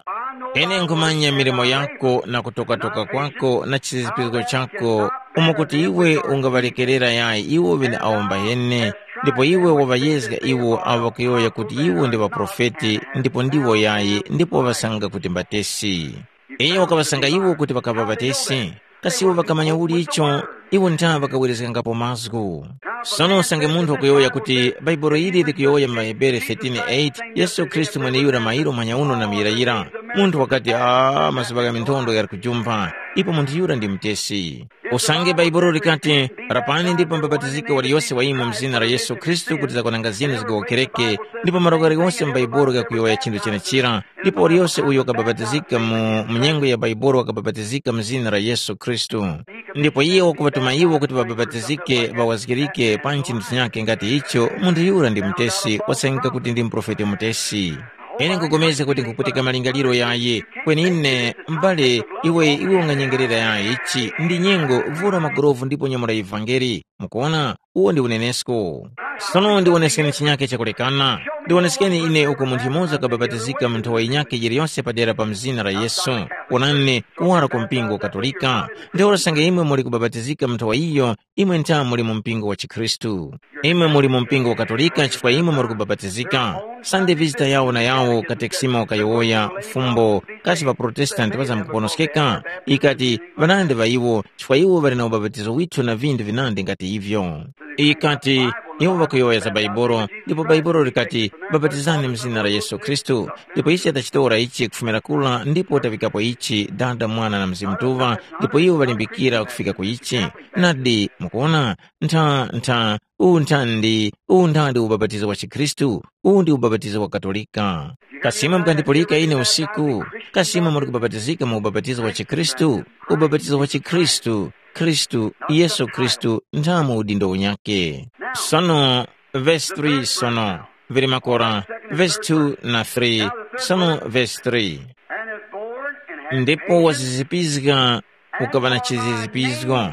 Ine nkhumanya milimo yako na kutokatoka kwako na chizipizgo chako, umo kuti iwe ungaŵalekerera yayi iwo ŵene awo mbayene, ndipo iwe waŵayezga iwo awo ŵakuyowoya kuti iwo ndi ŵaprofeti, ndipo ndiwo yayi, ndipo waŵasanga kuti mbatesi. Iyo wakaŵasanga iwo kuti ŵakaŵa ŵatesi. Kasi iwo ŵakamanya uli icho? Iwo ntha ŵakawerezgangapo mazgu. Sono usange munthu wakuyowoya kuti Bhaibuli ili likuyowoya mu ŵaHebere thirteen eight, Yesu Khristu mweneyura mairo manyauno na muyirayira. Munthu wakati, “Ah, mazuŵa gha minthondo ghali kujumpha, ipo munthu yura ndi mutesi.” Usange Bhaibuli likati, “Rapani ndipo mubapatizike waliyose wa imwe mu zina la Yesu Khristu kuti zakwananga zinu zigowokereke,” ndipo malo ghaliwose mu Bhaibuli ghakuyowoya chinthu chenechira, ndipo waliyose uyo wakabapatizika mu, mu nyengo ya Bhaibuli wakabapatizika mu zina la Yesu Khristu. Ndipo iye wakuŵatuma iwo kuti ŵabapatizike, ŵawazgirike pa chinthu chinyakhe ngati icho, munthu yura ndi mutesi, wasangika kuti ndi muprofeti mutesi. Ine nkupulikana kuti nkhuputika malingaliro yayi, kweni ine, m'bale, iwe iwe unganyengerera yayi ichi, ndi nyengo, vura magulovu ndipo nyamula ivangeli. Mukuona, uwo ndi unenesko. Sono ndiwoneskeni chinyake chakulekana. Ndiwoneskeni ine uko munthu yumoza wakabapatizika mu nthowa yinyakhe yiliyonse padera pa mzina la Yesu. Wonani, kuwara ku mpingo wa Katolika. Ntheura sange imwe muli kubapatizika mu nthowa iyo, imwe ntha muli mu mpingo wa chikhristu. Imwe muli mu mpingo wa Katolika chifukwa imwe muli kubapatizika. Sande vizita yawo na yawo katekisima wakayowoya fumbo kasi ŵaprotestanti ŵazamkuponoskeka? Ikati, ŵanandi ŵa iwo, chifukwa iwo ŵali na ubapatizo withu na vindu vinandi ngati ivyo. Ikati, iwo ŵakuyowoya za Bhaibuli, ndipo Bhaibuli likati, bapatizani mu zina la Yesu Khristu. Ndipo ise tachitora ichi kufumira kula ndipo taŵikapo ichi, Dada, Mwana na Mzimu Mutuŵa, ndipo iwo ŵalimbikira kufika ku ichi. Nadi, mukuona, ntha, ntha, uwu nthandi, uwu nthandi ubapatizo wa chikhristu, uwu ndi ubapatizo wa Katolika. Kasima mukandipulika ine usiku, kasima muli kubapatizika mu ubapatizo wa chikhristu, ubapatizo wa chikhristu, Khristu, Yesu Khristu, nthamu udindo unyakhe. Sono, vesi three sono, vili makora, vesi two na three, sono vesi three. Ndipo wazizipizga ukaŵa na chizizipizgo,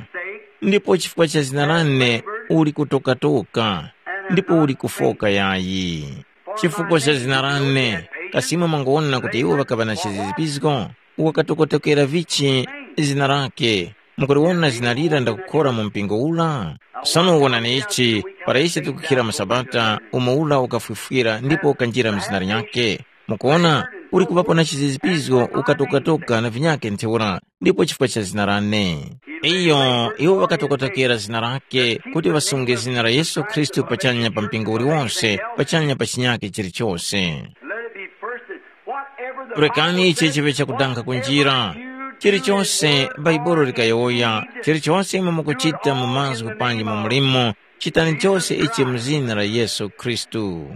ndipo chifukwa cha zina lane uli kutokatoka, ndipo uli kufoka yayi. Chifukwa cha zina lane, kasi imwe mwangowona kuti iwo ŵakaŵa na chizizipizgo? Wakatokotokera vichi zina lake? Mukuliwona zina lira ndakukhora mu mpingo ula? Sono wonani ichi, para ise tikukhira mu Sabata, umo ula ukafwifwira ndipo ukanjira mu zina linyakhe. Mukuona, uli kuŵapo na chizizipizgo ukatokatoka na vinyakhe ntheura, ndipo chifukwa cha zina lane. Iyo, iwo ŵakatokotokera zina lake kuti ŵasunge zina la Yesu Khristu pachanya pa mpingo uliwonse, pachanya pa chinyakhe chilichose. Let it be first that whatever the Lekani Bible ichi says, chiŵe chakudankha whatever kunjira. You do Chilichose in Baibulo word likayowoya, and deed, chilichose imwe mukuchita mu mazgu panji mu mulimo, chitani chose ichi mu zina la Yesu Khristu.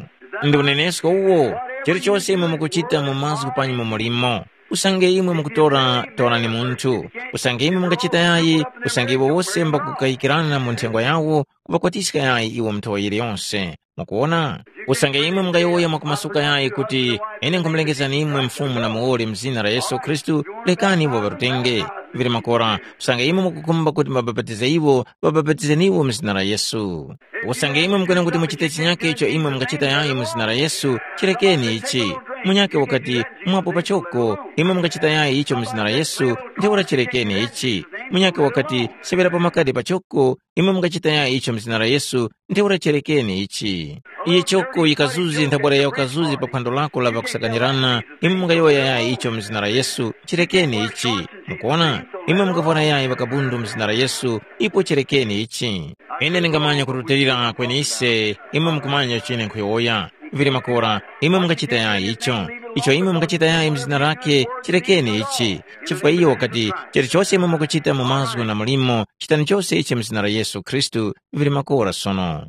Ndi unenesko uwo, chilichose imwe mukuchita mu mazgu panji mu mulimo. Usange imwe mukutora, torani munthu. Usange imwe mungachita yayi, usange iwo wose mbakukayikirana mu nthengwa yawo, kuŵakwatiska yayi iwo mu nthowa yiliyonse. Mukuwona? Usange imwe mungayowoya mwakumasuka yayi kuti, ine nkhumulengezani imwe Mfumu na Muwoli mu zina la Yesu Khristu, lekani iwo ŵarutenge. Vili makora, usange imwe mukukhumba kuti mubapatize iwo, ŵabapatizeni iwo mu zina la Yesu. Usange imwe mukwena kuti muchite chinyakhe icho imwe mungachita yayi mu zina la Yesu, chirekeni ichi. Munyakhe wakati, mwapo pachoko, imwe mungachita yayi icho mu zina la Yesu, ntheura chirekeni ichi. Munyakhe wakati, seŵera pa makadi pachoko, imwe mungachita yayi icho mu zina la Yesu, ntheura cherekeni ichi. Iye choko yikazuzi nthabwara ya ukazuzi pa phwando lako la ŵakusakanirana, imwe mungayowoya yayi icho mu zina la Yesu, chirekeni ichi. Mukuona? Imwe mungavwara yayi ŵakabundu mu zina la Yesu, ipo cherekeni ichi. Ine ndingamanya kurutilira kwenise, imwe mukumanya chine nkhuyowoya. Vili makora, imwe mungachita yayi icho. Icho imwe mungachita yayi mu zina lake, chirekeni ichi. Chifukwa iyo wakati, chilichose imwe mukuchita mu mazgu na mulimo, chitani chose ichi mu zina la Yesu Khristu, vili makora sono.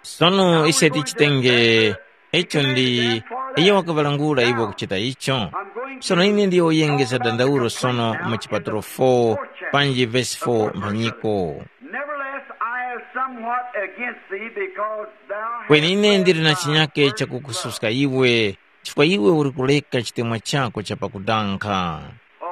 Sono ise tichitenge, icho ndi, iyo wakaŵalangula iwo kuchita icho. Sono ine ndiyoyengeza dandaulo sono mu chipatulo four, panji vesi four mphanyiko. Nevertheless, I have somewhat against thee, because thou hast Kweni ine ndili na chinyake chakukususka iwe, chifukwa iwe uli kuleka chitemwa chako cha pakudankha.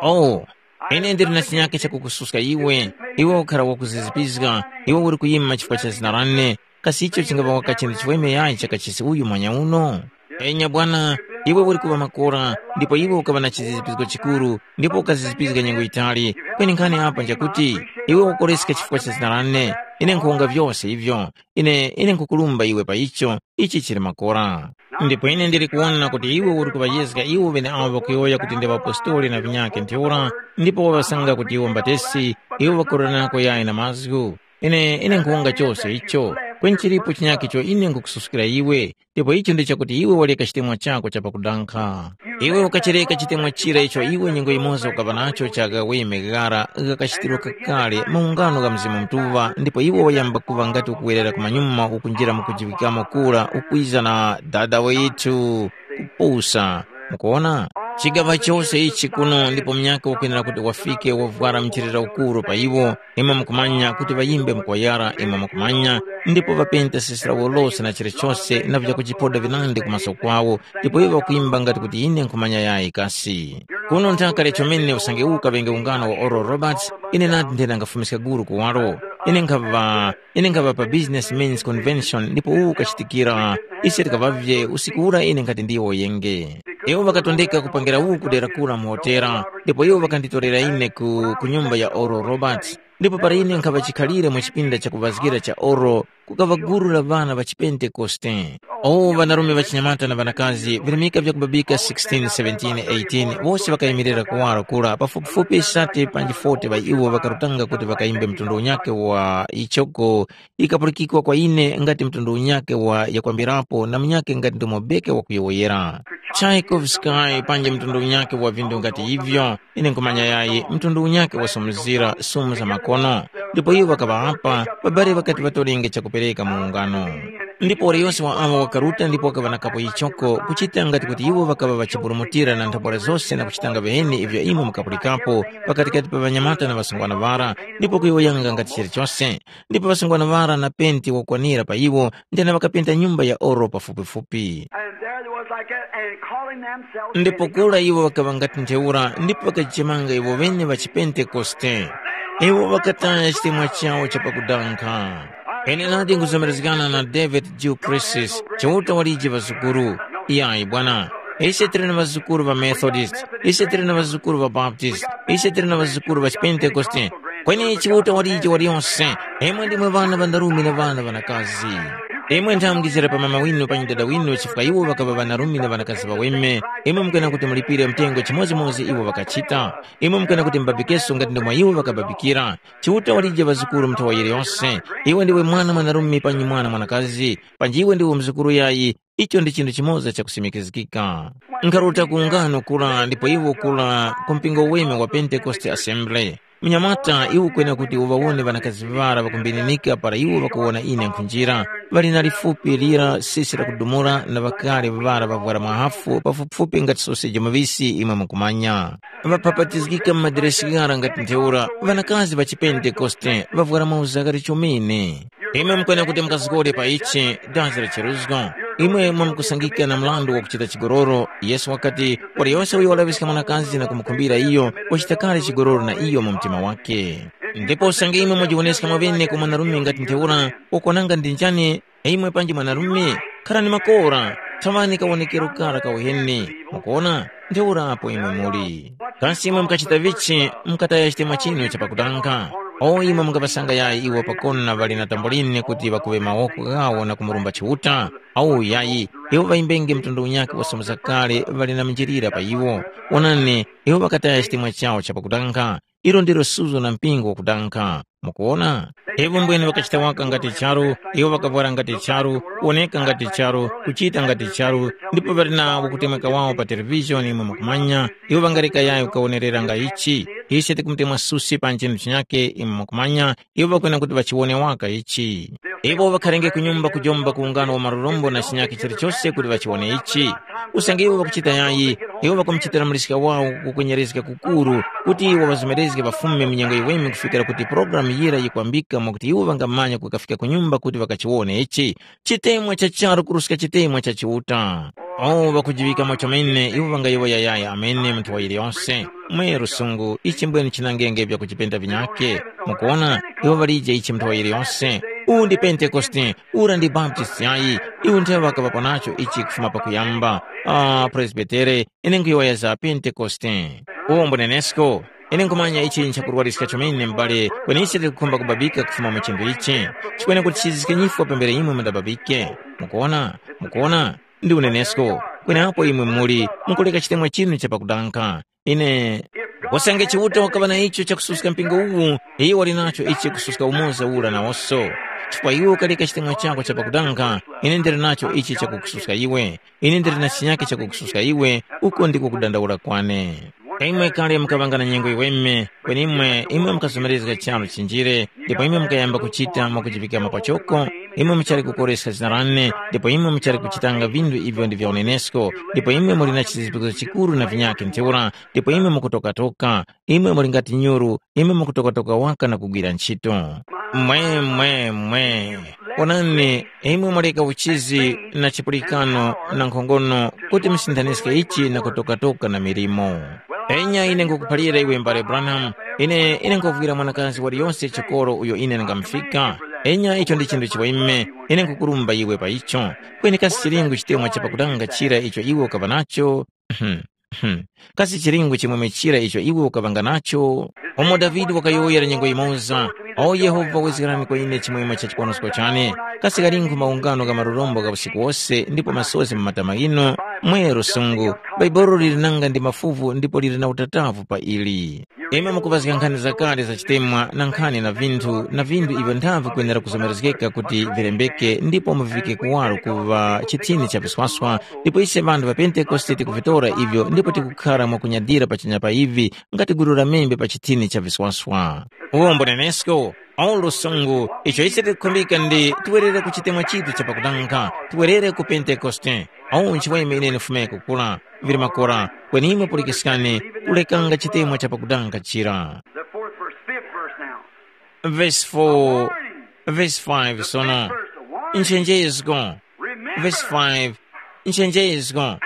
Oh, ine ndili na chinyake chakukususka iwe, iwe ukhara wakuzizipizga, iwe uli kuyima chifukwa cha zina lane, kasi icho chingapa waka chinthu chiweme yayi cha kachisi uyu mwanya uno? Enya bwana, iwe uli kuŵa makora, ndipo iwe ukaŵa na chizizipizgo chikuru, ndipo ukazizipizga nyengo yitali, kweni nkhani apa njakuti, iwe wakoreska chifukwa cha zina lane, ine nkhonga vyose ivyo, ine, ine nkhukulumba iwe pa icho, ichi chili makora. Ndipo ine ndili kuwona kuti iwe uli kuŵayezga iwo ŵeneawo ŵakuyowoya kuti ndi ŵapostoli na vinyakhe ntheura, ndipo waŵasanga kuti iwo mbatesi, iwo ŵakuroranako yayi na mazgu. Ine, ine nkhonga chose icho. Kweni chilipo chinyakhe icho ine nkhukususkira iwe, ndipo icho ndi chakuti iwe waleka chitemwa chako cha pakudankha. Iwe ukachereka chitemwa chira icho iwe nyengo yimoza ukaŵa nacho cha ghaweme ghara ghakachitirwa kakale maungano gha Mzimu Mutuŵa, ndipo iwe wayamba kuŵa ngati ukuwerera kumanyuma ukunjira mu kujiŵikamo kura ukwiza na dada withu kupusa. Mukuwona? Chigaŵa chose ichi kuno ndipo munyakhe wakwenera kuti wafike wavwara mchirira ukuru pa iwo, imwe mukumanya kuti ŵayimbe mkoyara, imwe mukumanya, ndipo ŵapenta sesi lawo lose na chilichose na vyakujipoda vinandi ku maso kwawo, ndipo iwo ŵakwimba ngati kuti ine nkhumanya yayi kasi. Kuno nthaka lya chomene usange uwu kaŵenge ungano wa Oral Roberts, ine nadi nthena ngafumiska guru kuwaro. Ine nkhaŵa ine nkhaŵa pa Business Men's Convention ndipo uwu ukachitikira. Ise tikaŵavye usiku ura ine nkhati ndiwo yenge. Iwo ŵakatondeka kupangira uwu kudera kura mu hotera, ndipo iwo ŵakanditorera ine ku, ku nyumba ya Oral Roberts. Ndipo para ine nkhaŵa chikhalire mu chipinda cha kuŵazgira cha Oral, kukaŵa guru la ŵana ŵa chipentekoste. O ŵanarume ŵachinyamata na ŵanakazi virimika vyakubabika sixteen, seventeen, eighteen, wose ŵakayimirira kuwaro kura pafupifupi sate panji forty ŵa iwo ŵakarutanga kuti ŵakayimbe mtundu unyakhe wa ichoko ikapulikikwa kwa ine ngati mtundu unyakhe wa yakwambirapo na munyakhe ngati ndomo beke wakuyowoyera. Tchaikovsky panji mtundu unyakhe wa vindu ngati ivyo, ine nkhumanya yayi mtundu unyakhe wasumuzira sumu za makono. Ndipo iwo ŵakaŵa apa, ŵabali ŵakati ŵatolenge chakupereka mu ungano. Ndipo waliyose wa awo wakaruta ndipo wakaŵa na kapo ichoko kuchita ngati kuti iwo ŵakaŵa ŵachiburumutira na nthambwala zose na kuchitanga viheni ivyo imwe mukapulikapo pakatikati pa ŵanyamata na ŵasungwana ŵara, ndipo kuyowoyanga ngati chilichose. Ndipo ŵasungwana ŵara na penti wakwanira pa iwo, ndena ŵakapenta nyumba ya oro pafupifupi. And there they was like that, and calling themselves Ndipo Pentecost. Kura iwo ŵakaŵa ngati ntheura, ndipo ŵakajichemanga iwo ŵene ŵa chipentekoste. Iwo ŵakataya chitemwa chawo cha pakudankha. Ine nadi nkuzomerezgana na David Gilchrist, Chiuta walije ŵazukuru. Iyayi bwana. Ise tili na ŵazukuru ŵa Methodist, ise tili na ŵazukuru ŵa Baptist, ise tili na ŵazukuru ŵa Chipentekoste. Kweni Chiuta walije waliyonse, imwe ndimwe ŵana ŵa ndarume na ŵana ŵanakazi. Imwe nthamungizira pa mama winu panyi dada winu chifukwa iwo ŵakaŵa ŵanarume na ŵanakazi ŵaweme, imwe mukwena kuti mulipire mtengo chimodzimodzi iwo ŵakachita. Imwe mukwena kuti mubabikeso ngati ndomwe iwo ŵakababikira. Chiuta walije ŵazukuru mu nthawa yiliyose. Iwe ndiwe mwana mwanarume panyi mwana mwanakazi, panji iwe ndiwe mzukuru yayi, icho ndi chinthu chimoza chakusimikizgika. Nkharuta ku ungano kura ndipo iwo kura ku mpingo weme wa Pentecost Assembly. Mnyamata iwe ukwena kuti uŵawone ŵanakazi ŵara ŵakumbininika para iwo ŵakuwona ine nkhunjira, ŵali na lifupi lira sisi lakudumula na ŵakale ŵara ŵavwara mwahafu pafupifupi ngati soseji muŵisi imwe mukumanya. Ŵaphapatizgika mu madiresi ghara ngati ntheura, ŵanakazi ŵa chipentekoste ŵavwara mauza ghali chomene. Imwe mukwena kuti mukazgore pa ichi, dazi la cheruzgo. Imwe mwamukusangika na mrandu wa kuchita chigololo, Yesu wakati, waliyose uyo walaŵiska mwanakazi na kumukhumbira iyo, wachita kale chigololo na iyo mu mtima wake. Ndipo usange imwe mwajiwoneska mwaŵene ku mwanarume ngati ntheura, wakwananga ndi njani, imwe panji mwanarume, kharani makora, thaŵani kawonekero kara ka uheni. Mukuwona? Ntheura apo imwe muli. Kasi imwe mukachita vichi, mukataya chitemwa chinu cha pakutanga? O imwe mungaŵasanga yayi iwo pakona ŵali na tamboline kuti ŵakuŵe mawoko ghawo na kumurumba Chiuta? Au yayi, iwo ŵayimbenge mtundu unyakhe wasomoza kale ŵali na minjilira pa iwo. Wonani, iwo ŵakataya chitemwa chawo cha pakutanga. Ilo ndilo suzo na mpingo wakudankha. Mukuwona? Iwo mbwene ŵakachita waka ngati charu, iwo ŵakavwara ngati charu, kuwoneka ngati charu, kuchita ngati charu, ndipo ŵali nawo kutemweka wawo pa televishoni imwe mukumanya, iwo ŵangareka yayo kukawonerera nga ichi. Ise tikumutemwa susi pa nchinthu chinyakhe imwe mukumanya, iwo ŵakwena kuti ŵachiwone waka ichi. Iwo ŵakharenge ku nyumba kujomba ku ungano wa malurombo na chinyakhe chilichose kuti ŵachiwone ichi. Usange iwo ŵakuchita yayi, iwo ŵakumuchitira muliska wawo kukwenyerezga kukuru, kuti iwo ŵazomerezge ŵafume mu nyengo yiweme kufikira kuti pulogalamu yira yikwambika mwakuti iwo ŵangamanya kukafika ku nyumba kuti ŵakachiwone ichi, chitemwa cha charu kuruska chitemwa cha Chiuta. O ŵakujiŵikamo chomene, iwo ŵangayowoya yayi amene mu nthowa yiliyonse. Mwe lusungu, ichi mbwene chinangenge vyakuchipenda vinyakhe. Mukuwona, iwo ŵalije ichi mu nthowa yiliyonse. Uwu ndi Pentekoste, ura ndi Baptist yayi, iwo nthe ŵakaŵapo nacho ichi kufuma pakuyamba. Ah, Presbitere, ine nkhuyowoya za Pentekoste. Uwo mbunenesko, ine nkhumanya ichi nchakurwariska chomene m'bale, kweni ise tikukhumba kubabika kufuma mu chinthu ichi. Chikwene kuti chizizike nyifwa pambere imwe mundababike. Mukuwona? Mukuwona? Ndi unenesko. Kweneapo imwe muli, mukuleka chitemwa chinu cha pakudankha. Ine, usange Chiuta wakaŵa na icho chakususka mpingo uwu, iyo wali nacho ichi kususka umoza ura nawonso. Chifukwa iwe ukaleka chitemwa chako cha pakudanga, ine ndili nacho ichi chakukususka iwe. Ine ndili na chinyake chakukususka iwe, uko ndiko kudandaula kwane. Imwe kale mukaŵanga na nyengo yiweme, kweni imwe, imwe mukazomerezga charu chinjire, ndipo imwe mukayamba kuchita mwakujivikama pachoko, imwe muchali kukoreska zina lane, ndipo imwe muchali kuchitanga vinthu ivyo ndi vya unenesko, ndipo imwe muli na chizizipiko chikuru na vinyakhe ntheura, ndipo imwe mukutokatoka, imwe muli ngati nyuru, imwe mukutokatoka waka na kugwira ntchito. Mwe, mwe, mwe. Onani, imwe mwaleka uchizi na chipulikano na nkhongono kuti musinthanizge ichi na kutokatoka na milimo. Enya ine ngukuphalira iwe mbale Branham, ine ine nguvwira mwanakazi waliyonse chikoro uyo ine ndingamufika. Enya icho ndi chinthu chiweme, ine ngukurumba iwe pa icho. Kweni kasi chilingu chitemwa chapakutanga chira icho iwe ukaŵa nacho? Kasi chilingu chimwemwe chira icho iwe ukaŵanga nacho? Umo Davide wakayowoyera nyengo yimoza, “O Yehova, wezgerani kwa ine chimwemwe cha chiponosko chane.” Kasi ghalingu maungano gha malurombo gha usiku wose ndipo masozi mu matama ghinu? Mwe lusungu, Bhaibuli lili nanga ndi mafuvu ndipo lili na utatavu pa ili. Imwe mukuŵazga nkhani zakale za chitemwa na nkhani na vinthu na vinthu ivyo nthavi kwenera kuzomerezgeka kuti vilembeke ndipo muvike kuwaro kuŵa chithini cha viswaswa, ndipo ise ŵanthu ŵa Pentekoste tikuvitora ivyo ndipo tikukhara mwakunyadira pachanya pa ivi ngati gulu la membe pa chithini cha viswaswa. Uwo mbunenesko, au lusungu, icho ise tikukhumbika ndi tiwerere ku chitemwa chitu cha pakudanga, tiwerere ku Pentekoste. Au nchiweme ine ndifumeko kura, vili makora, kweni imwe pulikiskani, kulekanga chitemwa cha pakudanga chira. The fourth verse, fifth verse now. Verse four, verse five sono. Nchenjezgo. Verse five, nchenjezgo.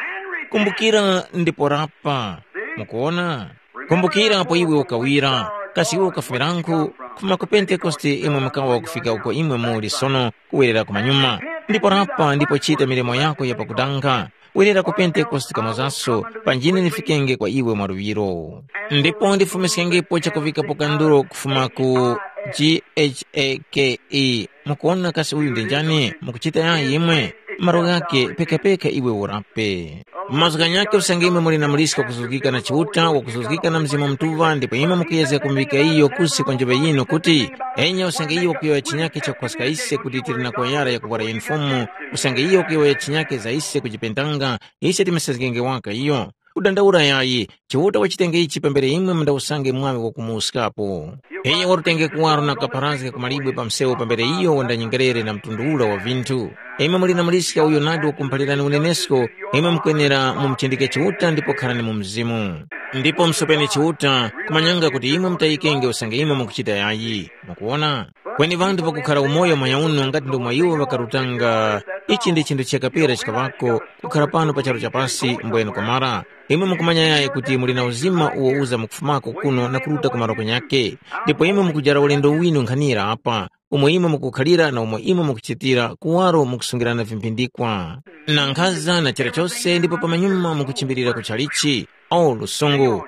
Kumbukira ndipo rapa. Mukuona? Kumbukira apo iwe ukawira, kasi iwe ukafumiranku? Kufuma ku Pentekoste imwe mukawa kufika uko imwe muli sono, kuwerera kumanyuma. Ndipo rapa ndipo chita milimo yako ya pakudanga. Werera ku Pentekoste kamozaso, panjine ndifikenge kwa iwe mwaluŵiro. Ndipo ndifumiskengepo chakuvikapo kanduro kufuma ku G H A K E. Mukuwona kasi uyu ndi njani? Mukuchita yayi imwe? Malo ghake pekapeka iwe urape. Mazgu ghanyakhe usange imwe muli na muliska wakuzuzgika na Chiuta, wakuzuzgika na Mzimu Mutuŵa, ndipo imwe mukuyezga kumuvika iyo kusi kwa njoŵe yinu kuti, enya usange iyo wakuyowoya chinyakhe chakuphaska ise kuti tili na kwayara yakuvwara yunifomu, usange iyo wakuyowoya chinyakhe za ise kujipentanga, ise timusezgenge waka iyo. Kudandaula yayi, Chiuta wachitenge ichi pambere imwe mundawusange mwaŵe wakumuwuskapo. Iyo watutenge kuwaro na kukapharazga ku malibwe pa msewu pambere iyo wandanyengerere na mtundu ura wa vinthu. Imwe muli na muliska uyo nadi wakumuphalirani unenesko, imwe mukwenera mumuchindike Chiuta ndipo kharani mu Mzimu. Ndipo musopeni Chiuta, kumanyanga kuti imwe mutayikenge usange imwe mukuchita yayi. Mukuwona? Kweni ŵanthu pakukhara umoyo mwa uno ngati ndomwe iwo ŵakarutanga, ichi ndi chinthu chakapera chikaŵako, kukhara pano pa charu cha pasi mbwenu kwamara. Imwe mukumanya yayi kuti muli na uzima uwo uza mukufumako kuno na kuruta ku malo kunyakhe. Ndipo imwe mukujara ulendo winu nkhanira apa, umo imwe mukukhalira na umo imwe mukuchitira kuwaro mukusungirana vimphindikwa. Na nkhaza na chilichose ndipo pamanyuma mukuchimbirira ku chalichi. O lusungu!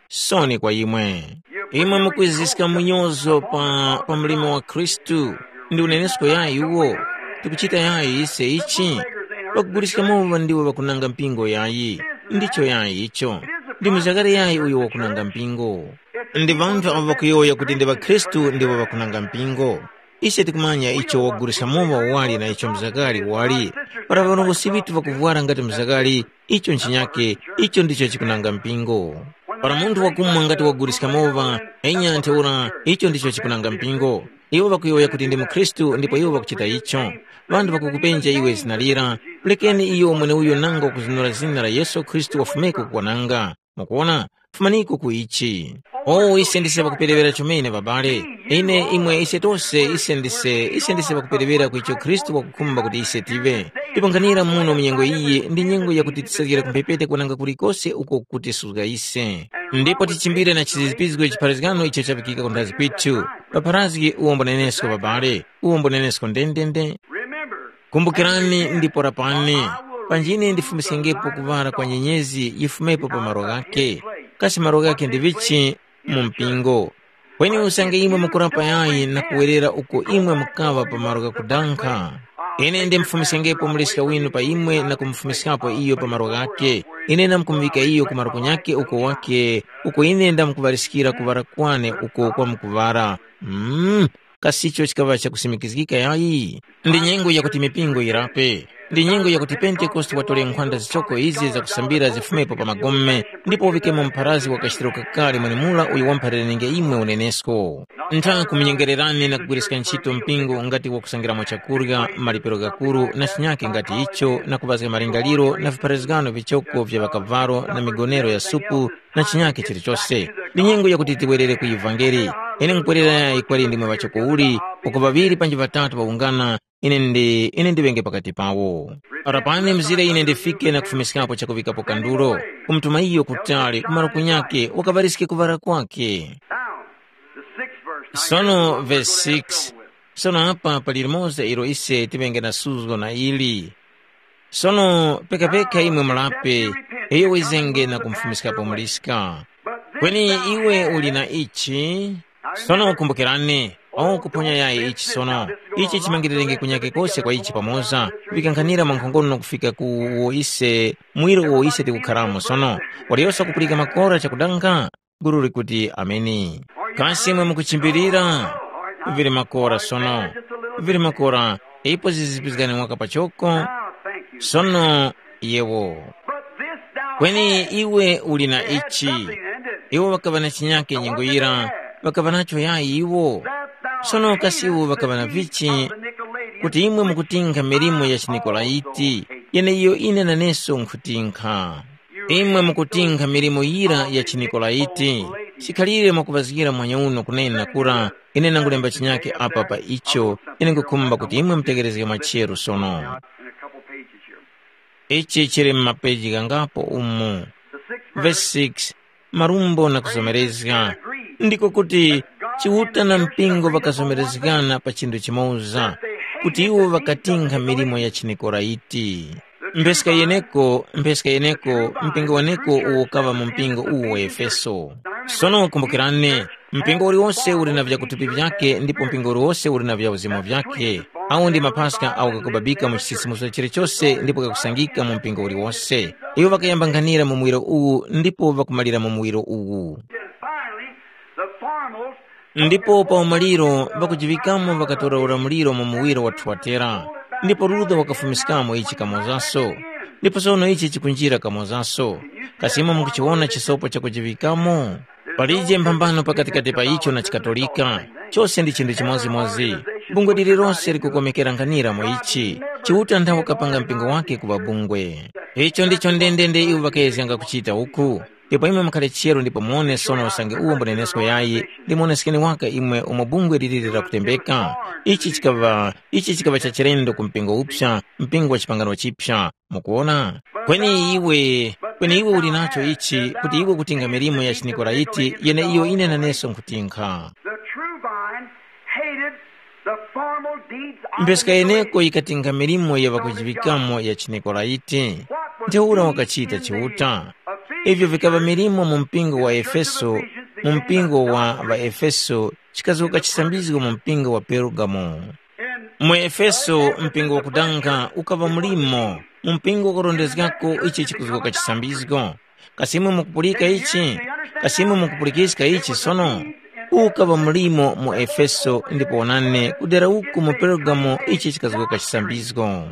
Soni kwa imwe! Imwe mukwiziska munyozo pa, pa mlimo wa Khristu. Ndi unenesko yayi uwo? Tikuchita yayi ise ichi? Ŵakuguliska mowa ndiwo ŵakunanga mpingo yayi. Ndicho yayi icho. Ndi muzakare yayi uyo wakunanga mpingo? Ndi ŵanthu avo ŵakuyowoya kuti ndi ŵakhristu ndiwo ŵakunanga mpingo. Ise tikumanya icho waguliska mowa wali na icho mzakali wali. Para ŵarongozgi ŵitu ŵakuvwara ngati mzakali, icho nchinyake, icho ndicho chikunanga mpingo. Para munthu wakumwa ngati waguliska mowa, enya ntheura icho ndicho chikunanga mpingo. Iwo ŵakuyowoya kuti ndi mukhristu ndipo iwo ŵakuchita icho. Ŵanthu ŵakukupenja iwe zina lira, mulekeni iyo mweneuyo nanga wakuzunura zina la Yesu Khristu wafumeko kukwananga. Mukuwona? Fumaniko ku ichi. O ise ndise ŵakuperewera chomene, babale. Ine imwe ise tose ise ndise ise ndise ŵakuperewera ku icho Khristu wakukhumba kuti ise tive. Tipanghanira muno mu nyengo iyi ndi nyengo yakuti tisazgere ku mphepete kwananga kulikose uko kutisuzga ise. Ndipo tichimbire na chizizipizgo chipharazgano icho chavikika ku nthazi kwithu. Papharazgi uwombo nenesko, babale, uwombo nenesko ndendende. Kumbukirani ndipo lapani, panjine ndifumiskengepo kuŵala kwa nyenyezi yifumepo pa malo ghakhe. Kasi malo ghakhe ndi vichi? Mu mpingo. Kweni usange imwe mukurapa yayi na kuwerera uko imwe mukaŵa pa malo ghakudankha, ine ndimfumiskengepo muliska winu pa imwe na kumufumiskapo iyo pa malo ghakhe. Ine ndamkumuŵika iyo ku malo kunyakhe uko wakhe, uko ine ndamkuŵaliskira kuŵala kwane uko kwamkuŵala. Mm. Kasi icho chikaŵa chakusimikizgika yayi? Ndi nyengo yakuti mipingo yirape. Ndi nyengo yakuti Pentekoste watore nkhwanda zichoko izi zakusambira zifumepo pa magome, ndipo uŵikemo mpharazi wa kachitiro kakale mwenemura uyo wamphalirenge imwe unenesko. Ntha kumunyengererani na kugwiriska ntchito mpingo ngati wakusangiramo chakurya, malipiro ghakuru na chinyake ngati icho, na kuŵazga malingaliro na vipharazgano vichoko vya ŵakavalo na migonero ya supu na chinyake chilichose. Ndi nyengo yakuti tiwerere ku ivangeli. Ine nkwerera yayi kwali ndimwe ŵachoko uli, uko ŵaŵiri panji ŵatatu ŵawungana, ine ndi ine ndiŵenge pakati pawo. Rapani mzire ine ndifike na kufumiskapo chakuŵikapo kandulo, kumutuma iyo kutali kumalo kunyake wakaŵariske kuŵara kwake. Now, the sixth verse. Now, Sono here's verse verse six. Sono apa pali limoza ilo ise tiŵenge na suzgo na ili. Sono pekapeka imwe mulape, iyo wizenge na kumfumiskapo muliska. Kweni iwe uli na ichi. Sono kumbukirani, awo kuphonya yayi ichi sono. Ichi chimangirenge kunyake kose kwa ichi pamoza, kuŵikankhanira mwankhongono kufika ku uwo ise, mwiro uwo ise tikukharamo sono. Waliyose wakupulika makora chakudanga? Guru likuti, "Ameni." Kasi imwe mukuchimbilira? Vili makora sono. Vili makora, ipo zizipizgani waka pachoko. Sono, yewo. Kweni iwe uli na ichi. Iwo ŵakaŵa na chinyake nyengo yira, ŵakaŵa nacho yayi iwo. Sono kasi iwo ŵakaŵa na vichi? Kuti imwe mukutinkha milimo ya chiNikolaiti, yeneiyo ine naneso nkhutinkha. Imwe mukutinkha milimo yira ya chiNikolaiti, chikhalire mwakuŵazgira mwanya uno kunena kura, ine nangulemba chinyake apa pa icho, ine nkukhumba kuti imwe mutegherezge mwacheru sono. Ichi chili mu mapeji ghangapo umu. Verse six, marumbo na kuzomerezga. Ndiko kuti Chiuta na mpingo ŵakazomerezgana pa chinthu chimoza, kuti iwo ŵakatinkha milimo ya chiNikoraiti. Mpheska yeneko, mpheska yeneko, mpingo weneko uwo ukaŵa mu mpingo uwu wa Efeso. Sono kumbukirani, mpingo uliwose uli na vyakuthupi vyakhe ndipo mpingo uliwose uli na vyauzemo vyakhe. Awo ndi mapaska awo ghakubabika mu chisisimuso chilichose ndipo ghakusangika mu mpingo uliwose. Iwo ŵakayamba nkhanira mu muwiro uwu ndipo ŵakumalira mu muwiro uwu. And finally, the formals Ndipo pa umaliro ŵakujiŵikamo ŵakatora ulamuliro mu muwiro wa Thuwatera, ndipo Ruda wakafumiskamo ichi kamozaso. Ndipo sono ichi chikunjira kamozaso. Kasi imwe mukuchiwona chisopo chakujiŵikamo? Palije mphambano pakatikati pa icho na chiKatolika. Chose ndi chinthu chimodzimodzi. Bungwe lililonse likukomekera nkhanira mu ichi. Chiuta nthawe kapanga mpingo wake kuŵa bungwe. Icho ndicho ndendende iwo ŵakezganga kuchita uku. Ndipo imwe mukhale chero ndipo muwone sono usange uwo mbunenesko yayi, ndimuwoneskeni waka imwe umo bungwe liliri lakutembeka. Ichi chikaŵa, ichi chikaŵa cha chilendo ku mpingo uphya, mpingo wa chipangano chipya. Mukuwona? Kweni iwe, kweni iwe uli nacho ichi, kuti iwe kutinga milimo ya chiNikoraiti, yeneiyo ine naneso nkutinkha. The true vine hated the formal deeds of Mpeska the yeneko Nicolaitans. Yikatinga milimo ya ŵakujiŵikamo ya chiNikolaiti. Ntheura wakachita Chiuta. Ivyo vikaŵa milimo mu mpingo wa Efeso, mu mpingo wa ŵaEfeso, chikazuka chisambizgo mu mpingo wa Pergamo. Mu Efeso, mpingo wakudanga ukaŵa mulimo, mu mpingo wakurondezgako ichi chikuzuka chisambizgo. Kasi imwe mukupulika ichi? Kasi imwe mukupulikiska ichi sono? Ukaŵa mulimo mu Efeso ndipo wonani kudera uku mu Pergamo ichi chikazgoka chisambizgo.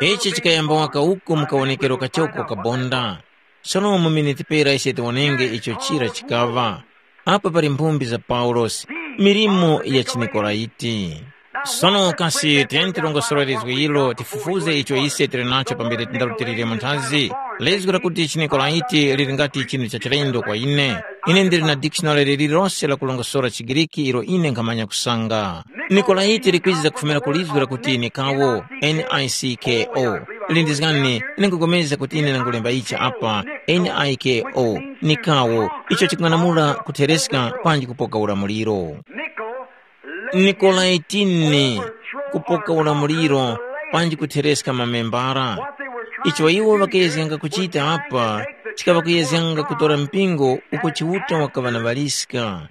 Ichi chikayamba waka uku mu kawonekero kachoko kabonda. Sono mu miniti pera ise tiwonenge icho chira chikaŵa. Apa pali mphumbi za Paulosi, milimo ya chiNikolaiti. Sono kasi tiyeni tilongosore lizgu ilo tifufuze icho ise tili nacho pambere tindarutilire mu nthazi. Lizgu lakuti chiNikolaiti lili ngati chinthu cha chilendo kwa ine. Ine ndili na dictionary lililonse la kulongosora chiGiriki ilo ine nkhamanya kusanga. Nikolaiti likwiza kufumira ku lizgu lakuti nikawo, N I C K O. Lindizgani, ine nkupulikana kuti ine ndangulemba ichi apa, N I K O, nikawo, icho chikung'anamula kuthereska panji kupoka ulamuliro. Nikolaitini, kupoka ulamuliro, panji kuthereska mamembara. Icho iwo ŵakeyezyanga kuchita apa, chikaŵa kuyezyanga kutora mpingo uko Chiuta wakaŵa na ŵaliska.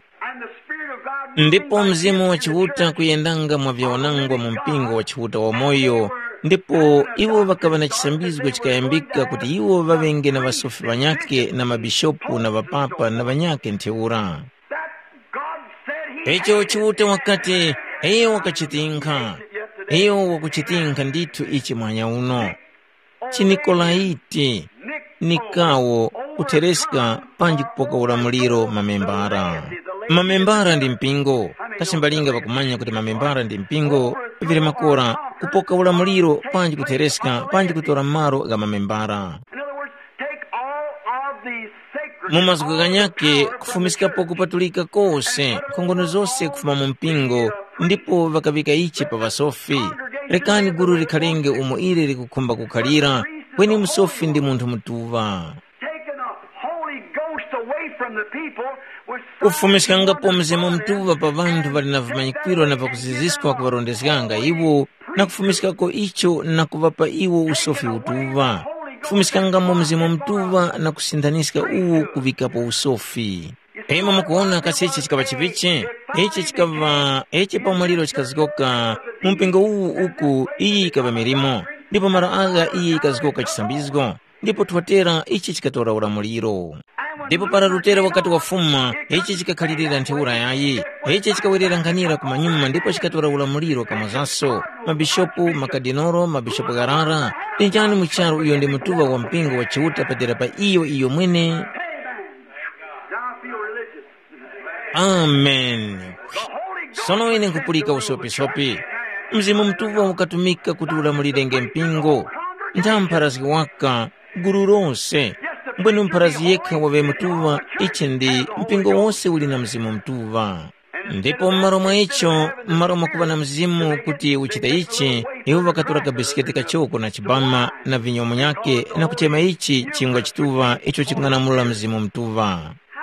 Ndipo Mzimu wa Chiuta kuyendanga mwa vyawanangwa mu mpingo wa Chiuta wamoyo, ndipo iwo ŵakaŵa na chisambizgo chikayambika kuti iwo ŵaŵenge na ŵasofi ŵanyakhe na mabishopu na ŵapapa na ŵanyakhe ntheura. Icho Chiuta wakati, iyo wakachitinkha. Iyo wakuchitinkha ndithu ichi mwanya uno. Chinikolaiti, nikawo, kuthereska panji kupoka ulamuliro mamembara. Mamembara ndi mpingo. Kasi mbalinga ŵakumanya kuti mamembara ndi mpingo, vili makora kupoka ulamuliro panji kuthereska panji kutora malo gha mamembara. In other words, take all of these sacred mu mazgu ghanyake kufumiskapo kupatulika kose, nkhongono zose kufuma mu mpingo, ndipo ŵakaŵika ichi pa ŵasofi. Rekani gulu likhalenge umo ili likukhumba kukhalira, kweni musofi ndi munthu mutuŵa. Taking the Holy Ghost away from the people was so kufumiskangapo Mzimu Mutuŵa pa ŵanthu ŵali na vimanyikwiro na pakuziziswa kuŵarondezganga iwo, na kufumiskako icho na kuŵapa iwo usofi utuŵa. Kufumiskangamo Mzimu Mutuŵa na kusinthanyiska uwo kuŵikapo usofi. Imwe mukuwona kasi ichi chikaŵa chivichi? Ichi chikaŵa ichi pamwaliro chikazgoka mu mpingo uwu uku iyi yikaŵa milimo, ndipo mara agha iyi yikazgoka chisambizgo, ndipo thotera ichi chikatora ulamuliro. Ndipo para Lutera wakati wafuma, ichi chikakhalirira ntheura yayi, ichi chikawerera nkhanira kumanyuma ndipo chikatora ulamuliro kamozaso, mabishopu, makadinoro, mabishopu gharara, ndi njani mu charu uyo ndi mutuŵa wa mpingo wa Chiuta padera pa iyo iyo mwene? Now I feel religious. Amen. Sono ine nkhupulika usopisopi. Mzimu Mutuŵa ukatumika kuti ulamulirenge mpingo. Ntha mpharazgi waka, gulu lose. Mbwene mpharazgi yekha waŵe mutuŵa, ichi ndi mpingo wose uli na Mzimu Mutuŵa. Ndipo m'malo mwa icho, m'malo mwakuŵa na Mzimu kuti uchite ichi, iwo ŵakatora kabisikete kachoko na chibama na vinyo munyake na kuchema ichi chingwa chituŵa icho chikung'anamula Mzimu Mutuŵa.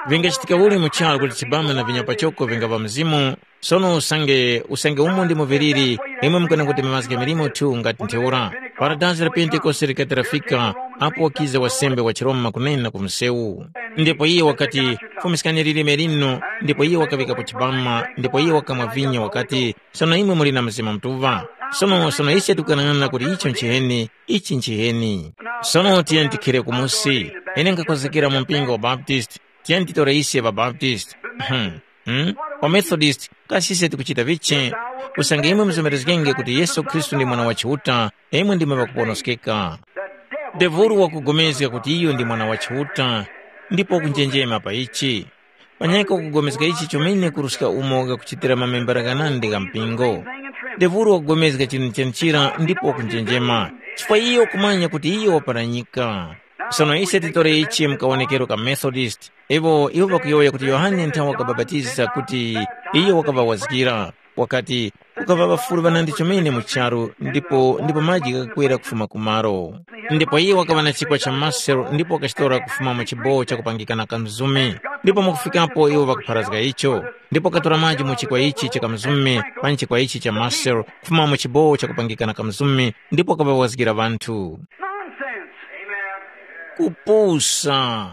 Vingachitika uli mu charu kuti chibama na vinya pachoko vingaŵa mzimu, sono usange usange umo ndimo viliri, imwe mukana kuti mazga milimo tu ngati ntheura. Para dazi la Pentekoste likati lafika, apo wakiza wasembe wa chiRoma kunena ku msewu. Ndipo iye wakati, fumiskani lilime lino, ndipo iye wakaŵikapo chibama, ndipo iye wakamwa vinyo wakati, sono imwe muli na Mzimu Mutuŵa. Sono sono ise tikukanang'ana kuti icho nchiheni, ichi nchiheni. Sono tiyeni tikhire kumusi. Ine ngakhozekera mu mpingo wa Baptist, tiyeni titore ise ŵaBaptist. Hmm. Hmm? WaMethodist, kasi ise tikuchita vichi? Usange imwe muzomerezgenge kuti Yesu Khristu ndi Mwana wa Chiuta, imwe ndimwe ŵakuponoskeka. Devulu wakugomezga kuti iyo ndi Mwana wa Chiuta, ndipo wakunjenjema pa ichi. Manyaka wakugomezga ichi chomene kuruska umo ghakuchitira mamembera ghanandi gha mpingo. Devulu wakugomezga chinthu chenichira ndipo wakunjenjema, chifukwa iyo wakumanya kuti iyo waparanyika. Sono ise titore ichi mu kawonekero ka Methodist. Iwo iwo ŵakuyowoya kuti Yohane nthawe wakabapatiza kuti iyo wakaŵawazgira, wakati, kukaŵa ŵafulu ŵanandi chomene mu charu ndipo ndipo maji ghakakwera kufuma ku malo. Ndipo iye wakaŵa na chikwa cha maselo ndipo wakachitora kufuma mu chibowo chakupangika na kamzumi. Ndipo mwakufikapo iwo ŵakapharazga icho, ndipo wakatora maji mu chikwa ichi cha kamzumi pa chikwa ichi cha maselo kufuma mu chibowo chakupangika na kamzumi ndipo wakaŵawazgira ŵanthu. Nonsense. Kupusa.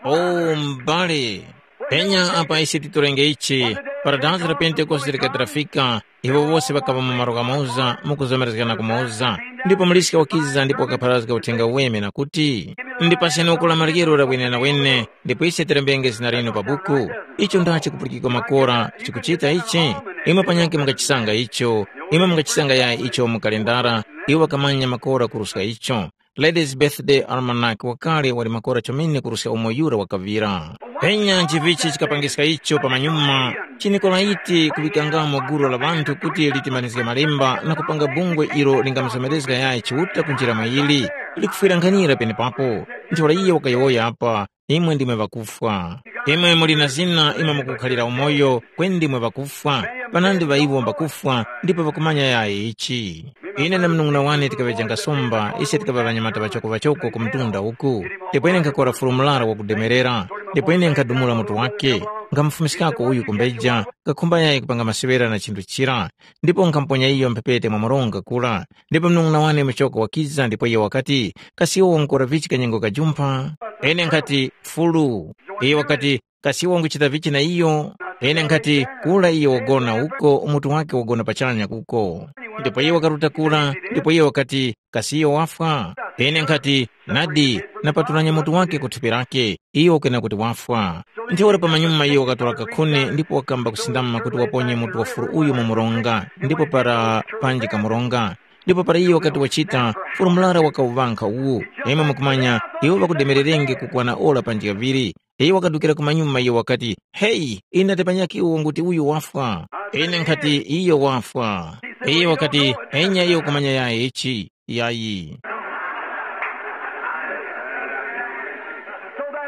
Oh, oh, m'bale. Penya apa ise titorenge ichi, para dazi la Pentekoste likati lafika, iwo wose ŵakaŵa mu malo ghamoza, mukuzomerezgana kumoza. Ndipo muliska wakiza ndipo wakapharazga uthenga uweme na kuti, ndipaseni uku la maryero la wenenawene, ndipo ise tilembenge zina linu pa buku. Icho ndachi kupulikika makora chikuchita ichi? Imwe panyakhe mungachisanga icho, imwe mungachisanga yayi icho mu kalendara, iwo ŵakamanya makora kuruska icho. Ladies Birthday Almanac wakale wali makora chomene kuruska umo yura wakaŵira. Penya nchivichi chikapangiska icho pamanyuma, chinikolaiti kuŵikangamo gulu la ŵanthu kuti litimanizge malemba na kupanga bungwe ilo lingamuzomerezga yayi Chiuta kunjira mwa ili, likufwirankhanira penepapo. Ntheura iye wakayowoya apa, imwe ndimwe ŵakufwa. Imwe muli na zina imwe mukukhalira umoyo, kweni ndimwe ŵakufwa, panandi ŵa iwo mbakufwa ndipo ŵakumanya yayi ichi. Ine na munung'una wane tikaŵejanga somba, ise tikaŵa ŵanyamata ŵachoko-ŵachoko ku mtunda uku. Ndipo ine nkhakora fulu murara wakudemerera, ndipo ine nkhadumula mutu wake, nkhamufumiskako uyu kumbeja, nkakhumba yayi kupanga maseŵera na chinthu chira, ndipo nkhamuponya iyo mphepete mwa mronga kura. Ndipo munung'una wane muchoko wakiza ndipo iyo wakati, kasi iwe wankora vichi kanyengo kajumpha? Ine nkhati, fulu. Iyo wakati, kasi iwe wanguchita vichi na iyo? Ine nkhati, kura iyo wagona uko, umutu wake wagona pachanya kuko. Ndipo iye wakaruta kura, ndipo iye wakati, "Kasi iyo wafwa?" Ine nkhati, "Nadi, napatulanya mutu wake ku thupi lake, iyo wakuyena kuti wafwa." Ntheura pamanyuma iyo wakatora kakhuni ndipo wakamba kusindama kuti waponye mutu wa furu uyu mu mronga, ndipo para panji kamuronga. Ndipo para iyo wakati wachita, furu murara wakawuŵankha uwu. Imwe mukumanya, iwo ŵakudemererenge kukwana ora panji kaŵiri. Iyo wakadukira kumanyuma iyo wakati, "Heyi, ine ndapanyaki uwo nguti uyu wafwa." Ine nkhati, "Iyo wafwa." Iyo wakati, "Enya iyo kumanya yayi ichi, yayi."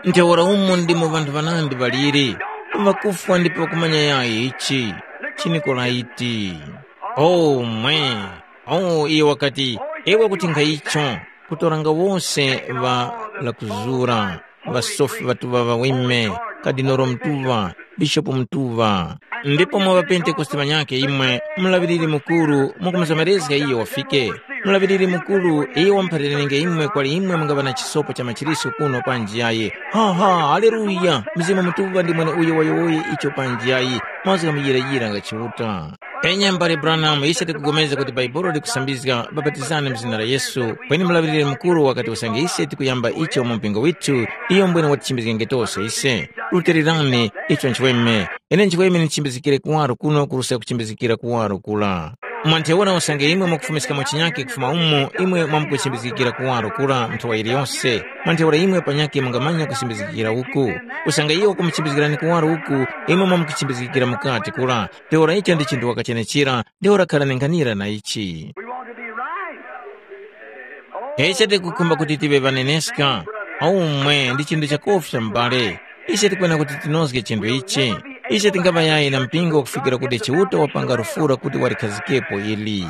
Ntheura umo ndimo ŵanthu ŵanandi ŵaliri, ŵakufwa ndipo ŵakumanya yayi ichi, chiniko laiti. Oh mwe! Oh, iyo wakati, "Ewe kuti nkhaicho, kutoranga wose ŵa lakuzura, ŵasofi ŵatuŵa ŵaweme, kadinoro mutuŵa, bishopu mutuŵa, ndipo mwa ŵapentekoste ŵanyakhe imwe, mulaŵiriri mukuru, mukumuzomerezga iyo wafike. Mulaŵiriri mukuru, iyo wamuphalirenge imwe kwali imwe mungaŵa na chisopo cha machiriso kuno panji yayi. Ha ha, haleluya! Mzimu mutuŵa ndi mwene uyo wayowoye icho panji yayi, mazgu ghamuyirayira nga Chiuta. Enya mbale Branham, ise tikupulikana kuti Bhaibuli likusambizga, bapatizani mu zina la Yesu, kweni mulaŵiriri mukuru wakati usange ise tikuyamba icho mu mpingo withu, iyo mbwene watichimbizgenge tose ise. Rutilirani, icho nchiweme. Ine nchiweme ndichimbizgikire kuwaro kuno kuruska kuchimbizgikira kuwaro kula. Mwa ntheura usange imwe mwakufumiskamo chinyake kufuma umo, imwe mwamkuchimbizgikira kuwaro kula nthowa yiliyose. Mwa ntheura imwe panyakhe mungamanya kuchimbizgikira uku. Usange iyo wakumuchimbizgirani kuwaro uku, imwe mwamkuchimbizgikira mukati kula. Ntheura icho ndi chinthu wakachenechera, ntheura kharani nkhanira na ichi. We want to be right. Ise tikukhumba kuti tive ŵaneneska, aumwe ndi chinthu chakofya m'bale. Ise tikwena kuti tinozge chinthu ichi. Ise tingaŵa yayi na mpingo kufikira kuti Chiuta wapanga lufura kuti walikhazikepo ili.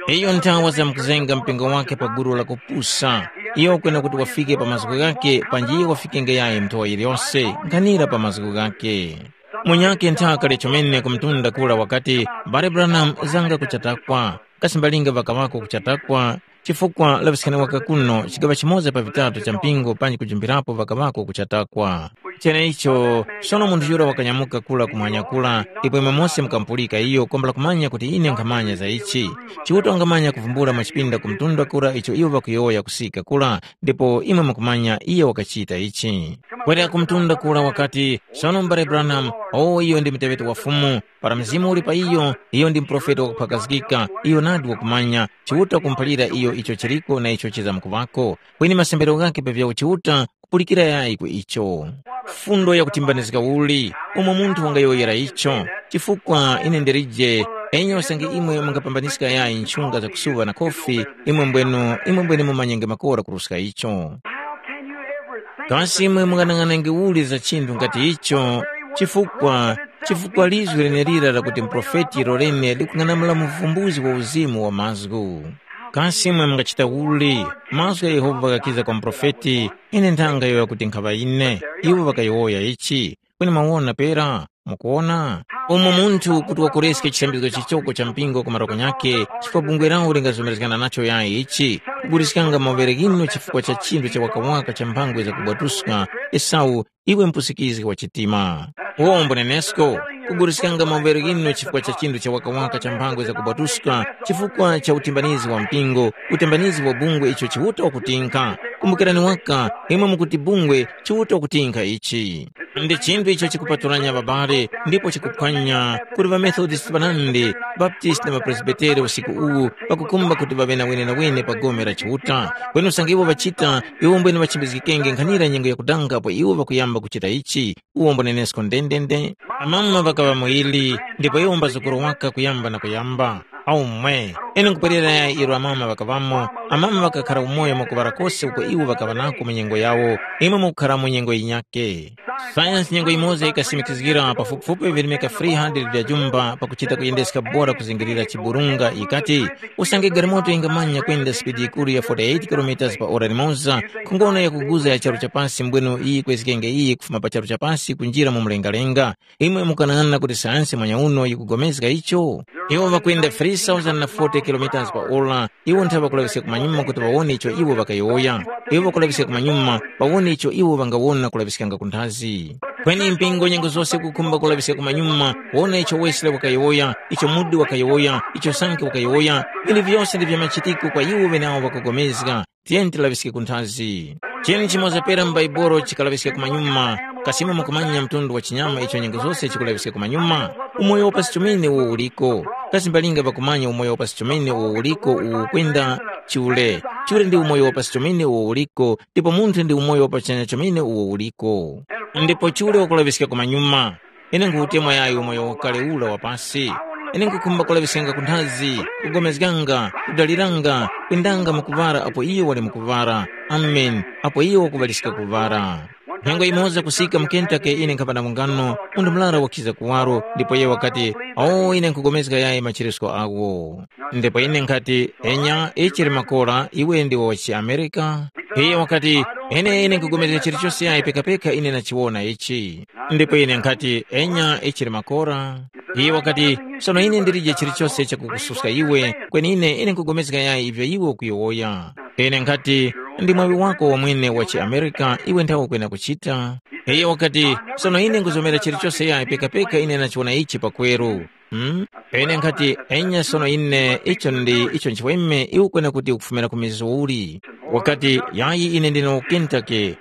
Iyo nthawa zamkuzenga mpingo wake pa gulu la kupusa. Iyo kwena kuti wafike pa mazgu ghake, panji iyo wafikenge yayi nthowa yiliyose, nkhanira pa mazgu ghake. Munyakhe nthaka lya chomene ku mtunda kura wakati, Mbale Branham zanga kuchatakwa, kasi mbalinga ŵakaŵako kuchatakwa, chifukwa laŵiskani waka kuno chigaŵa chimoza pa vitatu cha mpingo panji kujumpirapo ŵakaŵako kuchatakwa. Cheneicho, sono munthu yura wakanyamuka kura kumwanya kura, ipo imwe mose mukamupulika iyo kwambula kumanya kuti ine nkhamanya za ichi. Chiuta wangamanya kuvumbula mwa chipinda ku mtunda kura icho iwo ŵakuyowoya kusika kura, ndipo imwe mukumanya iyo wakachita ichi. Kwerera ku mtunda kura wakati, sono mbale Branham, owo iyo ndi muteŵeti wa Fumu, para Mzimu uli pa iyo, iyo ndi muprofeti wakuphakazgika, iyo nadi wakumanya, Chiuta wakumuphalira iyo icho chiliko na icho chizamkuŵako. Kweni masembero ghakhe pa vyawo Chiuta kupulikira yayi ku icho. Fundo yakutimbanizga uli, umo munthu wangayowoyera icho, chifukwa ine ndelije, enyose nge imwe mungapambanizga yayi nchunga zakusuŵa na khofi, imwe mbwenu, imwe mbwenu mumanyenge makora kuruska icho. How can you ever think Kasi imwe munganang'anenge uli za chinthu ngati icho? Chifukwa, chifukwa lizwi lenelira lakuti muprofeti lolene likung'anamula muvumbuzi wa uzimu wa mazgu. Kasi imwe mungachita uli? Mazgu gha Yehova ghakiza kwa muprofeti, ine nthanga yoya kuti nkhaŵa ine. Iwo ŵakayowoya ichi. Kweni mwawona pera? Mukuwona? Umo munthu kuti wakoreske chisambizgo chichoko cha mpingo ku maroko nyakhe, chifukwa bungwe lawo lingazomerezgana nacho yayi ichi, kuguliskanga mawere ghinu chifukwa cha chinthu cha wakawaka cha mphangwe zakubwatuska, Esau, iwe mpusikizgi wa chitima. Uwombo nenesko, kuguliskanga mawere ghinu chifukwa cha chinthu cha wakawaka cha mphangwe zakubwatuska, chifukwa cha utimbanizi wa mpingo, utimbanizi wa bungwe icho Chiuta wakutinkha. Kumbukirani waka, imwe mukuti bungwe, Chiuta wakutinkha ichi. Ndi chinthu icho chikupatulanya ŵabale ndipo chikuphwanya kuti ŵaMethodisti ŵanandi, Baptisti na ŵaPresbiteri usiku uwu ŵakukhumba kuti ŵaŵe na wenenawene pa gome la Chiuta. Kweni usange iwo ŵachita, iwo mbwene ŵachimbizgikenge nkhanira nyengo yakudanga apo iwo ŵakuyamba kuchita ichi, uwo mbunenesko ndendende. Amama ŵakaŵa muili, ndipo iwo mbazukuru waka kuyamba na kuyamba. Aumwe, ine nkupwerera ilo amama ŵakaŵamo, amama ŵakakhara umoyo mwakuŵala kose uko iwo ŵakaŵa nako mu nyengo yawo, imwe mukukhara mu nyengo yinyakhe. Sayansi nyengo yimoza yikasimikizgira pafupifupi virimika three hundred vya jumba pakuchita kuyendeska bora kuzingirira chiburunga yikati, usange galimoto yingamanya kwenda sipidi yikuru ya forty-eight kilometers pa ora limoza, khongono yakuguza ya charu cha pasi mbwenu iyi kwezgenge iyi kufuma pa charu cha pasi kunjira mu mlengalenga, imwe mukanang'ana kuti sayansi mwanyauno yikugomezga icho? Iwo ŵakwenda three thousand forty kilometers pa ora, iwo nthawe ŵakulaŵiska kumanyuma kuti ŵawone icho iwo ŵakayowoya. Iwo ŵakulaŵiska kumanyuma, ŵawone icho iwo ŵangawona kulaŵiskanga ku nthazi. Kweni mpingo nyengo zose kukhumba kulaŵiska kumanyuma, wona icho Wesley wakayowoya, icho Moody wakayowoya, icho Sankey wakayowoya, vinthu vyose ndi vya machitiko kwa iwo ŵenawo ŵakugomezga. Tiyeni tilaŵiske ku nthazi. Cheni chimoza pera mu Baibolo chikalaŵiska kumanyuma, kasima mukumanya mtundu wa chinyama icho nyengo zose chikulaŵiska kumanyuma? Umoyo wa pasi chomene uwo uliko. Kasi mbalinga ŵakumanya umoyo wa pasi chomene uwo uliko uwu kwenda chule. Chule ndi umoyo wa pasi chomene uwo uliko, ndipo munthu ndi umoyo wa pachanya chomene uwo uliko. Ndipo chule wakulaŵiska kumanyuma. Ine nkhutemwa yayi umoyo wakale ula wa pasi. Ine nkhukhumba kulaŵiskanga ku nthazi, kugomezganga, kudaliranga, kwendanga mwakuŵala apo iyo wali mukuŵala. Amen. Apo iyo wakuŵaliska kuŵala. Nyengo yimoza kusika mu Kentucky ine nkhapa na mungano, munthu murara wakhiza kuwaro, ndipo iye wakati, “O, ine nkhugomezga yayi macheresko agho.” Ndipo ine nkhati, “Enya, ichi limakora, iwe ndiwe wa chiAmerika?” Iye wakati, “Ine, ine nkhugomezga chilichose yayi pekapeka ine nachiwona ichi.” Ndipo ine nkhati, “Enya, ichi limakora.” Iye wakati, “Sono ine ndilije chilichose chakukususka iwe, kweni ine, ine nkhugomezga yayi ivyo iwe ukuyowoya.” Ine nkhati, “Ndi mwaŵi wako wamwene wa chiAmerika, iwe nthawe ukwenda kuchita.” Iye wakati, “Sono ine nkuzomera chilichose yayi pekapeka ine nachiwona ichi pakweru.” Hmm? Ine nkhati, “Enya sono ine, icho ndi icho nchiweme, iwe ukwena kuti ukufumira ku mizi uli?” Wakati, “Yayi ine ndine wa ku Kentucky.”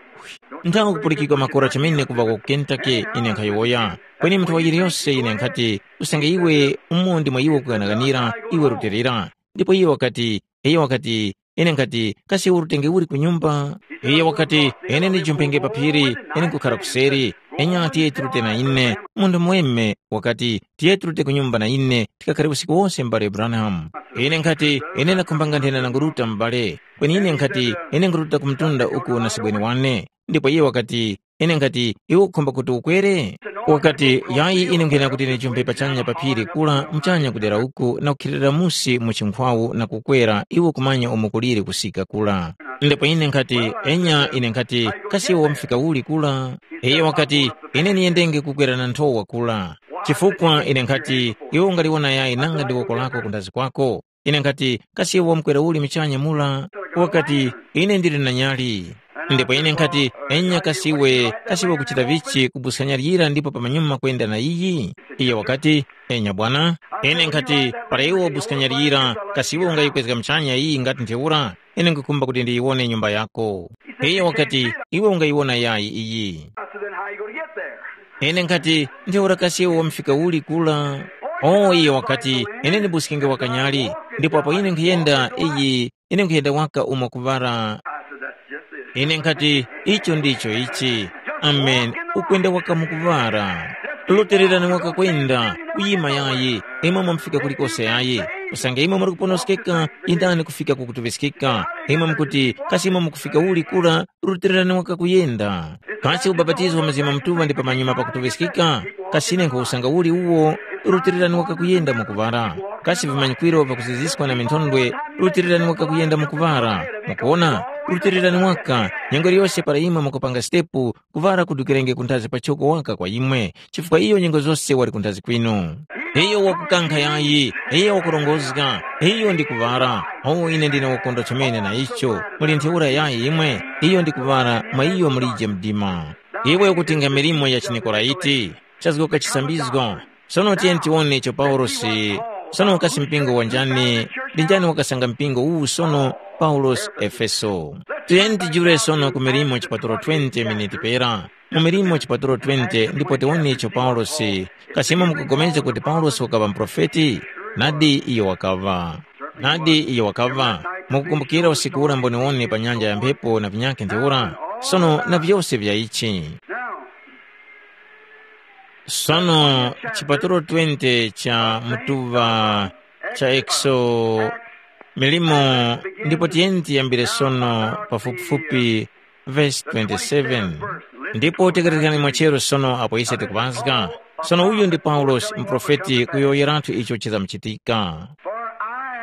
Nthawe kupulikika makora chomene kuva ku Kentucky, ine nkhayowoya. Kweni munthu wa yiliyose ine nkhati, usange iwe umo ndimo iwe ukughanaghanira, iwe rutilira. Ndipo iye wakati, iye wakati, ine nkhati, kasi urutenge uli ku nyumba? Iye wakati, ine ndijumpenge pa phiri, ine nkukhara kuseri. Enya tiye tirute na ine. Munthu muweme wakati, tiye tirute ku nyumba na ine, tikakhare usiku wose m'bale Branham. Ine nkhati, ine ndakhumbanga nthena nanguruta m'bale. Kweni ine nkhati, ine nguruta ku mtunda uku na sebweni wane. Ndipo iye wakati, ine nkhati, iwe ukukhumba kuti ukwere? Wakati, yayi ine nkhuyena kuti ndijumbe pachanya pa phiri kula, muchanya kudera uku, na kukhilirira musi mu chinkhwawu na kukwera, iwe kumanya umo kuliri kusika kula. Ndipo ine nkhati, enya ine nkhati, kasi iwe wamufika uli kula? Iye wakati, ine niyendenge kukwera na nthowa kula. Chifukwa ine nkhati, iwe ungaliwona yayi nanga ndi woko lako kundazi kwako? Ine nkhati, kasi iwe wamkwera uli muchanya mula? Wakati, ine ndili na nyali. Ndipo ine nkhati, enya kasi iwe, kasi iwe ukuchita vichi kubuska nyali yira ndipo pamanyuma kwenda na iyi? Iye wakati, enya bwana. Ine nkhati, para iwe wabuska nyali yira, kasi iwe ungayikwezga muchanya iyi ngati ntheura? Ine nkhukhumba kuti ndiyiwone nyumba yako. Iye wakati, iwe ungayiwona yayi iyi? I said, then how you gonna get there? Ine nkhati, ntheura kasi iwe wamufika uli kula? O iye wakati, ine ndibuskenge wakanyali, ndipo apo ine nkhuyenda iyi, ine nkhuyenda waka umo kuŵara. I said, that's just it. Ine nkhati, icho ndicho ichi. Amen. Ukwenda waka mukuŵara. Lotererani waka kwenda, kuyima yayi, imwe mwamufika kulikose yayi. Usange imwe muri kuponoskeka, yendani kufika ku kutuŵiskika. Imwe mukuti, kasi imwe mukufika uli kura, rutilirani waka kuyenda. Kasi ubapatizo wa Mzimu Mutuŵa ndi pamanyuma pakutuŵiskika? Kasi ine nkhuwusanga uli uwo? Rutilirani waka kuyenda mukuŵara. Kasi vimanyikwiro vyakuziziskwa na minthondwe, rutilirani waka kuyenda mukuŵara. Mukuwona? Rutilirani waka, nyengo yiliyose para imwe mukupanga sitepu, kuŵara kudukirenge kunthazi pachoko waka kwa imwe, chifukwa iyo nyengo zose wali kunthazi kwinu. Iyo wakukankha yayi, iyo wakurongozga, iyo ndi kuŵara. O ine ndine wakondwa chomene na icho. Muli ntheura yayi imwe, iyo ndi kuŵara mwa iyo mulije mdima. Iwe ukutinga milimo ya chiNikolaiti, chazgoka chisambizgo. Sono tiyeni tiwone icho Paulosi, sono kasi mpingo wa njani, ndi njani wakasanga mpingo uwu sono Paulosi Efeso. Tiyeni tijule sono ku milimo chipatulo twenty miniti pera. Mu milimo chipatulo twenty ndipo tiwone icho Paulosi, kasi imwe mukupulikana kuti Paulosi wakaŵa muprofeti? Nadi iyo wakaŵa. Nadi iyo wakaŵa. Mukukumbukira usiku ura mboniwone pa nyanja ya mphepo na vinyakhe ntheura? Sono na vyose vya ichi. Sono chipatulo twenty cha mutuŵa cha Exo milimo, ndipo tiyeni tiyambire sono pafupifupi vesi twenty-seven. Ndipo tekerezgani mwachero sono apo ise tikuŵazga. Sono uyu ndi Paulosi muprofeti kuyowoyerathu icho chizamuchitika.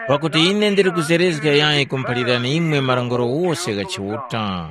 Pakuti ine ndili kuzerezga yayi kumuphalirani imwe malongoro wose gha Chiuta.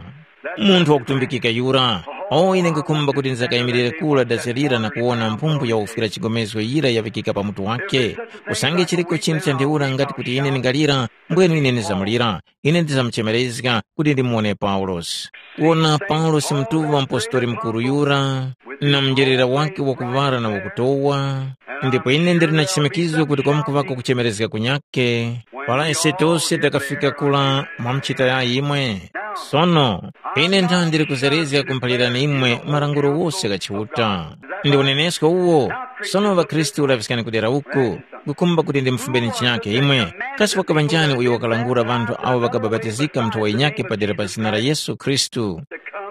Munthu wakutumbikika yura, O, ine nkhukhumba kuti ndzakayimirire kura dazi lira na kuwona mphumphu ya ufwira chigomezgo yira yaŵikika pa mutu wake. Usange chiriko chinthu cha ntheura ngati kuti ine ndingalira, mbwenu ine ndizamulira. Ine ndizamuchemerezga kuti ndimuwone Paulosi. Kuwona Paulosi mutuŵa mupostori mukuru yura, na munjerera wake wakuŵala na wakutowa, ndipo ine ndili na chisimikizo kuti kwamkuŵako kuchemerezga kunyakhe, para ise tose takafika kula mwa mchita ya imwe. Sono, ine ntha ndili kuzerezga kumuphalirani imwe malangulo wose gha Chiuta. Ndi unenesko uwo, sono ŵakhristu laŵiskani kudera uku, ngukhumba kuti ndimufumbeni chinyakhe imwe, kasi wakaŵa njani uyo wakalangula ŵanthu awo ŵakabapatizika mu nthowa yinyakhe padera pa zina la Yesu Khristu,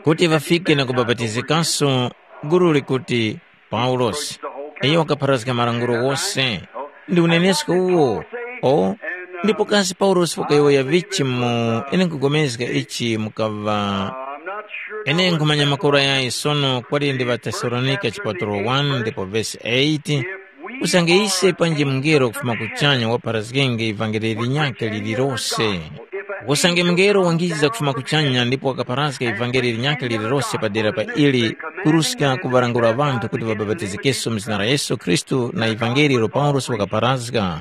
kuti ŵafike na kubapatizikanso gulu likuti Paulosi, iyo wakapharazga malangulo wose. Ndi unenesko uwo. O, ndipo kasi Paulosi wakayowoya vichi mu ine nkupulikana ichi mukaŵa ine nkhumanya makora yayi sono kwali ndi ŵaTesalonika chipatulo one ndipo vesi eight, usange ise panji mungelo kufuma kuchanya wapharazgenge ivangeli linyakhe lililose. Usange mungelo wangiza kufuma kuchanya ndipo wakapharazga ivangeli linyakhe lililose padera pa ili, kuruska kuŵalangula ŵanthu kuti ŵabapatizikenso mu zina la Yesu Khristu na ivangeli ilo Paulosi wakapharazga.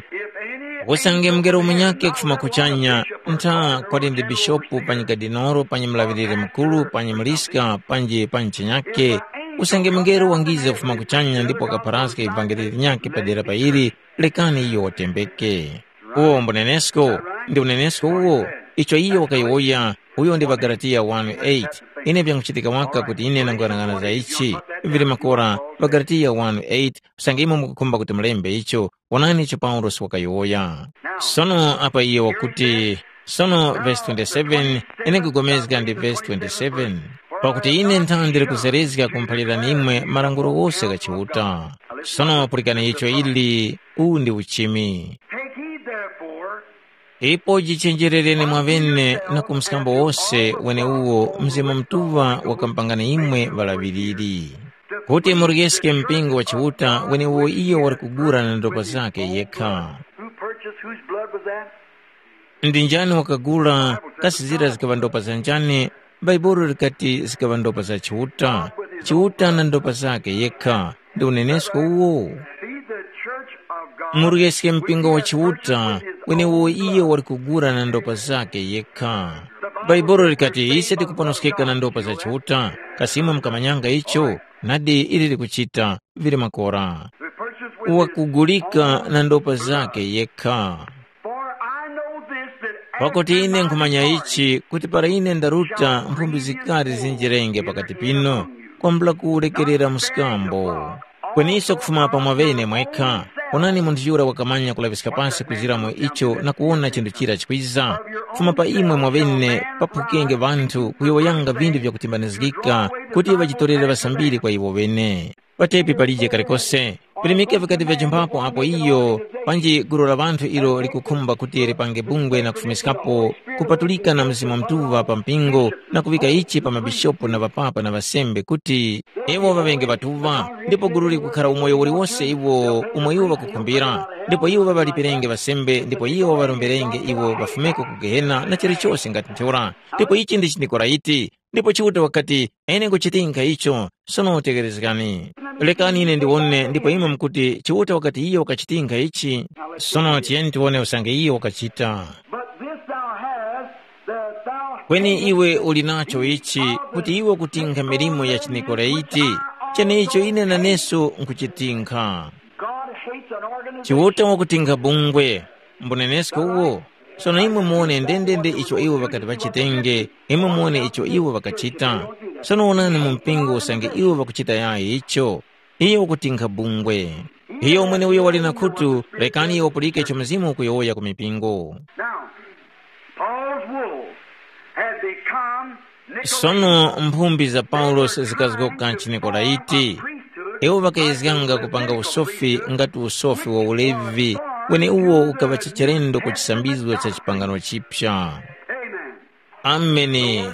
Usange mungelo munyakhe kufuma kuchanya, ntha kwali ndi bishopu panyi kadinoro panyi mulaŵiriri mukuru panyi muliska panji panyi chinyakhe, usange mungelo wangiza kufuma kuchanya ndipo wakapharazga ivangeli linyakhe padera pa ili, lekani iyo watembeke. Uwo mbunenesko, ndi unenesko uwo, icho iyo wakayowoya, uyo ndi ŵaGalatiya one eight. Ine vyanguchitika waka kuti ine ndanguyang'ana za ichi, vili makora, ŵaGalatiya one eight, usange imwe mukukhumba kuti mulembe icho, wonani icho Paulosi wakayowoya. Sono apa iye wakuti, sono vesi twenty-seven, ine nkugomezga ndi vesi twenty-seven, pakuti ine ntha ndili kuzerezga kumuphalirani imwe malangulo wose gha Chiuta. Sono pulikani icho ili, uwu ndi uchimi. Take heed therefore, ipo jichenjerereni mwaŵene na ku mskambo wose weneuwo Mzimu Mutuŵa wakamupangani imwe ŵalaŵiriri, kuti muryeske mpingo wa Chiuta weneuwo iyo wali kugula na ndopa zakhe yekha. Who purchased, whose blood was that? Ndi njani wakagula, kasi zira zikaŵa ndopa za njani? Bhaibuli likati zikaŵa ndopa za Chiuta, Chiuta na ndopa zakhe yekha. Ndi unenesko uwo. Be the church of God, muryeske mpingo wa Chiuta, wenewo iye wali kugula na ndopa zakhe yekha. Bhaibuli likati ise tikuponoskeka na ndopa za Chiuta. Kasi imwe mukamanyanga icho? Nadi ili likuchita, vili makora. Wakugulika na ndopa zakhe yekha. For I know this, that pakuti ine nkhumanya ichi kuti para ine ndaruta mphumbi zikari zinjirenge pakati pinu, kwambula kuwurekerera mskambo. Kweniso kufuma pa mwaŵene mwekha, onani munthu yura wakamanya kulaŵiska pasi kuzira mu icho na kuwona chinthu chira chikwiza, kufuma pa imwe mwaŵene paphukenge ŵanthu kuyowoyanga vinthu vyakutimbanizgika kuti ŵajitorere ŵasambiri kwa iwo ŵene. Patepi palije kalikose. Virimika vikati vyajimbapo apo iyo panji gulu la ŵanthu ilo likukhumba kuti lipange bungwe na kufumiskapo kupatulika na Mzimu Mutuŵa pa mpingo na kuŵika ichi pa mabishopu na ŵapapa na ŵasembe kuti iwo ŵaŵenge ŵatuŵa, ndipo gulu likukhara umoyo uliwose iwo umo iwo ŵakukhumbira, ndipo iwo ŵaŵalipirenge ŵasembe ndipo iwo ŵaŵaromberenge iwo ŵafumeko ku Gehena na chilichose ngati ntheura. Ndipo ichi ndi chinikoraiti. Ndipo Chiuta wakati, ine nkuchitinkha icho, sono tekerezgani. Lekani ine ndiwone ndipo imwe mukuti Chiuta wakati iyo wakachitinkha ichi. Sono tiyeni tiwone usange iyo wakachita. But this thou hast, that thou kweni iwe uli nacho ichi, kuti iwe kutinkha milimo ya chinikoraiti, cheneicho ine naneso nkuchitinkha. God hates an organization. Chiuta wakutinkha bungwe. Mbunenesko uwo. Sono imwe muwone ndendende icho iwo ŵakati ŵachitenge, imwe muwone icho iwo ŵakachita. Sono wonani mu mpingo usange iwo ŵakuchita yayi icho. Iyo wakutinkha bungwe. Iyo mweneuyo wali na khutu, rekani iyo wapulike icho Mzimu ukuyowoya ku mipingo. Now, Paul's wolves had become sono mphumbi za Paulosi zikazgoka nchinekolaiti. Iwo ŵakayezganga kupanga usofi ngati usofi wa ulevi, kweni uwo ukaŵa chichelendo ku chisambizgo cha chipangano chipya. Ameni.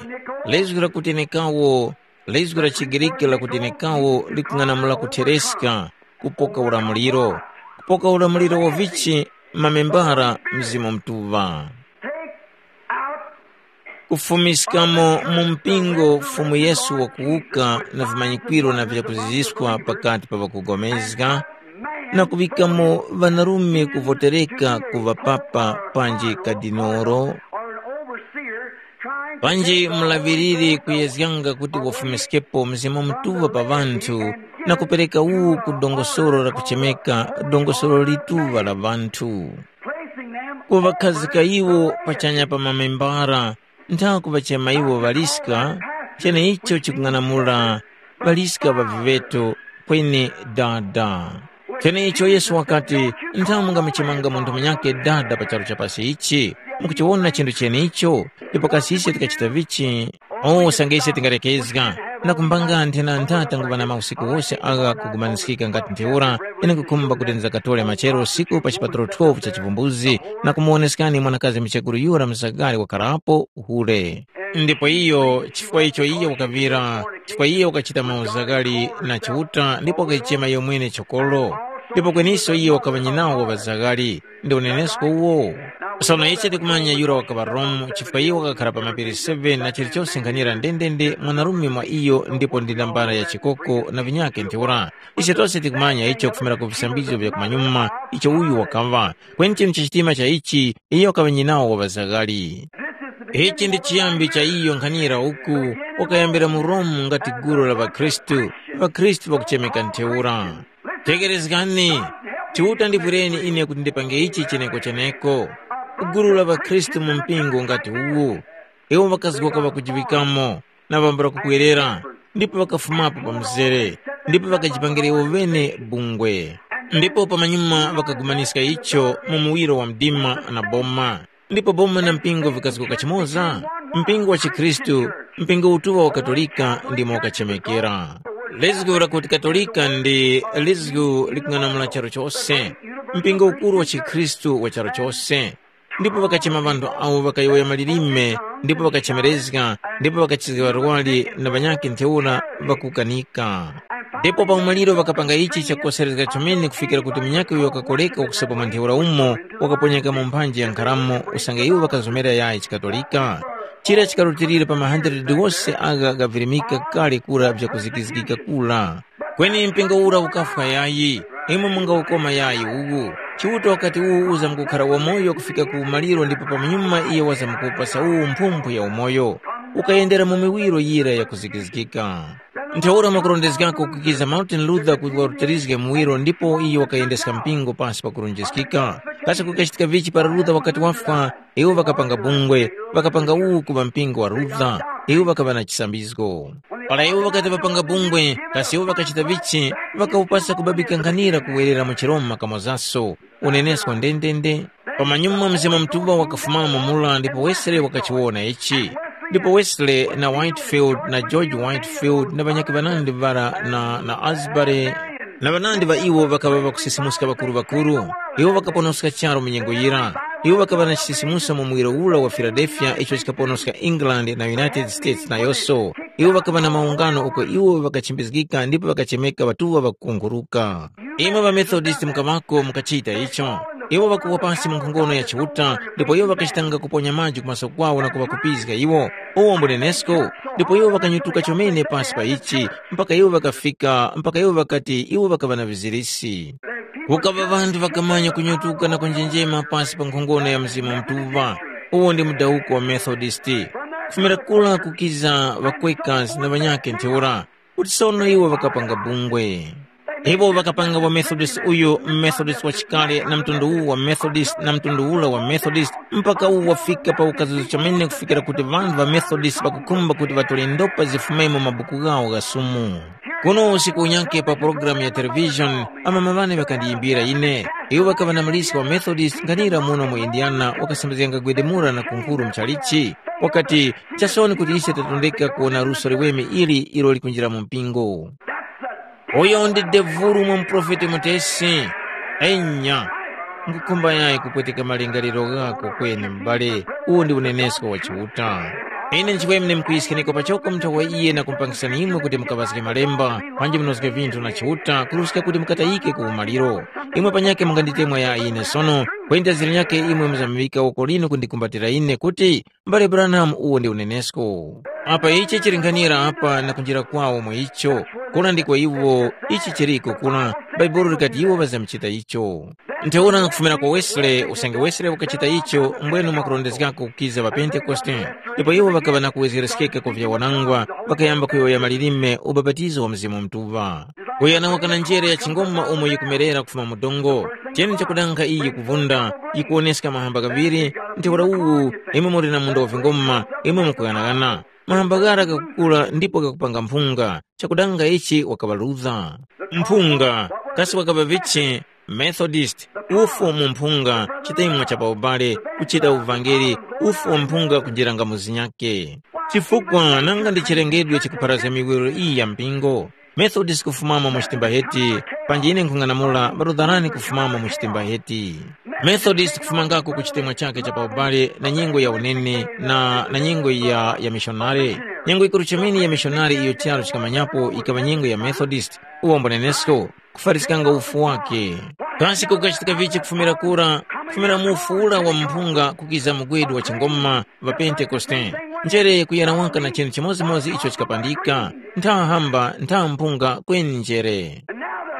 Lizgu lakuti nikawo, lizgu la chiGriki lakuti nikawo likung'anamula kuthereska, kupoka ulamuliro. Kupoka ulamuliro wa vichi? Mamembara Mzimu Mutuŵa. Take out Kufumiskamo mu mpingo Fumu Yesu wakuwuka na vimanyikwiro na vyakuziziskwa pakati pa ŵakupulikana, na kuŵikamo ŵanarume kuvotereka ku ŵapapa panji kadinoro, panji mulaŵiriri kuyezganga kuti wafumiskepo Mzimu Mutuŵa pa ŵanthu, na kupereka uwu ku dongosolo la kuchemeka dongosolo lituŵa la ŵanthu. Kuŵakhazika iwo pachanya pa mamembara, nthawe kuŵachema iwo ŵaliska, cheneicho chikung'anamula ŵaliska ŵa viŵeto, kweni Dada. Cheneicho Yesu wakati, nthawe mungamuchemanga munthu munyakhe Dada pa charu cha pasi ichi, mukuchiwona chinthu chenicho? Ndipo kasi ise tikachita vichi? O, usange ise tingalekezga, na kumbanga nthena ntha tanguŵa na mausiku wose agha kugumaniskika ngati ntheura, ine nkukhumba kuti ndizakatore machero usiku pa chipatalo twelve cha chivumbuzi, na kumuwoneskani mwanakazi muchekuru yura msakali wakharapo hule. Ndipo iyo, chifukwa icho iyo wakaŵira, chifukwa iyo wakachita mauzakali na Chiuta ndipo wakayichema iyo mwene chokoro. Ndipo kweniso iyo wakaŵa nyinawo wa ŵazakali, ndi unenesko uwo. Sono ichi tikumanya yura wakaŵa Romu chifukwa iyo wakakhara pa mapiri seven na chilichose nkhanira ndendende mwanarume mwa iyo ndipo ndi nambala ya chikoko na vinyakhe ntheura. Ise tose tikumanya icho kufumira ku visambizgo vya kumanyuma icho uyu wakaŵa. Kweni chinu cha chitima cha ichi, iyo wakaŵa nyinawo wa ŵazakali. Ichi ndi chiyambi cha iyo nkhanira uku wakayambira mu Romu ngati gulu la ŵakhristu, ŵakhristu ŵakuchemeka ntheura. Tegherezgani, Chiuta ndivwireni ine kuti ndipange ichi cheneko-cheneko. Gulu la ŵakhristu mu mpingo ngati uwu, iwo ŵakazgoka ŵakujiŵikamo, na ŵambula kubwerera, ndipo ŵakafumapo pa mzere, ndipo ŵakajipangira iwo ŵene bungwe. Ndipo pamanyuma ŵakagumaniska icho mu muwiro wa mdima na boma. Ndipo boma na mpingo vikazgoka chimoza? Mpingo wa chikhristu, mpingo utuŵa wa Katolika ndimo wakachemekera. Lizgu lakuti Katolika ndi lizgu likung'anamula charu chose. Mpingo ukuru wa chikhristu wa charu chose. Ndipo ŵakachema ŵanthu awo ŵakayowoya malilime, ndipo ŵakachemerezga, ndipo ŵakachizga ŵarwari na ŵanyakhe ntheura ŵakukanika. Ndipo pa umaliro ŵakapanga ichi chakukoserezga chomene kufikira kuti munyakhe uyo wakakoreka wakusopa mwa ntheura umo wakaponyeka mu mphanji ya nkharamo usange iwo ŵakazomera yayi chikatolika. Chira chikarutilira pa ma hundred wose agha ghavirimika kale kura vyakuzikizgika kura. Kweni mpingo ura ukafwa yayi, imwe mungawukoma yayi uwu. Chiuta wakati uwu uzamkukhara wamoyo kufika ku umaliro ndipo pamanyuma iyo wazamkupasa uwu mphumphu ya umoyo, ukayendera mu miwiro yira yakuzikizgika. Ntheura mwakurondezgako kukiza Martin Luther kuti warutilizge muwiro ndipo iyo wakayendeska mpingo pasi pa kurunjiskika. Kasi kukachitika vichi para Luther wakati wafwa? Iwo ŵakapanga bungwe, ŵakapanga uwu kuŵa mpingo wa Luther, iwo ŵakaŵa na chisambizgo. Para iwo ŵakati ŵapanga bungwe, kasi iwo ŵakachita vichi? Ŵakawupasa kubabika nkhanira kuwerera mu chiRoma kamozaso, unenesko ndendende. Pamanyuma Mzimu Mutuŵa wakafumamo mura ndipo Wesley wakachiwona ichi. Ndipo Wesley na Whitefield na George Whitefield na ŵanyakhe ŵanandi ŵara na, na Asbury, na ŵanandi ŵa iwo ŵakaŵa ŵakusisimuska ŵakuru-ŵakuru. Iwo ŵakaponoska charu mu nyengo yira. Iwo ŵakaŵa na chisisimuso mu muwiro ura wa Filadelfiya icho chikaponoska England na United States nayoso. Iwo ŵakaŵa na maungano uko iwo ŵakachimbizgika ndipo ŵakachemeka ŵatuŵa ŵakukunguruka. Imwe ŵaMethodist mukaŵako mukachita icho. Iwo ŵakuwa pasi mu nkhongono ya Chiuta, ndipo iwo ŵakachitanga kuponya maji kumaso kwawo na kuŵakupizga iwo. Uwo mbunenesko, ndipo iwo ŵakanyutuka chomene pasi pa ichi, mpaka iwo ŵakafika, mpaka iwo ŵakati iwo ŵakaŵa na vizirisi. Kukaŵa ŵanthu ŵakamanya kunyutuka na kunjenjema pasi pa nkhongono ya Mzimu Mutuŵa. Uwo ndi mudawuko wa Methodist. Kufumira kura kukiza ŵakwekazi na ŵanyakhe ntheura, kuti sono iwo ŵakapanga bungwe. Iwo ŵakapanga wa Methodist uyu Methodist wa chikale na mtundu uwu wa Methodist na mtundu ura wa Methodist, mpaka uwu wafika pa ukazuzo chomene kufikira kuti ŵanthu ŵa Methodist ŵakukhumba kuti ŵatole ndopa zifumemo mabuku ghawo gha sumu. Kuno usiku unyakhe pa pulogalamu ya television, amama ŵane ŵakandiyimbira ine. Iwo ŵakaŵa na muliska wa Methodist nkhanira muno mu Indiana wakasambizganga gwedemura na kunkhuru mchalichi. Wakati, chasoni kuti ise tatondeka kuwona luso liweme ili ilo likunjira mu mpingo. Uyo ndi devulu mwa muprofeti mutesi. Enya, nkukhumba yayi kupweteka malingaliro ghako kweni m'bale, uwu ndi unenesko wa Chiuta. Ine nchiweme ndimkuyiskheneka pachoko mutha wa iye na kumpangisani imwe kuti mukaŵazge malemba, panji munozge vinthu na Chiuta kuruska kuti mukatayike ku umaliro. Imwe panyakhe munganditemwa yayi ine sono, Kweni ta zira nyakhe imwe muzamuŵika woko linu kundikumbatira ine kuti, ‘Mbale Branham uwo ndi unenesko.’ Apa ichi chilinghanira apa na kunjira kwawo mu icho, kura ndiko iwo ichi chiriko kura, Bhaibuli likati iwo ŵazamuchita icho. Ntheura kufumira kwa Wesley, usange Wesley wakachita icho, mbwenu mwakurondezgako kukiza ŵaPentekoste. Ndipo iwo ŵakaŵa na kuwezgereskeka kwa vyawanangwa, ŵakayamba kuyowoya malilime ubapatizo wa Mzimu Mutuŵa. Kuyana waka na njere ya chingoma umo yikumerera kufuma mu dongo, cheni chakudanga iyi yikuvunda, yikuwoneska mahamba ghaŵiri, ntheura uwu imwe muli na munda wa vingoma, imwe mukughanagana. Mahamba ghara ghakukura ndipo ghakupanga mphunga, chakudanga ichi wakaŵaluza. Mphunga, kasi wakaŵa vichi? Methodist, ufu mu mphunga, chitemwa cha paubale, kuchita uvangeli, ufu wa mphunga kunjira ngamu zinyakhe. Chifukwa nanga ndi chilengedwe chikupharazga miwiro iyi ya mpingo. Methodist kufumamo mu chitimba heti, panji ine nkhung'anamula ŵarutharani kufumamo mu chitimba heti. Methodist kufumangako ku chitemwa chakhe cha paubale na nyengo ya unene na, na nyengo ya, ya mishonari. Nyengo yikuru chomene ya mishonari iyo charu chikamanyapo yikaŵa nyengo ya Methodist, uwo mbonenesko, kufariskanga ufu wake. Kasi kukachitika vichi kufumira kura, kufumira mu ufu ura wa mphunga kukiza mugwedu wa chingoma, ŵa Pentekoste? Njere kuyana waka na chinthu chimodzimodzi icho chikapandika, ntha hamba ntha mphunga kweni njere.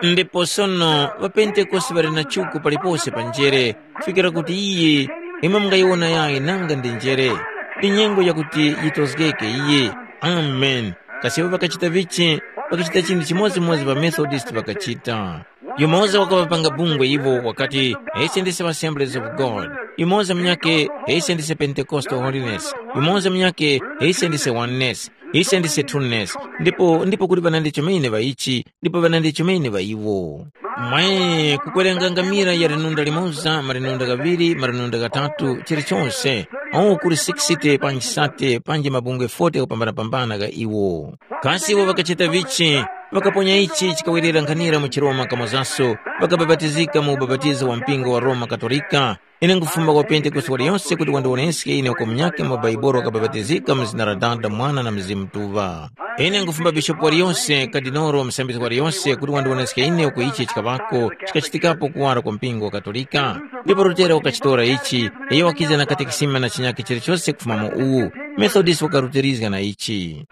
Ndipo sono ŵapentekoste ŵali na chuku palipose pa njere, kufikira kuti iyi imwe mungayiwona yayi nanga ndi njere. Ndi nyengo yakuti yitozgeke iyi. Amen. Kasi iwo ŵakachita vichi? Ŵakachita chinthu chimodzimodzi ŵamethodist ŵakachita. Yumoza wakaŵapanga bungwe iwo wakati, ise ndise Assemblies of God. Yumoza munyakhe, ise ndise Pentecostal Holiness. Yumoza munyakhe, ise ndise Oneness. Ise ndise Trueness. Ndipo ndipo kuli ŵanandi chomene ŵa ichi, ndipo ŵanandi chomene ŵa iwo. Mwe kukwerenga ngamira ya linunda limoza, malinunda ghaŵiri, malinunda ghatatu, chilichonse, awo kuli sixty panji sate panji mabungwe forty kupambanapambana gha iwo. Kasi iwo ŵakachita vichi? Ŵakaponya ichi chikawerera nkhanira mu chiRoma kamozaso, ŵakabapatizika mu ubapatizo wa mpingo wa Roma Katolika. Ine nkufumba kwa Pentekoste waliyonse kuti wandiwoneske ine uko munyakhe mwa Baibuli wakabapatizika mu zina la Dada, Mwana na Mzimu Mutuŵa. Ine nkufumba bishopu waliyonse, kadinolo, musambizgi waliyonse kuti wandiwoneske ine uko ichi chikaŵako chikachitikapo kuwara kwa mpingo wa Katolika. Ndipo Lutera wakachitora ichi, iyo wakiza na katekisima na chinyakhe chilichose kufuma mu uwu. Methodist wakarutilizga na ichi.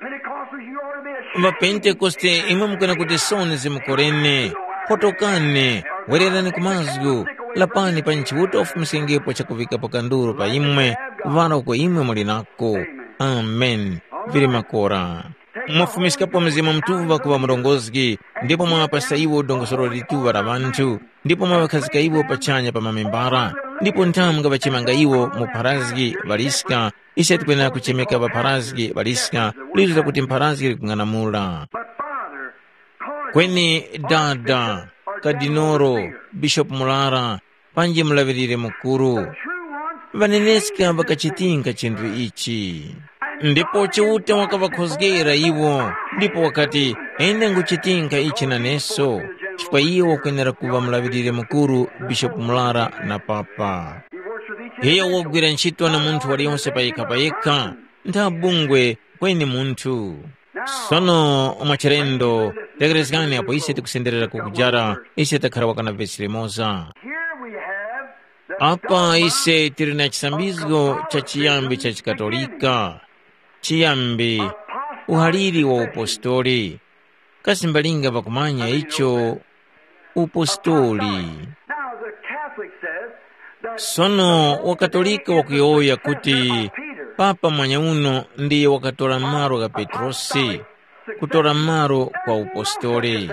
Ŵapentekoste imwe mukwena kuti sono zimukoreni, potokani, wererani ku mazgu, lapani pa Chiuta ufumiskengepo chakuvikapo kanduru pa imwe, kuŵala uko imwe muli nako. Amen. Vili makora. Mwafumiskapo Mzimu Mutuŵa kuŵa murongozgi, ndipo mwawapasa iwo dongosolo lituŵa la ŵanthu, ndipo mwaŵakhazika iwo pachanya pa mamembara, ndipo nthamu ngaŵachemanga iwo mu pharazgi ŵaliska, ise tikwenera kuchemeka ŵapharazgi ŵaliska, lizo lakuti mpharazgi likung'anamula. Kweni dada, kadinoro, bishopu murara, panji mulaŵirire mukuru, ŵaneneska ŵakachitinga chinthu ichi. Ndipo Chiuta wakaŵakhozgera iwo, ndipo wakati, ine nguchitinga ichi naneso, chifukwa iye wakwenera kuŵa mulaŵirire mukuru, bishopu murara na papa. Iyo wogwira ntchito na munthu waliyonse payekha-payekha, ntha bungwe kweni munthu. Sono mwachilendo, tekerezgani apo ise tikusenderera kukujara, ise takhara waka na vesi limoza. Here we have the Apa ise tili na chisambizgo cha chiyambi cha chikatolika, chiyambi, uhaliri wa upostoli. Kasi mbalinga pakumanya icho upostoli? Now the Catholic says that Sono wakatolika wakuyowoya kuti Papa mwanyauno ndiye wakatora malo gha Petrosi, kutora malo kwa upostoli.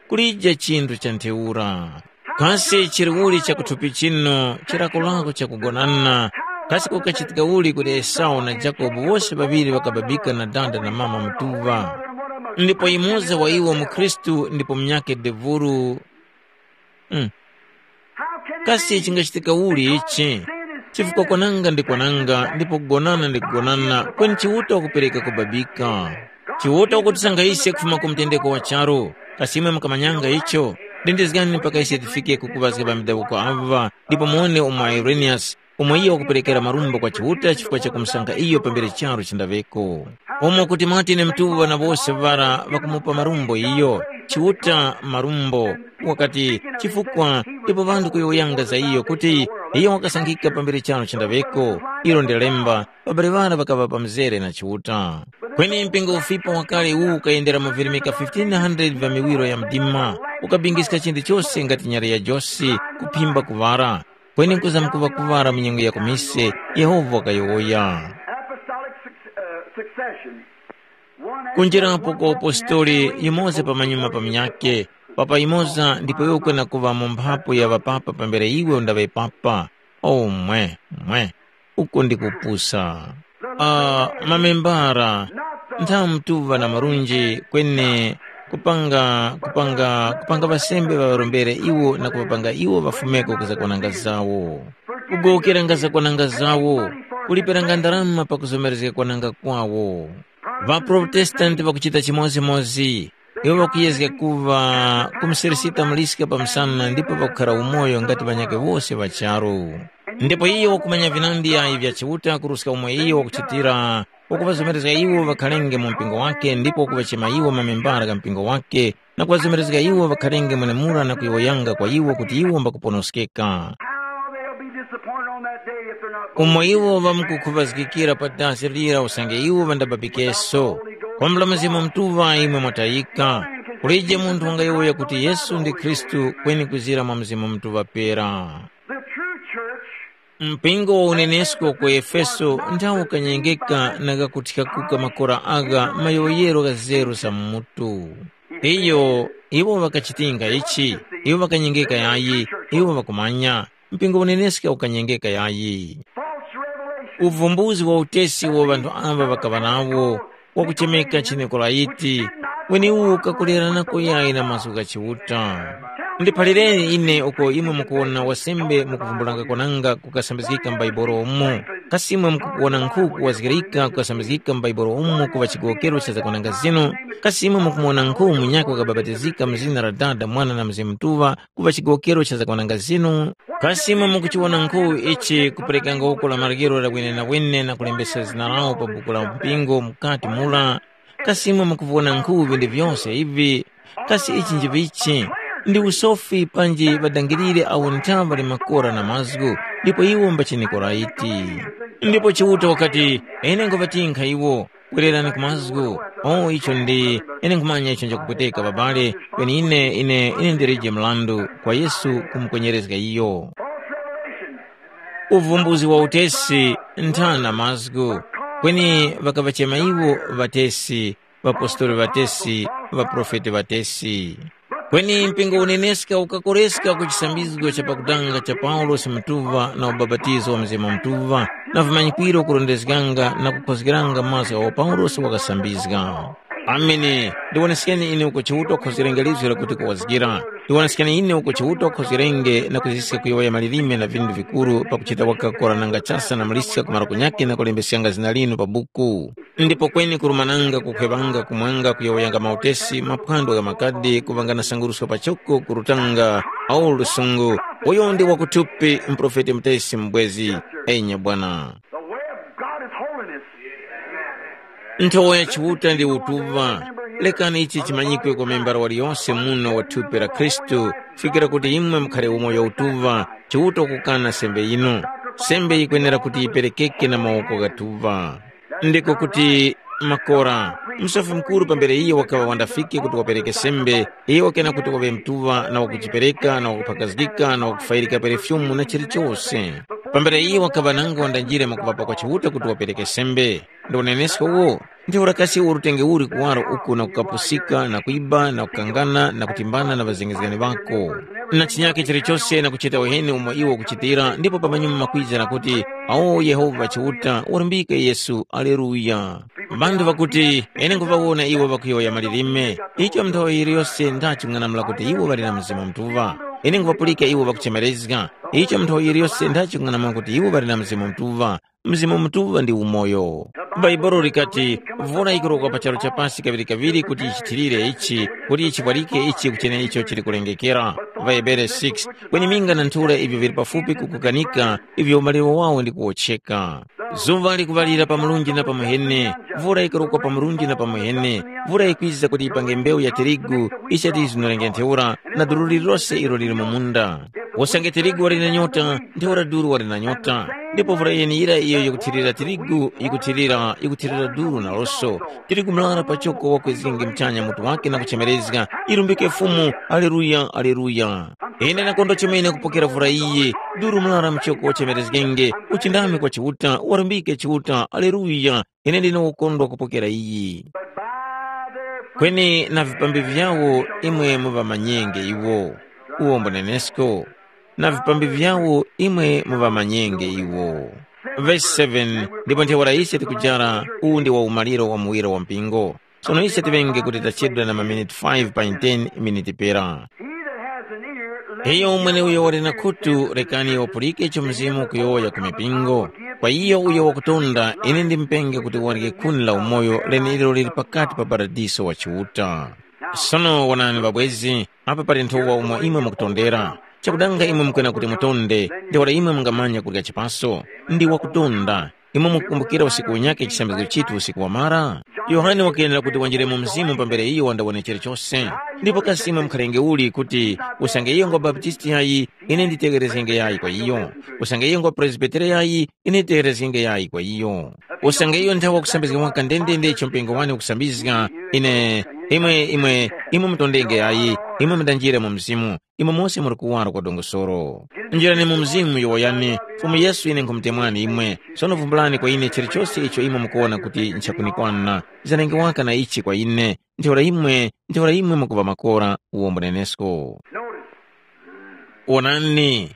Kulija chinthu cha ntheura. Kasi chili uli chakuthupi chino chilakolako chakugonana? Kasi kukachitika uli kuti Esau na Jakobo wose ŵaŵiri ŵakababika na dada na mama mutuŵa? Ndipo yumoza wa iwo mukhristu ndipo munyakhe devulu. Mm. Kasi chingachitika uli ichi? Chifukwa kwananga ndi kwananga ndipo kugonana ndi kugonana, kweni Chiuta wakupereka kubabika. Chiuta wakutisanga ise kufuma ku mtendeko wa charu. Kasi imwe mukamanyanga icho? Lindizgani mpaka ise tifike ku kuŵazga ŵa midawuko aŵa ndipo muwone umo Ireniyasi umo iyo wakuperekera marumbo kwa Chiuta chifukwa cha kumusankha iyo pambere charu chindaŵeko. Umo kuti Martini Mtuŵa na wose ŵara ŵakumupa marumbo iyo, Chiuta marumbo, wakati, chifukwa ipo ŵanthu kuyowoyanga za iyo kuti iyo wakasankhika pambere charu chindaŵeko, ilo ndi lemba, ŵabale ŵara ŵakaŵa pa mzere na Chiuta. Kweni mpingo ufipa wakale uwu ukayendera mavirimika fifteen hundred vya miwiro ya mdima, ukabingiska chinthu chose ngati nyali ya josi, kuphimba kuŵara, kweni nkuza mkuŵa kuŵala mu nyengo ya kumise, Yehova wakayowoya. Apostolic suc- uh, succession. One after Kunjirapo kwa upostoli yumoza pamanyuma pa munyakhe, papa yumoza ndipo iwe ukwena kuŵa mu mphapu ya ŵapapa pambere iwe undaŵe papa. Oh mwe, mwe, uko ndi kupusa. Ah, mamembara, nthamutuŵa na marunji kweni kupanga kupanga kupanga ŵasembe ŵaŵarombere iwo na kuŵapanga iwo ŵafumeko ku zakwananga zawo. Kugowokera nga zakwananga zawo, kuliperanga ndarama pakuzomerezga kwananga kwawo. Ŵaprotestanti ŵakuchita chimodzimodzi. Iwo ŵakuyezga kuŵa kumuseresita muliska pa msana ndipo ŵakukhara umoyo ngati ŵanyakhe wose ŵa charu. Ndipo iyo wakumanya vinandi yayi vya Chiuta kuruska umo iyo wakuchitira, wakuŵazomerezga iwo ŵakhalenge mu mpingo wake ndipo wakuŵachema iwo mamembara gha mpingo wake na kuŵazomerezga iwo ŵakhalenge mwenemura na kuyowoyanga kwa iwo kuti iwo mbakuponoskeka. How they'll be disappointed on that day if they're not Umo iwo ŵamkukhuvazgikira pa dasi lira usange iwo ŵandababikeso. Kwambula Mzimu Mutuŵa imwe mwatayika. Kulije munthu wangayowoya kuti Yesu ndi Khristu kweni kuzira mwa Mzimu Mutuŵa pera. The true church Mpingo wa unenesko ku Efeso nthawo kanyengeka na kakuthikakuka makora agha mayowoyero gha zeru za mu mutu. Iyo iwo ŵakachitinga ichi, iwo ŵakanyengeka yayi, iwo ŵakumanya, mpingo uneneska ukanyengeka yayi. False revelation. Uvumbuzi wa utesi uwo ŵanthu amba ŵakaŵa nawo, wakuchemeka chiNikolaiti, weniwu ukakulerana kuyayi na mazgu gha Chiuta. Ndiphalireni ine uko imwe mukuwona wasembe mukuvumbulanga kwananga kukasambizgika m'Baibolo umo, kasi imwe mukuwona nkhu kuwazgirika kukasambizgika m'Baibolo umo kuŵa chigowokero cha zakwananga zinu? Kasi imwe mukumuwona nkhu munyakhe wakabapatizika mu zina la Dada, Mwana na Mzimu Mutuŵa kuŵa chigowokero cha zakwananga zinu? Kasi imwe mukuchiwona nkhu ichi kuperekanga uko la maryero la wenenawene na kulembesa zina lawo pa buku la mpingo mukati mura? Kasi imwe mukuviwona nkhu vindi vyose ivi? Kasi ichi njivichi? Ndi usofi panji ŵadangirire awo nthaŵa limwe makora na mazgu, ndipo iwo mbachiNikolaiti. Ndipo Chiuta wakati, ine nkhuvatinkha iwo, kwererani ku mazgu. O icho ndi, ine nkhumanya icho nchakupweteka babale, kweni ine ine ine ndilije mrandu kwa Yesu kumukwenyerezga iyo. Uvumbuzi wa utesi nthana mazgu, kweni ŵakaŵachema iwo ŵatesi, ŵapostoli ŵatesi, ŵaprofeti ŵatesi. Kweni mpingo uneneska ukakoreska ku chisambizgo cha pakutanga cha Paulosi Mutuŵa na ubapatizo wa Mzimu Mutuŵa na vimanyikwiro kurondezganga na kukhozgeranga mazgu agho Paulosi wakasambizga. Amene, ndiwoneskeni ine uko Chiuta wakhozgerenge lizgu lakuti kuwazgira. Ndiwoneskeni ine uko Chiuta wakhozgerenge na kuziska kuyowoya malilime na vindu vikuru pakuchita wakakora nanga chasa na muliska kumara kunyakhe na kulembeskanga zina linu pa buku. Ndipo kweni kurumananga kukhwevanga kumwanga kuyowoyanga mautesi maphwando gha makadi kuvangana sanguruska pachoko kurutanga au lusungu. Uyo ndi wakuthupi mprofeti mutesi mubwezi. Enya bwana. The way of God is holiness. Nthowa ya Chiuta ndi utuŵa. Lekani ichi chimanyikwe kwa membala waliyonse muno wa thupi la Khristu, fikira kuti imwe mukhale umoyo utuŵa, Chiuta kukana sembe yinu. Sembe yikwenera kuti yiperekeke na mawoko ghatuŵa. Ndiko kuti makora, msofi mukuru pambere iyo wakaŵa wandafike kuti wapereke sembe, iyo wakena kuti waŵe mtuŵa na wakujipereka na wakuphakazgika na wakufayirika perefyumu na chilichose. Pambere iyo wakaŵa nango wandanjire mwakuŵapa kwa Chiuta kuti wapereke sembe. Ndi unenesko uwo, ntheura kasi urutenge uli kuwaro uku na kukapusika na kwiba na kukangana na kutimbana na ŵazengezgani ŵako, na chinyakhe chilichose na kuchita uheni umo iwo ukuchitira, ndipo pamanyuma makwiza na kuti, awo Yehova Chiuta, walumbika Yesu, aleluya. Ŵanthu ŵakuti, ine nkuŵawona iwo ŵakuyowoya malilime, icho nthawe yiliyose ndaching'anamula kuti iwo ŵali na Mzimu Mutuŵa. Ine nkuŵapulika iwo ŵakuchemerezga, icho nthawe yiliyose ndaching'anamula kuti iwo ŵali na Mzimu Mutuŵa. Mzimu Mutuŵa ndi umoyo. Bhaibuli likati, mvura yikurokwa pa charu cha pasi kaŵirikaŵiri kuti yichithirire ichi, kuti yichipwarike ichi kuchene icho chili kulengekera. Vahebere six. Kweni minga na nthura ivyo vili pafupi kukukanika, ivyo umaliro wawo ndi kuwotcheka. Zuŵa likuŵalira pa murunji na pa muhene, mvura yikurokwa pa murunji na pa muhene, mvura yikwiza kuti yipange mbewu ya tirigu, ichati yizunurenge ntheura, na duru lililose ilo lili mu munda. Usange tirigu wali na nyota, ntheura duru wali na nyota, ndipo mvura yeneyira iyo yikuthirira tirigu yikuthirira yikuthirira duru naloso. Tirigu murara pachoko wakwezgenge muchanya mutu wake na kuchemerezga, ilumbike Fumu, Aleluya, Aleluya. Ine ndakondwa chomene kupokera vura iyi, duru murara muchoko wachemerezgenge, uchindami kwa Chiuta, walumbike Chiuta, Aleluya. Ine ndine wokondwa kupokera iyi. Kweni na vipambi vyawo imwe muŵamanyenge iwo. Uwombo nenesko. Na vipambi vyawo imwe muŵamanyenge iwo. Vesi seven. Ndipo ntheura ise tikujara, uwu ndi wa umaliro wa muwiro wa mpingo. Sono ise tiŵenge kuti tachedwa na maminiti five pa ten miniti pera. He that has an ear, let Iyo him hear mweneuyo what wali na the Spirit khutu saith unto the lekani churches. Wapulike icho Mzimu ukuyowoya ku mipingo. Kwa iyo uyo wakutonda, ine ndimupenge kuti warye khuni la umoyo leneliro lili pakati pa paradiso wa Chiuta. Sono wonani ŵabwezi, apa pali nthowa umo imwe mukutondera. Chakudanga imwe mukwena kuti mutonde, ndi wala imwe mungamanya kurya chipaso. Ndi wakutonda. Imwe mukukumbukira usiku unyakhe chisambizgo chithu usiku wamara? Yohane wakenera kuti wanjire mu mzimu pambere iyo wandawone chilichose. Ndipo kasi imwe mukhalenge uli kuti usange iyo ngwa Baptisti yayi, ine nditegerezgenge yayi kwa iyo. Usange iyo ngwa Presbitere yayi, ine nditegerezgenge yayi kwa iyo. Usange iyo nthawi wakusambizga waka ndendende icho mpingo wane ukusambizga, ine, imwe, imwe, imwe mutondenge yayi, imwe mundanjire mu mzimu. Imwe mose muli kuwaro kwa dongosolo. Njirani mu mzimu yowoyani, Fumu Yesu ine nkhumutemwani imwe. Sono vumbulani kwa ine chilichose icho imwe mukuwona kuti nchakunikwana. Zanenge waka na ichi kwa ine. Ntheura imwe, ntheura imwe mukuŵa makora uwo mbunenesko. Wonani,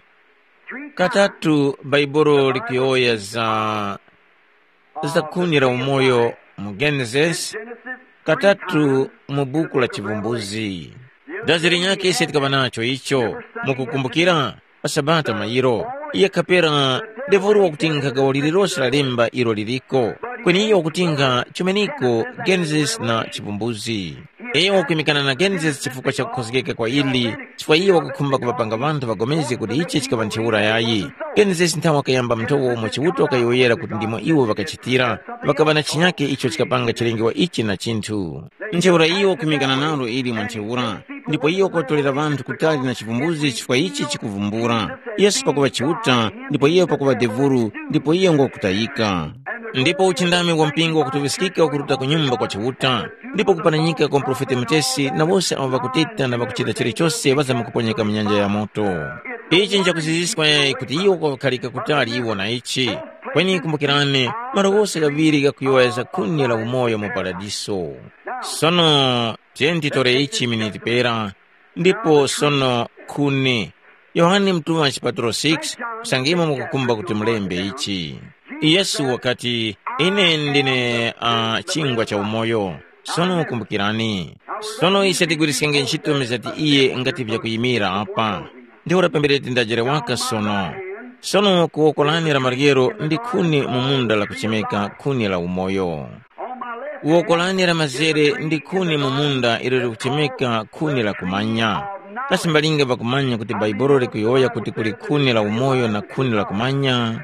katatu Bhaibuli likuyowoya za za khuni la umoyo mu Genesis, katatu mu buku la Chivumbuzi. Dazi linyakhe ise tikaŵa nacho icho, mukukumbukira? Pa Sabata mayiro, iye kapera devoro wakuti nkhagawo lililose la lemba ilo liliko, kweni iye wakuti nkha chumeniko Genesis na Chivumbuzi. Iyo wakwimikana na Genesis chifukwa cha kukhozgeka kwa ili, chifukwa iyo wakukhumba kuŵapanga ŵanthu ŵapulikane kuti ichi chikaŵa ntheura yayi. Genesis nthawe wakayamba mnthowa umo Chiuta wakayowoyera kuti ndimo iwo ŵakachitira, ŵakaŵa na chinyakhe icho chikapanga chilengewa ichi na chinthu. Ntheura iyo wakwimikana nalo ili mwa ntheura, ndipo iyo wakuŵatolera ŵanthu kutali na chivumbuzi chifukwa ichi chikuvumbula. Yesu pakuŵa Chiuta, ndipo iyo pakuŵa devuru, ndipo iyo ngwakutayika. Ndipo uchindami wa mpingo wakutuŵiskika ukuruta ku nyumba kwa Chiuta, ndipo kupananyika kwa muprofete mutesi na wose awo ŵakuteta na ŵakuchita chilichose ŵazamkuponyeka mu nyanja ya moto. Ichi nchakuziziskwa yayi kuti iwo kwakukhalika kutali iwo na ichi. Kweni kumbukirani, malo ghose ghaŵiri ghakuyowoya za khuni la umoyo mu paradiso. Sono, tiyeni titore ichi miniti pera, ndipo sono khuni. Yohane mutuŵa chipatulo six, kusangimo mukukumba kuti mulembe ichi. Yesu wakati, ine ndine uh, chingwa cha umoyo. Sono kumbukirani. Sono ise tigwiriskenge ntchito mizati iye ngati vyakuyimira apa. Ntheura pambere tindajere waka sono. Sono kuwoko lane la maryero ndi khuni mu munda lakuchemeka khuni la umoyo. Woko lane la mazere ndi khuni mu munda ilo likuchemeka khuni la kumanya. Kasi mbalinga ŵakumanya kuti Bhaibuli likuyowoya kuti kuli khuni la umoyo na khuni la kumanya?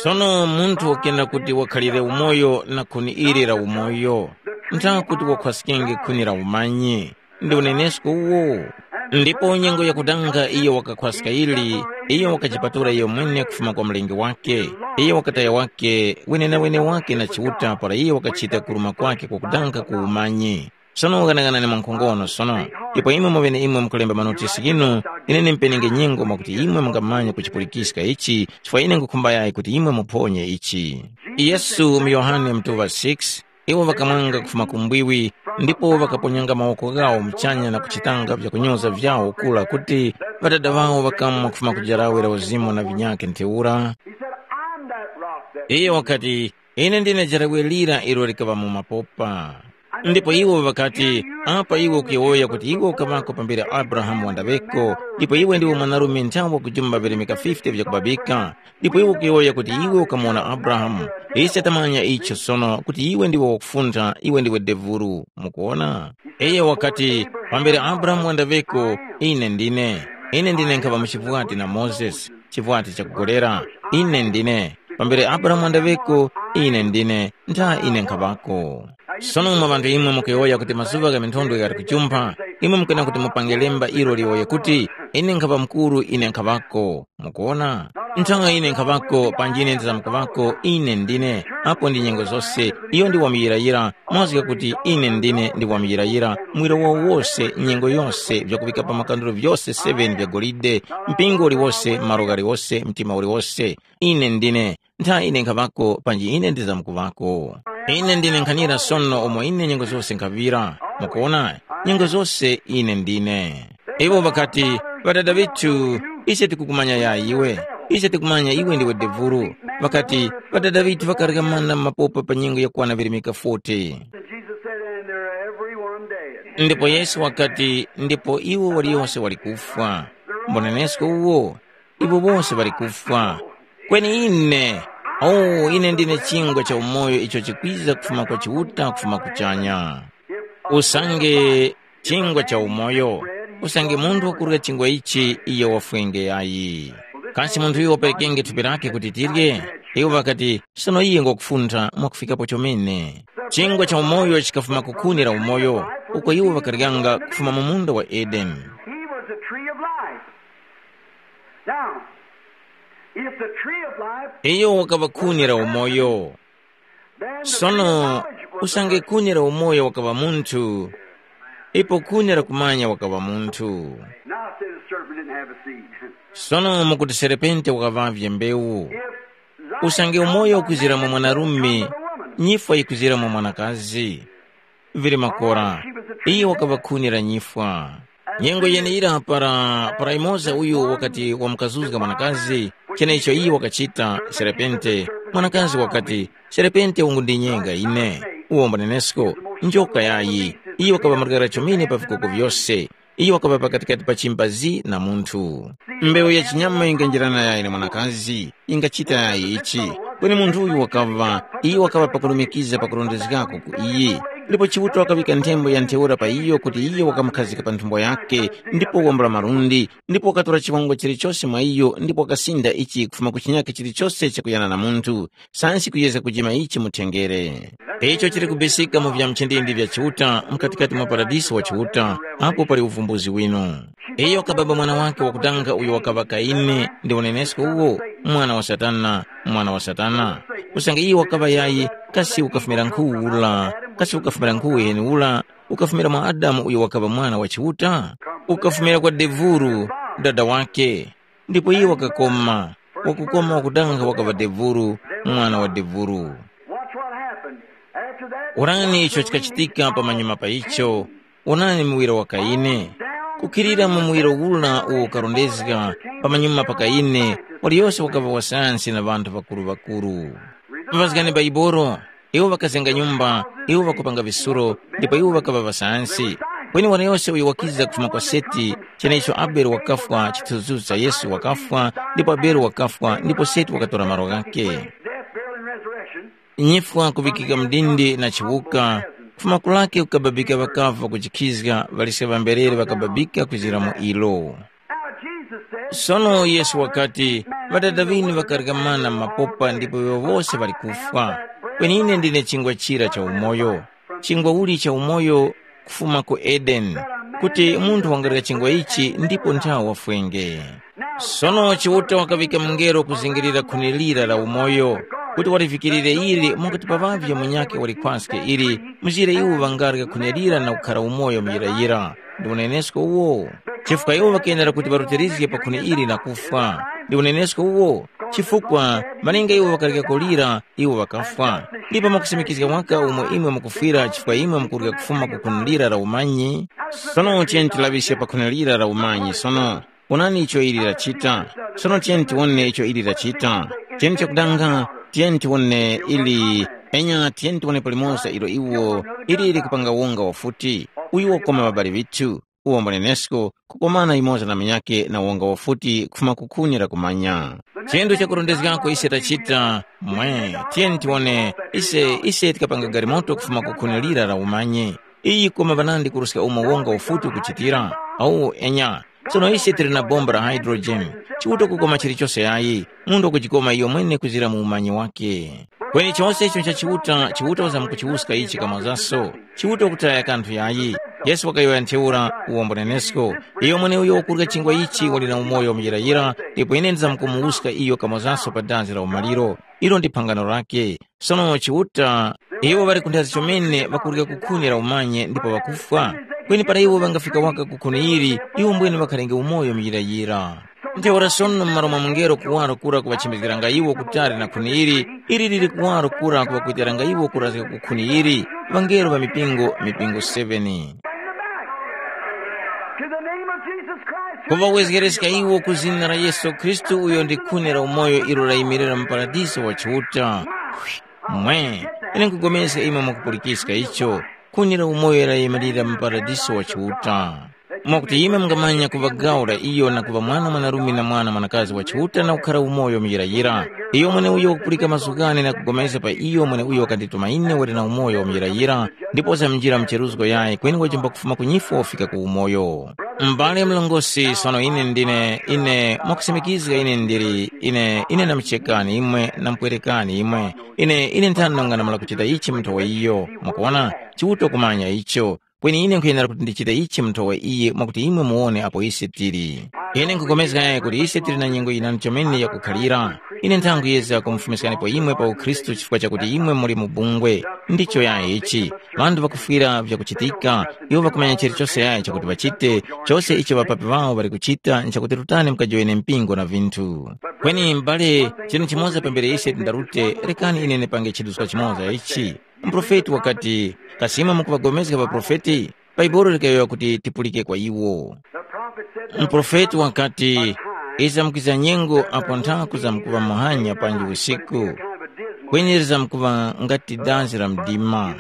Sono munthu wakena kuti wakhalire umoyo na khuni ili la umoyo, ntha kuti wakhwaskenge khuni la umanyi. Ndi unenesko uwo. Ndipo nyengo yakudanga iyo wakakhwaska ili, iyo wakajipatula iyo mwene kufuma kwa mlengi wake. Iyo wakataya wake wenenawene wake na Chiuta para iyo wakachita kuruma kwake kwakudanga ku umanyi. Sono ghanaghanani mwankhongono sono. Ipo imwe mweneimwe mukulemba manotisi ghinu, ine ndimpenenge nyengo mwakuti imwe mungamanye kuchipulikiska ichi, chifukwa ine nkhukhumba yayi kuti imwe muphonye ichi. Yesu mu Yohane mutuŵa six, iwo ŵakamwanga kufuma ku mbwiwi, ndipo ŵakaponyanga mawoko ghawo muchanya na kuchitanga vyakunyoza vyawo kura kuti Ŵadada ŵawo ŵakamwa kufuma ku jarawe la uzimu na vinyakhe ntheura. He said, I'm that rock that Iye wakati, ine ndine jarawe lira ilo likaŵa mu mapopa. Ndipo iwo ŵakati, apa iwe ukuyowoya kuti iwe ukaŵako pambere Abrahamu wandaŵeko, ndipo iwe ndiwe mwanarume nthawe wakujumba vilemeka fifty vyakubabika, Ndipo iwe ukuyowoya kuti iwe ukamuwona Abrahamu. Ise tamanya icho sono kuti iwe ndiwe wakufuntha, iwe ndiwe devulu. Mukuwona? Iyo wakati, pambere Abrahamu wandaŵeko, ine ndine. Ine ndine nkhaŵa mu chivwati na Mozesi, chivwati chakugolera. Ine ndine. Pambere Abrahamu wandaŵeko, ine ndine. Ntha ine nkhaŵako. Sono mwa ŵanthu imwe mukuyowoya kuti mazuŵa gha minthondwe ghali kuchumpha, imwe mukena kuti mupange lemba ilo liyowoye kuti, ine nkhaŵa mukuru, ine nkhaŵako. Mukuwona? Nthawi ine nkhaŵako panji ine ndizamkuŵako, ine ndine. Apo ndi nyengo zose, iyo ndi wamuyirayira, mazgu ghakuti ine ndine ndi wamuyirayira, muwiro wawo wose, nyengo yose, vyakuŵika pa makanduro vyose seven vya golide, mpingo uliwose, malo ghaliwose, mtima uliwose. Ine ndine. Ntha ine nkhaŵako panji ine ndizamkuŵako. Ine ndine nkhanira sono umo ine nyengo zose nkhaŵira. Mukuwona? Nyengo zose ine ndine. Iwo ŵakati, ŵadada ŵithu, ise tikukumanya ya iwe. Ise tikumanya iwe ndiwe devulu. Ŵakati, ŵadada ŵithu ŵakarya mana mapopa pa nyengo yakwana virimika forty. And Jesus said, and they're every one dead. Ndipo Yesu wakati, ndipo iwo waliyonse wali kufwa. Mbonenesko uwo, iwo wose ŵali kufwa. Kweni ine, oh, ine ndine chingwa cha umoyo icho chikwiza kufuma kwa Chiuta kufuma kuchanya. Usange chingwa cha umoyo, usange munthu wakurya chingwa ichi iyo wafwenge yayi. Kasi munthu uyo waperekenge thupi lake kuti tirye? Iwo ŵakati, sono iye ngwakufuntha mwakufikapo chomene. Chingwa cha umoyo chikafuma ku khuni la umoyo, uko iwo ŵakaryanga kufuma mu munda wa Edeni. He was the tree of life. Now, if the tree of life, iyo wakaŵa khuni la umoyo. Then the tree of sono knowledge was the usange khuni la umoyo wakaŵa munthu, ipo khuni la kumanya wakaŵa munthu. Now say the serpent didn't have a seed. Sono mukuti serepente wakaŵavye mbewu. If life usange umoyo comes by ukuzira mu man, mwanarume, it comes by woman. Nyifwa yikuzira mu mwanakazi. Vili makora, iye wakaŵa khuni la nyifwa. Nyengo yeneyira para, para imoza uyu wakati wamukazuzga mwanakazi, cheneicho iye wakachita serepente, mwanakazi wakati, serepente ungundinyenga ine. Uwo mbanenesko, njoka yayi, iye wakaŵa malikara chomene pa vikoko vyose. Iyo wakaŵa pakatikati pa chimbazi na munthu. Mbewu ya chinyama yinganjirana yayi na mwanakazi, yingachita yayi ichi. Kweni munthu uyu wakaŵa, iyo wakaŵa pakurumikiza pakurondezgako ku iyi. Ndipo Chiuta wakaŵika nthembo ya ntheura pa iyo kuti iyo wakamukhazika pa nthumbo yake, ndipo wambula malundi, ndipo wakatora chiwongo chilichose mwa iyo, ndipo wakasinda ichi kufuma ku chinyakhe chilichose chakuyana na munthu. Sansi kuyezga kujima ichi mu thengere. Icho chili kubisika mu vya mchindindi vya Chiuta mkatikati mwa paradiso wa Chiuta, apo pali uvumbuzi winu. Iyo kababa mwana wake wakutanga uyo wakaŵa Kaini ndi unenesko uwo, mwana wa Satana, mwana wa Satana. Usange iyo wakaŵa yayi, kasi ukafumira nkhu ula, kasi ukafumira nkhu yeni ula, ukafumira mwa Adamu uyo wakaŵa mwana wa Chiuta? Ukafumira kwa devuru, dada wake. Ndipo iye wakakoma, wakukoma wakudanga wakaŵa devuru, mwana wa devuru. Watch what happened. After that, Onani icho chikachitika pamanyuma pa icho, onani muwiro wa Kaine. Kukhilira mu muwiro ula uwo ukarondezga pamanyuma pa Kaine, waliyose wakaŵa wasayansi na ŵanthu ŵakuru-ŵakuru. Pazgani Baibolo, iwo ŵakazenga nyumba, iwo ŵakupanga visuro, ndipo iwo ŵakaŵa ŵasayansi. Kweni waliyose uyo wakiza kufuma kwa Seti, cheneicho Abele wakafwa chithunzithunzi cha Yesu wakafwa, ndipo Abele wakafwa, ndipo Seti wakatora malo ghakhe. Death, burial, and resurrection. Nyifwa kuŵikika mdindi na chiwuka, kufuma kulake kukababika ŵakavu ŵakujikhizga, ŵaliska ŵamberere ŵakababika kwizira mu ilo. Now Jesus said, Sono Yesu wakati, ŵadada ŵinu ŵakarya mana m'mapopa ndipo iwo wose ŵali kufwa. Kweni ine ndine chingwa chira cha umoyo. Chingwa uli cha umoyo kufuma ku Edeni, kuti munthu wangarya chingwa ichi ndipo nthawa wafwenge. Sono Chiuta wakaŵika mungelo kuzingirira khuni lira la umoyo, kuti walivikirire ili mwakuti paŵavye munyakhe walikwaske ili, mzire iwo ŵangarya khuni lira na kukhara umoyo muyirayira. Ndi unenesko uwo. Chifukwa iwo ŵakenera kuti ŵarutirizge pa khuni ili na kufwa. Ndi unenesko uwo. Chifukwa malinga iwo ŵakaryako lira, iwo ŵakafwa. Ndipo mwakusimikizga waka umo imwe mukufwira chifukwa imwe mukurya kufuma ku khuni lira la umanyi. Sono tiyeni tilaŵiske pa khuni lira la umanyi sono. Onani icho ili lachita. Sono tiyeni tiwone icho ili lachita. Tiyeni chakudanga, tiyeni tiwone ili, enya tiyeni tiwone palimoza ilo iwo, ili likupanga wonga wafuti. Uyu wakoma ŵabali ŵithu. uwo mbunenesko kukomana yumoza na munyakhe na wonga wafuti kufuma ku khuni la kumanya. Chinthu chakurondezgako ise tachita mwe, tiyeni tiwone, ise ise tikapanga galimoto kufuma ku khuni lira la umanye. Iyi koma panandi kuruska umo wonga ufuti ukuchitira? Awu enya. Tsono ise tili na bomba la hydrogen, chiuta kukoma chilichose yayi. Munthu wakujikoma iyo mwene kuzira mu umanyi wake. Kweni chose icho cha Chiuta, Chiuta wazamkuchiwuska ichi kamwazaso. Chiuta wakutaya kanthu yayi. Yesu wakayowoya ntheura, uwombo nenesko. Iyo mweneuyo wakurya chingwa ichi wali na umoyo wamuyirayira, ndipo ine ndizamkumuwuska iyo kamwazaso pa dazi la umaliro. Ilo ndi phangano lake. Sono Chiuta, iwo ŵali kunthazi chomene ŵakurya kukhuni la umanye ndipo ŵakufwa. Kweni para iwo ŵangafika waka kukhuni ili, iwo mbwene ŵakhalenge umoyo muyirayira. Ntheura sono m'malo mwa mungelo kuwaro kura kuŵachimizgiranga iwo kutali na khuni ili, ili lili kuwaro kura kuŵakuitiranga iwo kurazga ku khuni ili, ŵangelo ŵa mipingo, mipingo seven. To the name of Jesus Christ. Kuŵawezgereska iwo ku zina la Yesu Khristu uyo ndi khuni la umoyo ilo layimirira mu paradiso wa Chiuta. Mwe, ine nkupulikana imwe mwakupulikiska icho, khuni la umoyo layimirira mu paradiso wa Chiuta. Mwakuti imwe mungamanya kuŵa gawo la iyo na kuŵa mwana mwanarume na mwana mwanakazi wa Chiuta na kukhara umoyo muyirayira. Iyo mweneuyo wakupulika mazgu ghane na kugomezga pa iyo mweneuyo wakandituma ine wali na umoyo wa muyirayira, ndipo wazamjira mcheruzgo yayi kweni wachemba kufuma ku nyifwa wafika ku umoyo. M'bale mlongosi, sono ine ndine, ine mwakusimikizga ine ndili, ine, ine ndamchekani imwe, ndamupwerekani imwe, ine, ine nthano nganamala kuchita ichi mu nthowa iyo. Mukuona, Chiuta kumanya icho. Kweni ine nkhuyenera kuti ndichite ichi mu nthowa iyi mwakuti imwe muwone apo ise tili. Ine nkhupulikana kuti ise tili na nyengo yinandi chomene yakukhalira. Ine nthanguyezga kumufumiskanipo imwe pa ukhristu chifukwa chakuti imwe muli mu bungwe. Ndicho yayi ichi. Ŵanthu ŵakufwira vyakuchitika, iwo ŵakumanya chilichose yayi chakuti ŵachite, chose icho ŵapapi ŵawo ŵali kuchita nchakuti rutani mukajowoyene mpingo na vinthu. Kweni m'bale, chinthu chimoza pambere ise tindarute, rekani ine ndipange chiduska chimoza ichi. Muprofeti wakati, kasi imwe mukuŵagomezga ŵaprofeti? Bhaibuli likayowoya kuti tipulike kwa iwo. Muprofeti wakati, iza mukwiza nyengo apo nthaku zamkuŵa muhanya panji usiku, kweni zamkuŵa ngati dazi la mdima.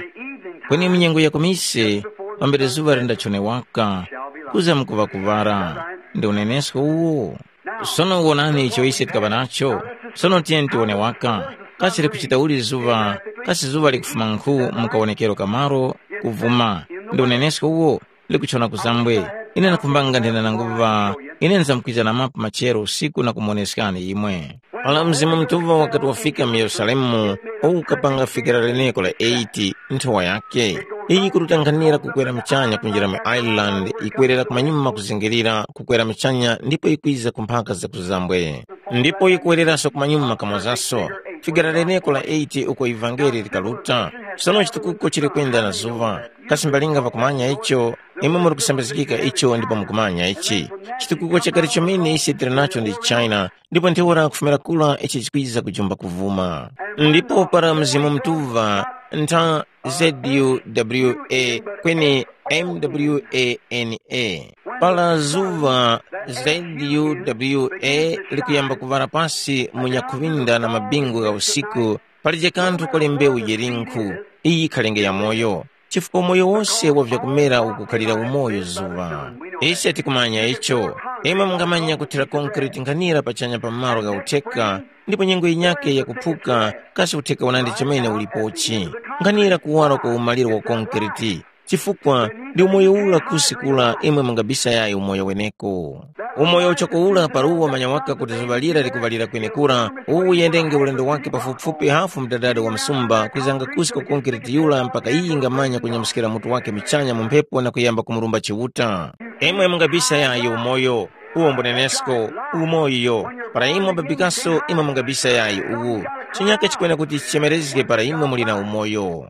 Kweni mu nyengo ya kumise, pambere zuŵa lindachone waka, kuza mukuŵa kuŵala. Ndi unenesko uwo. Sono wonani icho ise tikaŵa nacho. Sono tiyeni tiwone waka. Kasi likuchita uli zuŵa? Kasi zuŵa likufuma nkhu mu kawonekero ka malo? Kuvuma. Ndi unenesko uwo? Likuchona kuzambwe. Ine ndakhumbanga nthena nanguŵa, ine nzamkwiza na mapu machero usiku na kumoneskani imwe. Ala Mzimu Mutuŵa wakati wafika mu Yerusalemu, ukapanga fikira leneko la eight, nthowa yake. Iyi kututanghanira kukwera muchanya kunjira mu Ireland, ikwerera kumanyuma kuzingirira, kukwera muchanya ndipo ikwiza ku mphaka za kuzambwe. Ndipo yikuwereranso kumanyuma kamozaso. Figara leneko la eight uko ivangeli likaruta. Sono chitukuko chili kwenda na zuŵa. Kasi mbalinga ŵakumanya icho? Imwe muri kusambizgika icho ndipo mukumanya ichi. Chitukuko chakale chomene ise tili nacho ndi China, ndipo ntheura kufumira kura ichi chikwiza kujumba kuvuma. Ndipo para Mzimu Mutuŵa ntha Z U W A kweni M W A N A. Para zuŵa Z U W A likuyamba kuŵala pasi mu nyakhuŵinda na mabingu gha usiku, palije kanthu kuli mbewu yilinkhu, iyi yikhalenge yamoyo. Chifukwa umoyo wose wa vyakumera ukukhalira umoyo zuŵa. Ise tikumanya icho. Imwe mungamanya kuthira konkreti nkhanira pachanya pa malo gha utheka, ndipo nyengo yinyakhe yakuphuka, kasi utheka unandi chomene ulipochi. Nkhanira kuwara kwa umaliro wa konkreti. Chifukwa ndi umoyo ura kusi kura imwe mungabisayayi umoyo weneko. Umoyo uchoko ura para uwo manya waka kuti zuŵa lira likuŵalira kwenekura, uwu uyendenge ulendo wake pafupifupi hafu mdadadi wa msumba kwizanga kusi kwa konkreti yura mpaka iyi ingamanya kunyamuskira mutu wake michanya mu mphepo na kuyamba kumurumba Chiuta. Imwe mungabisayayi umoyo. Uwo mbunenesko, umoyo, para imwe babikaso imwe mungabisa yayi uwu. Chinyaka chikwena kuti chichemerezge para imwe muli na umoyo.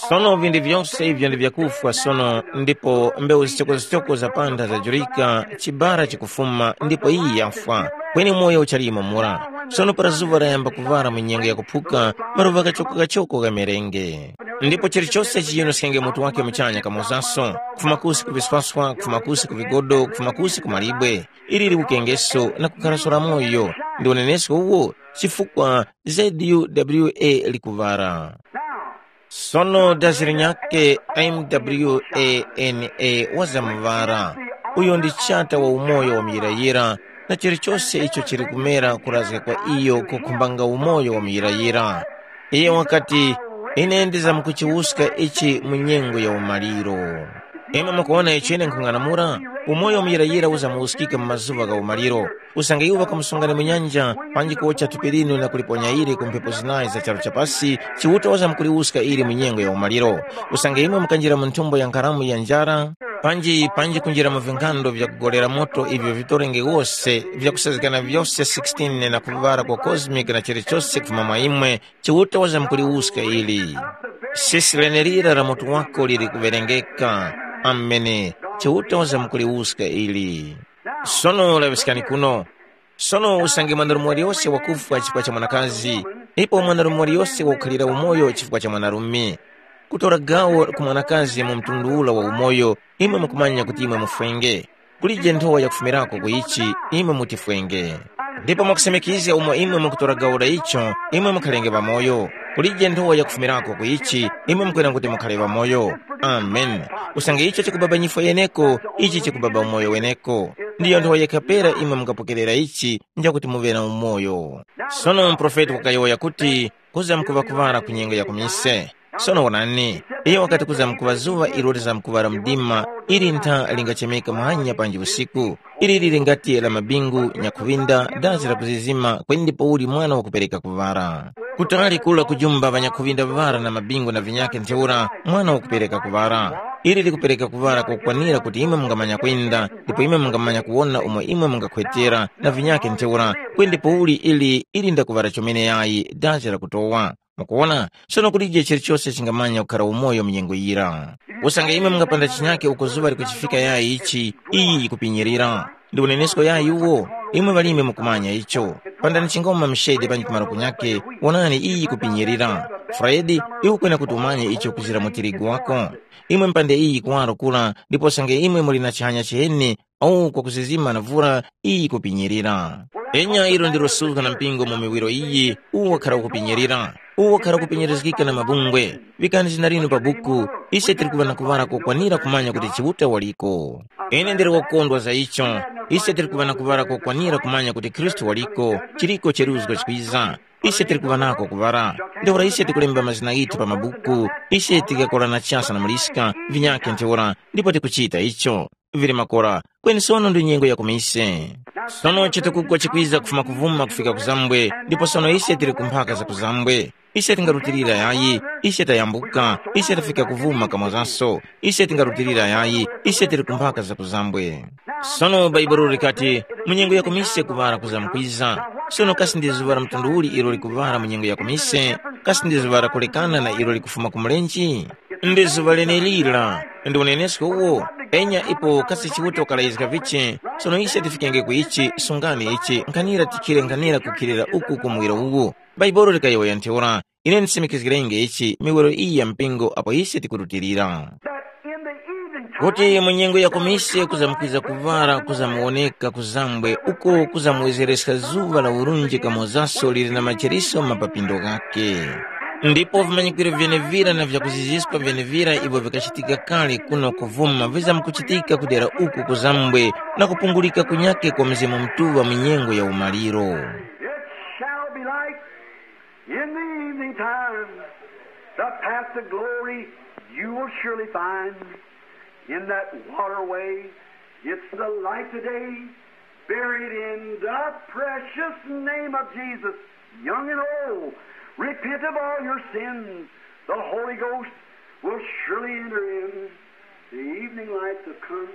Sono vinthu vyose ivyo ndi vyakufwa sono, ndipo mbewu zichoko-zichoko za pantha zajurika, chibara chikufuma, ndipo iyi yafwa, kweni umoyo uchalimo mura. Sono para zuŵa layamba kuŵala mu nyengo yakuphuka, maluva kachoko-kachoko ghamerenge. Ndipo chilichose chiyunuskenge mutu wake muchanya kamozaso, kufuma kusi ku viswaswa, kufuma kusi ku vigodo, kufuma kusi ku malibwe. Ili liwukengeso na kukharaso la moyo, ndi unenesko uwo, chifukwa Z U W A likuŵara. Sono dazi linyakhe M W A N A wazamuŵara. Uyo ndi chata wa umoyo wa muyirayira, na chilichose icho chili kumera kurazga kwa iyo kukhumbanga umoyo wa muyirayira. Iye wakati, “Ine ndizamkuchiwuska ichi mu nyengo ya umaliro.” Imwe mukuwona icho ine nkhung'anamula? Umoyo wa muyirayira uzamuwuskika mu mazuŵa gha umaliro. Usange iwo ŵakamusungani mu nyanja, panji kuwotcha thupi linu na kuliponya ili ku mphepo zinayi za charu cha pasi, Chiuta wazamkuliwuska ili mu nyengo ya umaliro. Usange imwe mukanjira mu nthumbo ya nkharamu ya njara, panji panji kunjira mu vinkhando vya kugolera moto ivyo vitorenge wose vyakusazgikana vyose sixteen na kuŵala kwa cosmic na chilichose kufuma mwa imwe, Chiuta wazamkuliwuska ili. Sisi lenelira la mutu wako lili kuŵerengeka. Amene. Chiuta wazamkuliwuska ili. Sono laŵiskani kuno. Sono usange mwandarume waliyose wakufwa chifukwa cha mwanakazi, ipo mwandarume waliyose wakukhalira umoyo chifukwa cha mwanarume, kutora gawo ku mwanakazi mu mtundu ula wa umoyo, imwe mukumanya kuti imwe mufwenge. Kulije nthowa yakufumirako ku ichi, imwe mutifwenge. Ndipo mwakusemekizga umo imwe mukutora gawo la icho, imwe mukhalenge pamoyo. Kulije nthowa yakufumirako ku ichi, imwe mukwera kuti mukhale pamoyo. Amen. Usange icho chikubaba nyifwa yeneko, ichi chikubaba umoyo weneko. Ndiyo nthowa yekha pera imwe mungapokerera ichi, njakuti muŵe na umoyo. Sono muprofeti wakayowoya kuti, kuzamkuŵa kuŵala ku nyengo ya kumise. Sono wonani, iyo wakati kuzamkuŵa zuŵa ilo lizamkuŵala mdima, ili ntha lingachemeka muhanya panji usiku. Ili lili ngati la mabingu, nyakhuŵinda, dazi la kuzizima, kweni ndipouli mwana wakupereka kuŵala. Kutali kula kujumba ŵanyakhuŵinda ŵara na mabingu na vinyakhe ntheura, mwana wakupereka kuŵala. Ili likupereka kuŵala kokwanira kuti imwe mungamanya kwenda, ndipo imwe mungamanya kuwona umo imwe mungakhwetera na vinyakhe ntheura, kweni ndipouli ili ili ndakuŵala chomene yayi, dazi lakutowa. Mukuwona, sono kulije chilichose chingamanya kukhara umoyo mu nyengo yira. Usange imwe mungapanda chinyake uko zuŵa likuchifika yayi ichi, iyi yikupinyirira. Ndi unenesko yayi uwo, imwe ŵalimi mukumanya icho. Pandani chingoma mshede panji kumaro kunyake, wonani iyi yikupinyirira. Fredi, iwe ukwena kuti umanye icho kuzira mu tirigu wako. Imwe mpande iyi kuwaro kura, ndipo usange imwe muli na chihanya chiheni, au kwakuzizima na vura, iyi kupinyirira. Enya ilo ndilo suzga na mpingo mu miwiro iyi, uwo wakhara ukupinyirira, uwo wakhara kupinyirizgika na mabungwe. Vikani zina linu pa buku, ise tili kuŵa na kuŵala kokwanira kumanya kuti Chiuta waliko. Ine ndili wakondwa za icho, ise tili kuŵa na kuŵala kokwanira kumanya kuti Khristu waliko, chiliko cheruzgo chikwiza. Ise tili kuŵa nako kuŵala. Ntheura ise tikulemba mazina ghithu pa mabuku, ise tikakorana chasa na muliska, vinyakhe ntheura, ndipo tikuchita icho. Vili makora, kweni sono ndi nyengo ya kumise. Sono chitukugwa chikwiza kufuma kuvuma kufika kuzambwe, ndipo sono ise tili ku mphaka za kuzambwe. Ise tingarutilira yayi, ise tayambuka, ise tafika kuvuma kamozaso. Ise tingarutilira yayi, ise tili ku mphaka za kuzambwe. Sono Bhaibuli likati, mu nyengo ya kumise kuŵala kuzamkwiza. Sono kasi ndi zuŵa la mtundu uli ilo likuŵala mu nyengo ya kumise? Kasi ndi zuŵa lakulekana na ilo likufuma ku mulenje? Ndi zuŵa lenelira, ndi unenesko uwo. Enya ipo kasi Chiuta wakalayizga vichi, sono ise tifikenge ku ichi, sungani ichi, nkhanira tikhire nkhanira kukhilira uku ku muwiro uwu. Bhaibuli likayowoya ntheura, ine ndisimikizgirenge ichi miwiro iyi ya mpingo apo ise tikurutilira. Kuti mu nyengo ya kumise kuzamkwiza kuŵala kuzamuwoneka kuzambwe uko kuzamuwezereska zuŵa la urunji kamozaso lili na macheriso ma papindo ghake. Ndipo vimanyikwiro vyenevira na vyakuziziska vyenevira ivyo vikachitika kale kuno kuvuma vizamkuchitika kudera uku kuzambwe na kupungulika kunyake kwa Mzimu Mutuŵa mu nyengo ya umaliro. It shall be light in the evening time. The path to glory you will surely find. In that waterway, it's the light today, buried in the precious name of Jesus. Young and old, repent of all your sins. The Holy Ghost will surely enter in. The evening lights have come.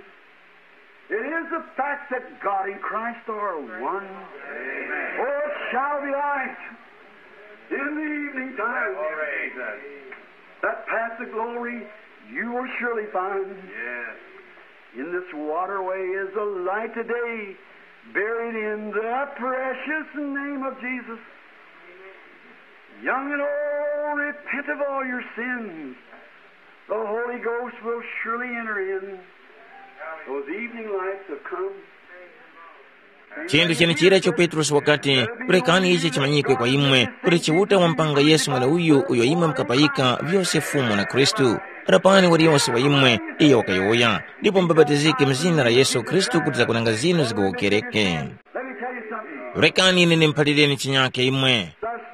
It is the fact that God and Christ are one. Amen. Oh, it shall be light in the evening time. That path to glory you will surely find. Yes. In this waterway is a light today, buried in the precious name of Jesus. Young and old, repent of all your sins. The Holy Ghost will surely enter in. Those evening lights have come. Chinthu chenechira icho Petrosi wakati, rekani ichi chimanyikwe kwa imwe, kuti Chiuta wampanga Yesu mweneuyu uyo imwe mukapayika vyose Fumu na Khristu. Rapani waliyose wa imwe, iyo wakayowoya, ndipo mubapatizike mu zina la Yesu Khristu kuti zakunanga zinu zigowokereke. Let me tell you something. Rekani ine ndimuphalireni chinyake imwe.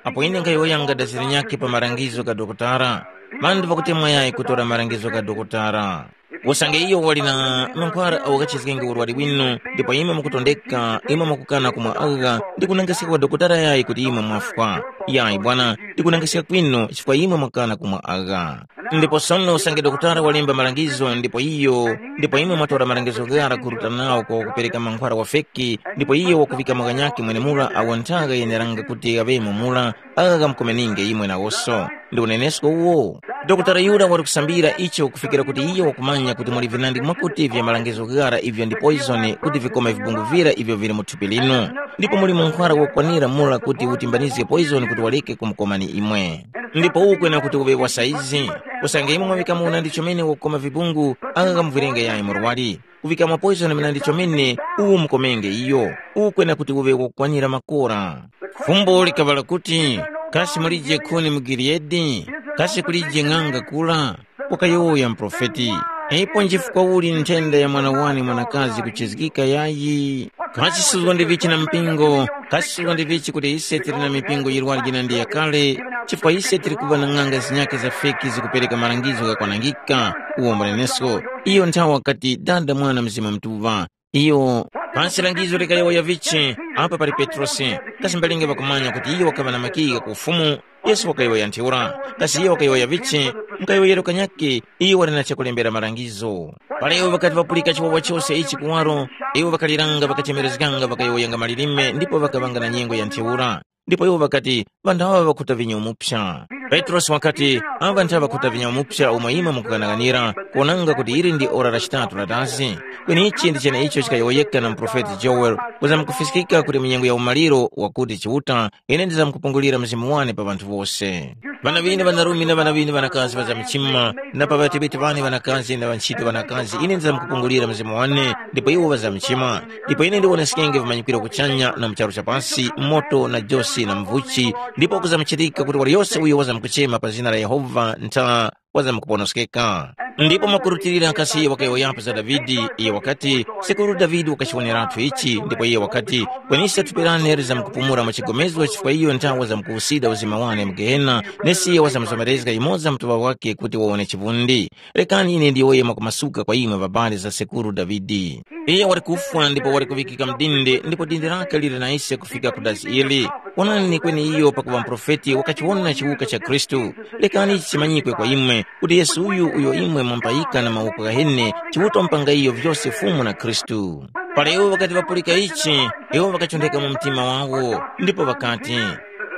Apo ine nkhayowoyanga daziri nyakhe pa malangizo gha dokotala, ŵanthu ŵakutemwa yayi kutora malangizo gha dokotala. Usange iyo wali na mankhwara awo ghachizgenge urwari winu, ndipo imwe mukutondeka, imwe mukukana kumwa agha, ndikunangiska kwa dokotala yayi kuti imwe mwafwa? Yayi bwana, ndikunangiska kwinu chifukwa imwe mwakana kumwa agha. Ndipo sono usange dokotala walemba malangizo ndipo iyo, ndipo imwe mwatora malangizo ghara kuruta nawo kwa wakupereka mankhwara wa feki, ndipo iyo wakuvika mwa ghanyakhe mwenemura awo nthaga yeneranga kuti ghaŵemo mura, agha ghamkomeninge imwe nawoso. Ndi unenesko uwo. Dokotala yura wali kusambira icho kufikira kuti iyo wakumanya kuti muli vinandi mwakuti vya malangizo ghara ivyo ndi poizoni kuti vikome vibungu vira ivyo vili mu thupi linu. Ndipo muli munkhwara wokwanira mura kuti utimbanizge poizoni kuti waleke kumukomani imwe. Ndipo ukwena kuti uŵe wa saizi. Usange imwe mwaŵikamo unandi chomene wokukoma vibungu, agha ghamuvwirenge yayi murwari. Kuŵikamo poizoni munandi chomene, uwo mukomenge iyo. Ukwena kuti uŵe wokwanira makora. Fumbo likaŵala kuti, kasi mulije khuni mu Giliyadi? Kasi kulije ng'anga kura? Wakayowoya muprofeti. Ipo njifukwa uli nthenda ya mwana wane mwanakazi kuchizgika yayi? Kasi suzgo ndi vichi na mpingo? Kasi suzgo ndi vichi kuti ise tili na mipingo yirwari yina ndi yakale? Chifukwa ise tili kuŵa na ng'anga zinyakhe za feki zikupereka malangizo ghakwanangika, uwo mbunenesko. Iyo nthawe wakati, Dada, Mwana, Mzimu Mutuŵa. Iyo, pansi langizo likayowoya vichi, apa pali Petrosi, kasi mbalinge ŵakumanya kuti iyo wakaŵa na makiyi gha ku Ufumu? Yesu wakayowoya ntheura. Kasi iyo wakayowoya vichi? Mukayowoyero kanyakhe, iyo wali na chakulembera malangizo. Para iwo ŵakati ŵapulika chiwawa chose ichi kuwaro, iwo ŵakaliranga ŵakachemerezganga ŵakayowoyanga malilime ndipo ŵakaŵanga na nyengo ya ntheura. Ndipo iwo ŵakati, ŵanthu aŵa ŵakhuta vinyo muphya. Petrosi wakati, aŵa ntha ŵakhuta vinyo muphya umo imwe mukughanaghanira, kuwonanga kuti ili ndi ora la chitatu la dazi. Kweni ichi ndi cheneicho chikayowoyeka na muprofeti Joel, kuzamkufiskika kuti mu nyengo ya umaliro wakuti Chiuta, ine ndizamkupungulira Mzimu wane pa ŵanthu wose. Ŵana ŵine ŵanarume na ŵana ŵine ŵanakazi ŵazamchima, na pa ŵateŵeti ŵane ŵanakazi na ŵantchito ŵanakazi ine ndizamkupungulira Mzimu wane, ndipo iwo ŵazamchima. Ndipo ine ndiwoneskenge vimanyikiro kuchanya na mu charu cha pasi, moto na josi na mvuchi, ndipo kuzamuchitika kuti waliyose uyo wazamkuchema pa zina la Yehova ntha wazamkuponoskeka. Ndipo mwakurutilira kasi iyo wakayowoyapo za Davide, iyo wakati, Sekuru Davide wakachiwoneratu ichi, ndipo iyo wakati, kwenise thupi lane lizamkupumula mwa chigomezgo chifukwa iyo nthawe zamkuwusida uzima wane mu Gehena, nesi iyo wazamuzomerezga yumoza mutuŵa wake kuti wawone chivundi. Rekani ine ndiyowoye mwakumasuka kwa imwe ŵabali za sekuru Davide. Iye wali kufwa ndipo wali kuŵikika mdinde ndipo dindi lake lili na ise kufika ku dazi ili. Onani kweni iyo pakuŵa muprofeti wakachiwona chiwuka cha Khristu. Lekani ichi chimanyikwe kwa imwe, kuti Yesu uyu uyo imwe mwamupayika na mawoko ghahene, chiwuto mpanga iyo vyose Fumu na Khristu. Para iwo ŵakati ŵapulika ichi, iwo ŵakachontheka mu mtima wawo, ndipo ŵakati,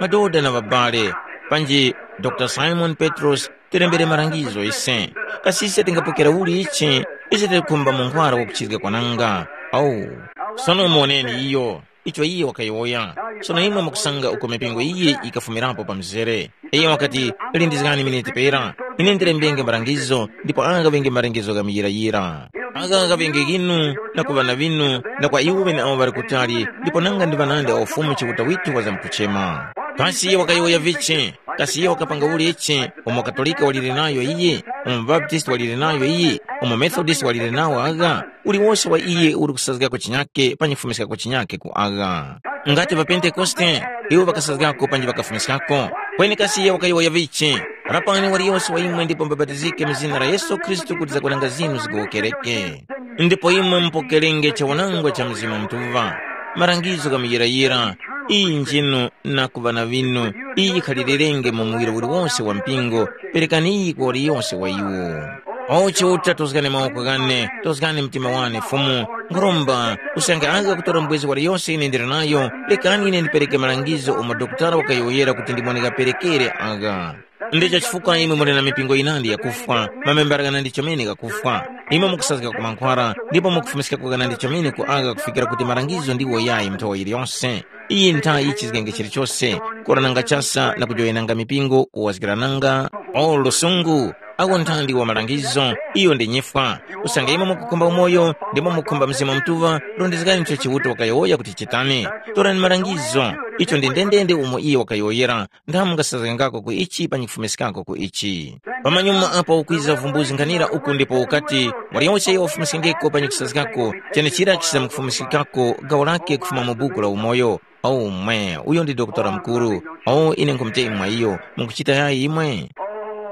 madoda na ŵabale, panji Dr. Simoni Petrosi, tilembere malangizo ise. Kasi ise tingapokera uli ichi? Ise tikukhumba munkhwara wakuchizga kwananga. Au, sono muwoneni iyo, icho iye wakayowoya. Sono imwe mukusanga uko mipingo iyi yikafumirapo pa mzere. Iye wakati, lindizgani miniti pera, ine ndilembenge malangizo, ndipo agha ŵenge malangizo gha muyirayira. Agha ghaŵenge ghinu, na ku ŵana ŵinu, na kwa iwo ŵeneawo ŵali kutali, ndipo nanga ndi ŵanandi a Ufumu Chiuta withu wazamkuchema. Kasi iye wakayowoya vichi? Kasi iye wakapanga uli ichi? Umo Katolika walire nayo iyi? Umo Baptisti walire nayo iyi? Umo Methodist walire nawo agha? Uliwose wa iye uli kusazgako chinyake pa nyifumiskako chinyake ku agha. Ngati ŵaPentekoste, iwo ŵakasazgako panji ŵakafumiskako. Kweni kasi iye wakayowoya vichi? Rapani waliyose wa imwe ndipo mubapatizike mu zina la Yesu Khristu kuti zakwananga zinu zigowokereke. Ndipo imwe mupokerenge chawanangwa cha Mzimu Mutuŵa, malangizo gha muyirayira, iyi njinu na ku ŵana ŵinu, iyi yikhalirenge mu muwiro uliwose wa mpingo, perekani iyi kwa waliyose wa iwo. O Chiuta, tozgani mawoko ghane, tozgani mtima wane Fumu, nkhuromba, usange agha kutora mbwezi waliyose ine ndili nayo, rekani ine ndipereke malangizo umo dokotala wakayowoyera kuti ndimwe ndikaperekere agha. Ndicho chifukwa imwe muli na mipingo yinandi yakufwa, mamembala ghanandi chomene ghakufwa. Imwe mukusazgika ku mankhwara, ndipo mukufumiskako ghanandi chomene ku agha kufikira kuti malangizo ndiwo yayi nthowa yiliyonse. Iyi nthayi chizgenge chilichose, kurananga chasa na kujowenanga mipingo, kuwazgirananga, o lusungu, Awo nthandi wa malangizo, iyo ndi nyifwa. Usange imwe mukukhumba umoyo, ndimo mukhumba Mzimu Mutuŵa, rondezgani icho Chiuta wakayowoya kuti chitani. Torani malangizo, icho ndi ndendende umo iyo wakayowoyera, nthamu mungasazgangako ku ichi panyi kufumiskako ku ichi. Pamanyuma apo ukwiza vumbuzi nkhanira uku ndipo ukati, waliyonse iyo wafumiskengeko panyi kusazgako, chenechira chizamukufumiskikako gawo lake kufuma mu buku la umoyo. Omwe, uyo ndi dokotala mukuru. O, ine nkhumuteyi mwa iyo, mukuchita yayi imwe?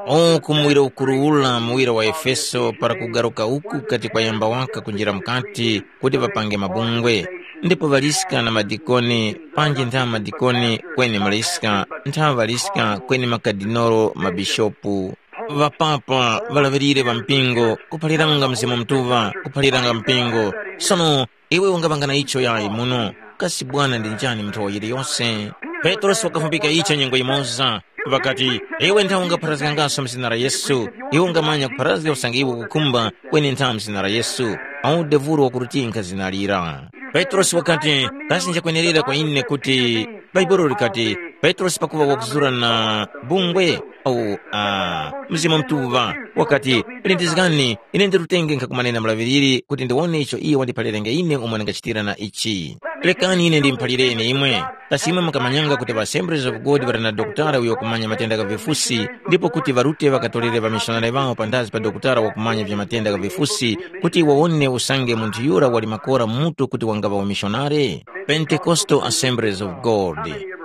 O, kumuwira ukuru ula muwira wa Efeso para kugaruka uku kati kwayamba waka kunjira mukati kuti ŵapange mabungwe, ndipo ŵaliska na madikoni, panji ntha madikoni kweni maliska, ntha ŵaliska kweni makadinolo mabishopu, ŵapapa, ŵalaŵirire ŵa mpingo, kuphaliranga Mzimu Mutuŵa, kuphaliranga mpingo. Sono, iwe ungaŵanga na icho yayi muno, kasi bwana ndi njani munthu wa yiliyose? Petrosi wakafumbika icho nyengo yimoza, ŵakati, iwe nthawe ungapharazgangaso mu zina la Yesu, iwe ungamanya kupharazga usange iwe ukukhumba kweni nthawe mu zina la Yesu, awu devuro wakurutinkha zina lira. Petrosi wakati, kasi nchakwenerera kwa ine kuti Bhaibuli likati, Petrosi pakuŵa wakuzura na bungwe, awu, ah, Mzimu Mutuŵa wakati, lindizgani, ine ndirutenge nkhakumanena mulaŵiriri kuti ndiwone icho iye wandiphalirenge ine umo ndingachitira na ichi. Rekani ine ndimuphalireni imwe. Kasi imwe mukamanyanga kuti ŵa Assemblies of God ŵali na dokotala uyo wakumanya matenda gha vifusi, ndipo kuti ŵarute ŵakatorere ŵamishonari ŵawo panthazi pa dokotala wakumanya vya matenda gha vifusi, kuti iwo wone usange munthu yura wali makora mu mutu kuti wangaŵa wamishonari? Pentecostal Assemblies of God.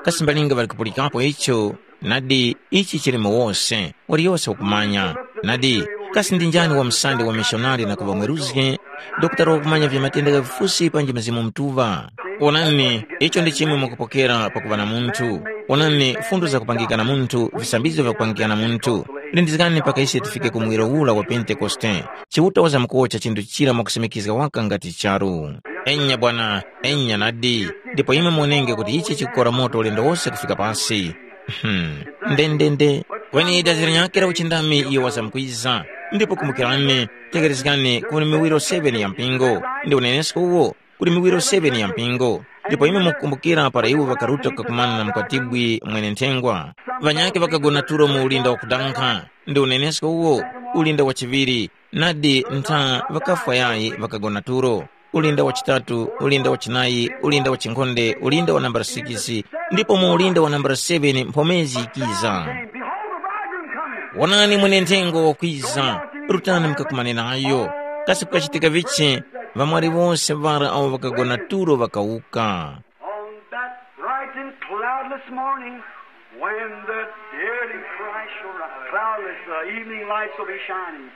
Kasi mbalinga ŵali kupulikapo icho? Nadi, ichi chili mu wose, waliyose wakumanya. Nadi, kasi ndi njani wamsande wa mishonari na kuŵa mweruzgi? Dokotala wakumanya vya matenda gha vifusi panji Mzimu Mutuŵa. Wonani, icho ndi chimwe mwakupokera pakuŵa na munthu. Wonani, fundo zakupangika na munthu, visambizgo vyakupangika na munthu. Lindizgani mpaka ise tifike ku muwiro ula wa Pentekoste. Chiuta wazamkuwocha chinthu chira mwakusimikizga waka ngati charu. Enya bwana, enya nadi. Ndipo imwe muonenge kuti ichi chikukora moto ulendo wose kufika pasi. Hmm. Ndendende. Kweni dazi linyakhe la uchindami iyo wazamkwiza. Ndipo kumbukirani, tekerezgani kuli miwiro seven ya mpingo. Ndi unenesko uwo, kuli miwiro seven ya mpingo. Ndipo imwe mukukumbukira para iwo ŵakaruta kukakumana na mukwatibwi mwene nthengwa. Ŵanyakhe ŵakagona tulo mu ulinda wakudankha. Ndi unenesko uwo, ulinda wa chiŵiri, nadi ntha ŵakafwa yayi ŵakagona tulo. Ulinda wa chitatu, ulinda wa chinayi, ulinda wa chinkhonde, ulinda wa nambala sikisi, ndipo mu ulinda wa nambala seveni mphomezi yikiza. Wonani mwenenthengo wakwiza, rutani mukakumane nayo. Kasi kukachitika vichi, ŵamwali wose ŵara awo ŵakagona tulo ŵakawuka. On that bright and cloudless morning, when the dead in Christ shall rise, cloudless, the evening lights will be shining,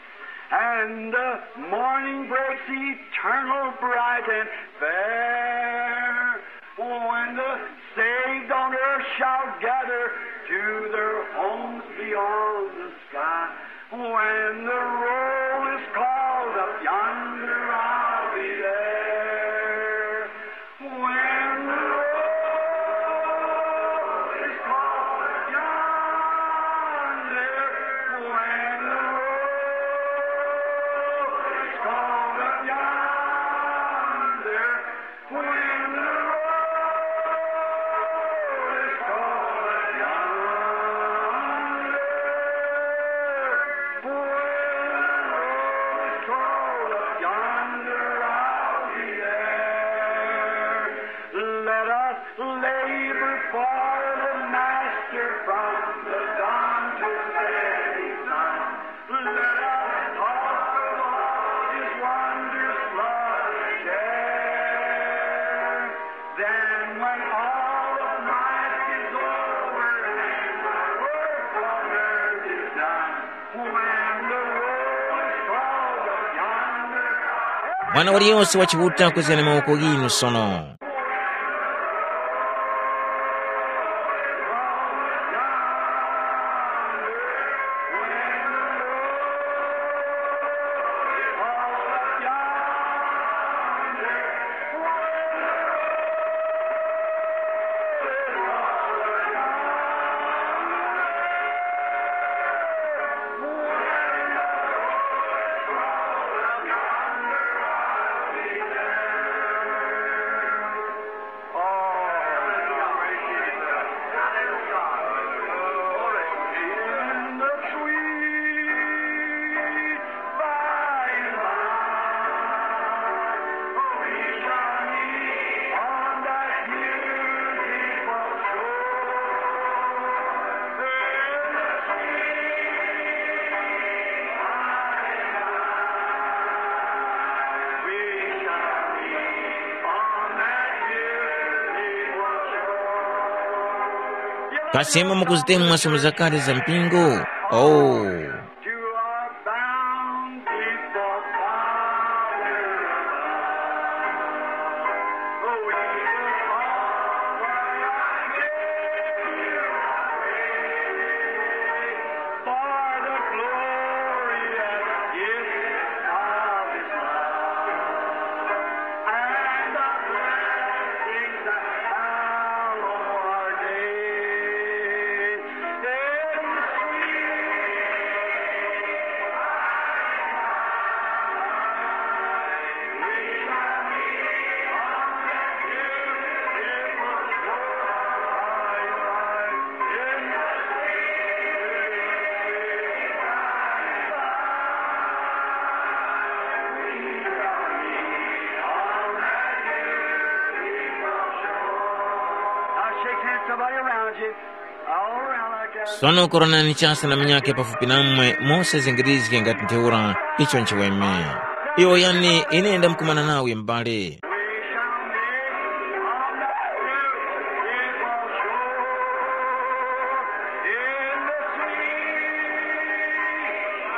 and the morning breaks eternal, bright and fair. When the saved on earth shall gather to their homes beyond the sky, when the roll is called up yonder, I'll be there. When the roll is called up yonder, when the roll is called up yonder, when the roll is called up yonder, when the roll is called up yonder, I'll be there. Let us labor for the Master from the dawn to setting sun. Let us talk of all his wonders love and share. Then when all of life is over and my work on earth is done, when the roll is called up yonder, Mwana waliyonse wa Chiuta kwezgani mawoko ghinu sono. Asemwe mukuzitemwa sono zakale za mpingo? Oh. To our bound people, Father above. Oh, we will offer our gifts for the glorious gift of His love and the blessings that follow our days. Now shake hands, somebody around you. All around like that. Sono koronani chasa na munyakhe pafupi namwe, mose zingirizge ngati ntheura. Icho nchiweme. Iwo yani, ine ndamkumana nawe m'bale. We shall meet on that beautiful shore in the sweet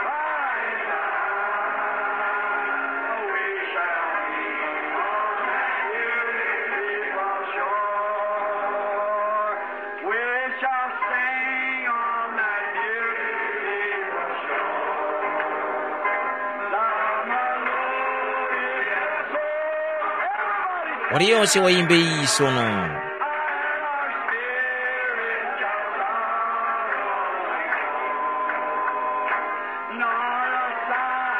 by and by. We shall meet on that beautiful shore. We shall sing on that beautiful shore. The melodious soul. Everybody sing. Waliyonse wayimbe iyi sono. And our spirit shall sorrow nor a sigh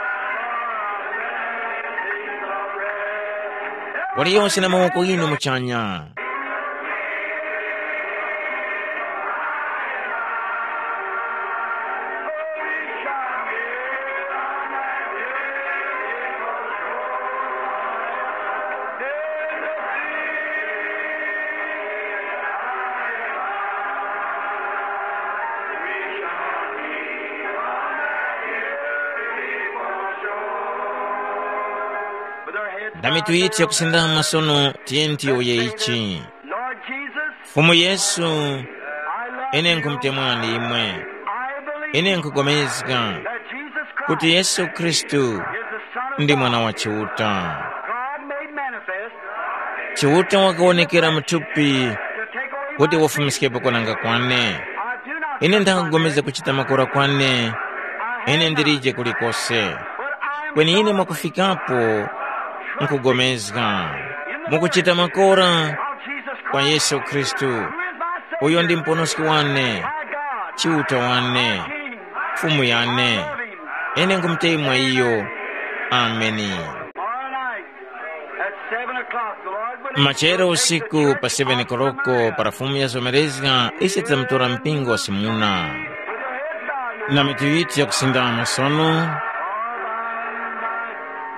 for our blessings of rest. Waliyonse na mawoko inu muchanya. Ndami tuyithe kusindama sono, tiyeni tiyowoye ichi. Lord Jesus, Fumu Yesu, I love ine you. Nkumutemwani imwe. I believe Ine nkugomezga that Jesus Christ kuti Yesu Khristu is the Son of ndi God. Mwana wa Chiuta. God made manifest Chiuta wakawonekera mu thupi to take away kuti my wafumiskhepo kwananga kwane. I do not Ine ndakugomeza kuchita makora kwane. I have Ine not. Ndilije kulikose. But I am Kweni ine mwakufikapo nkugomezga mukuchita makora kwa Yesu Khristu, uyo ndi muponoski wane, Chiuta wane, Fumu yane. Ine ngumutemwa iyo. Ameni. Tomorrow night at seven o'clock, the Lord will Machero usiku pa seven koloko para Fumu yazomerezga, ise tidzamutora mpingo wa Simuna. Na mitu yithu yakusindama sono.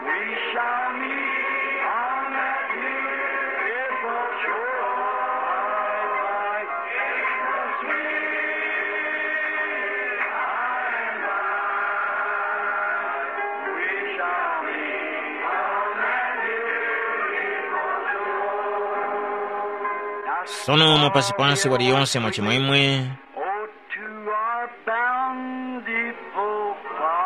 We shall meet on that beautiful shore by the sweet by and by. We shall meet on that beautiful shore. Sono mwapazipazi waliyonse mwachimwemwe. Oh, to our bountiful Father.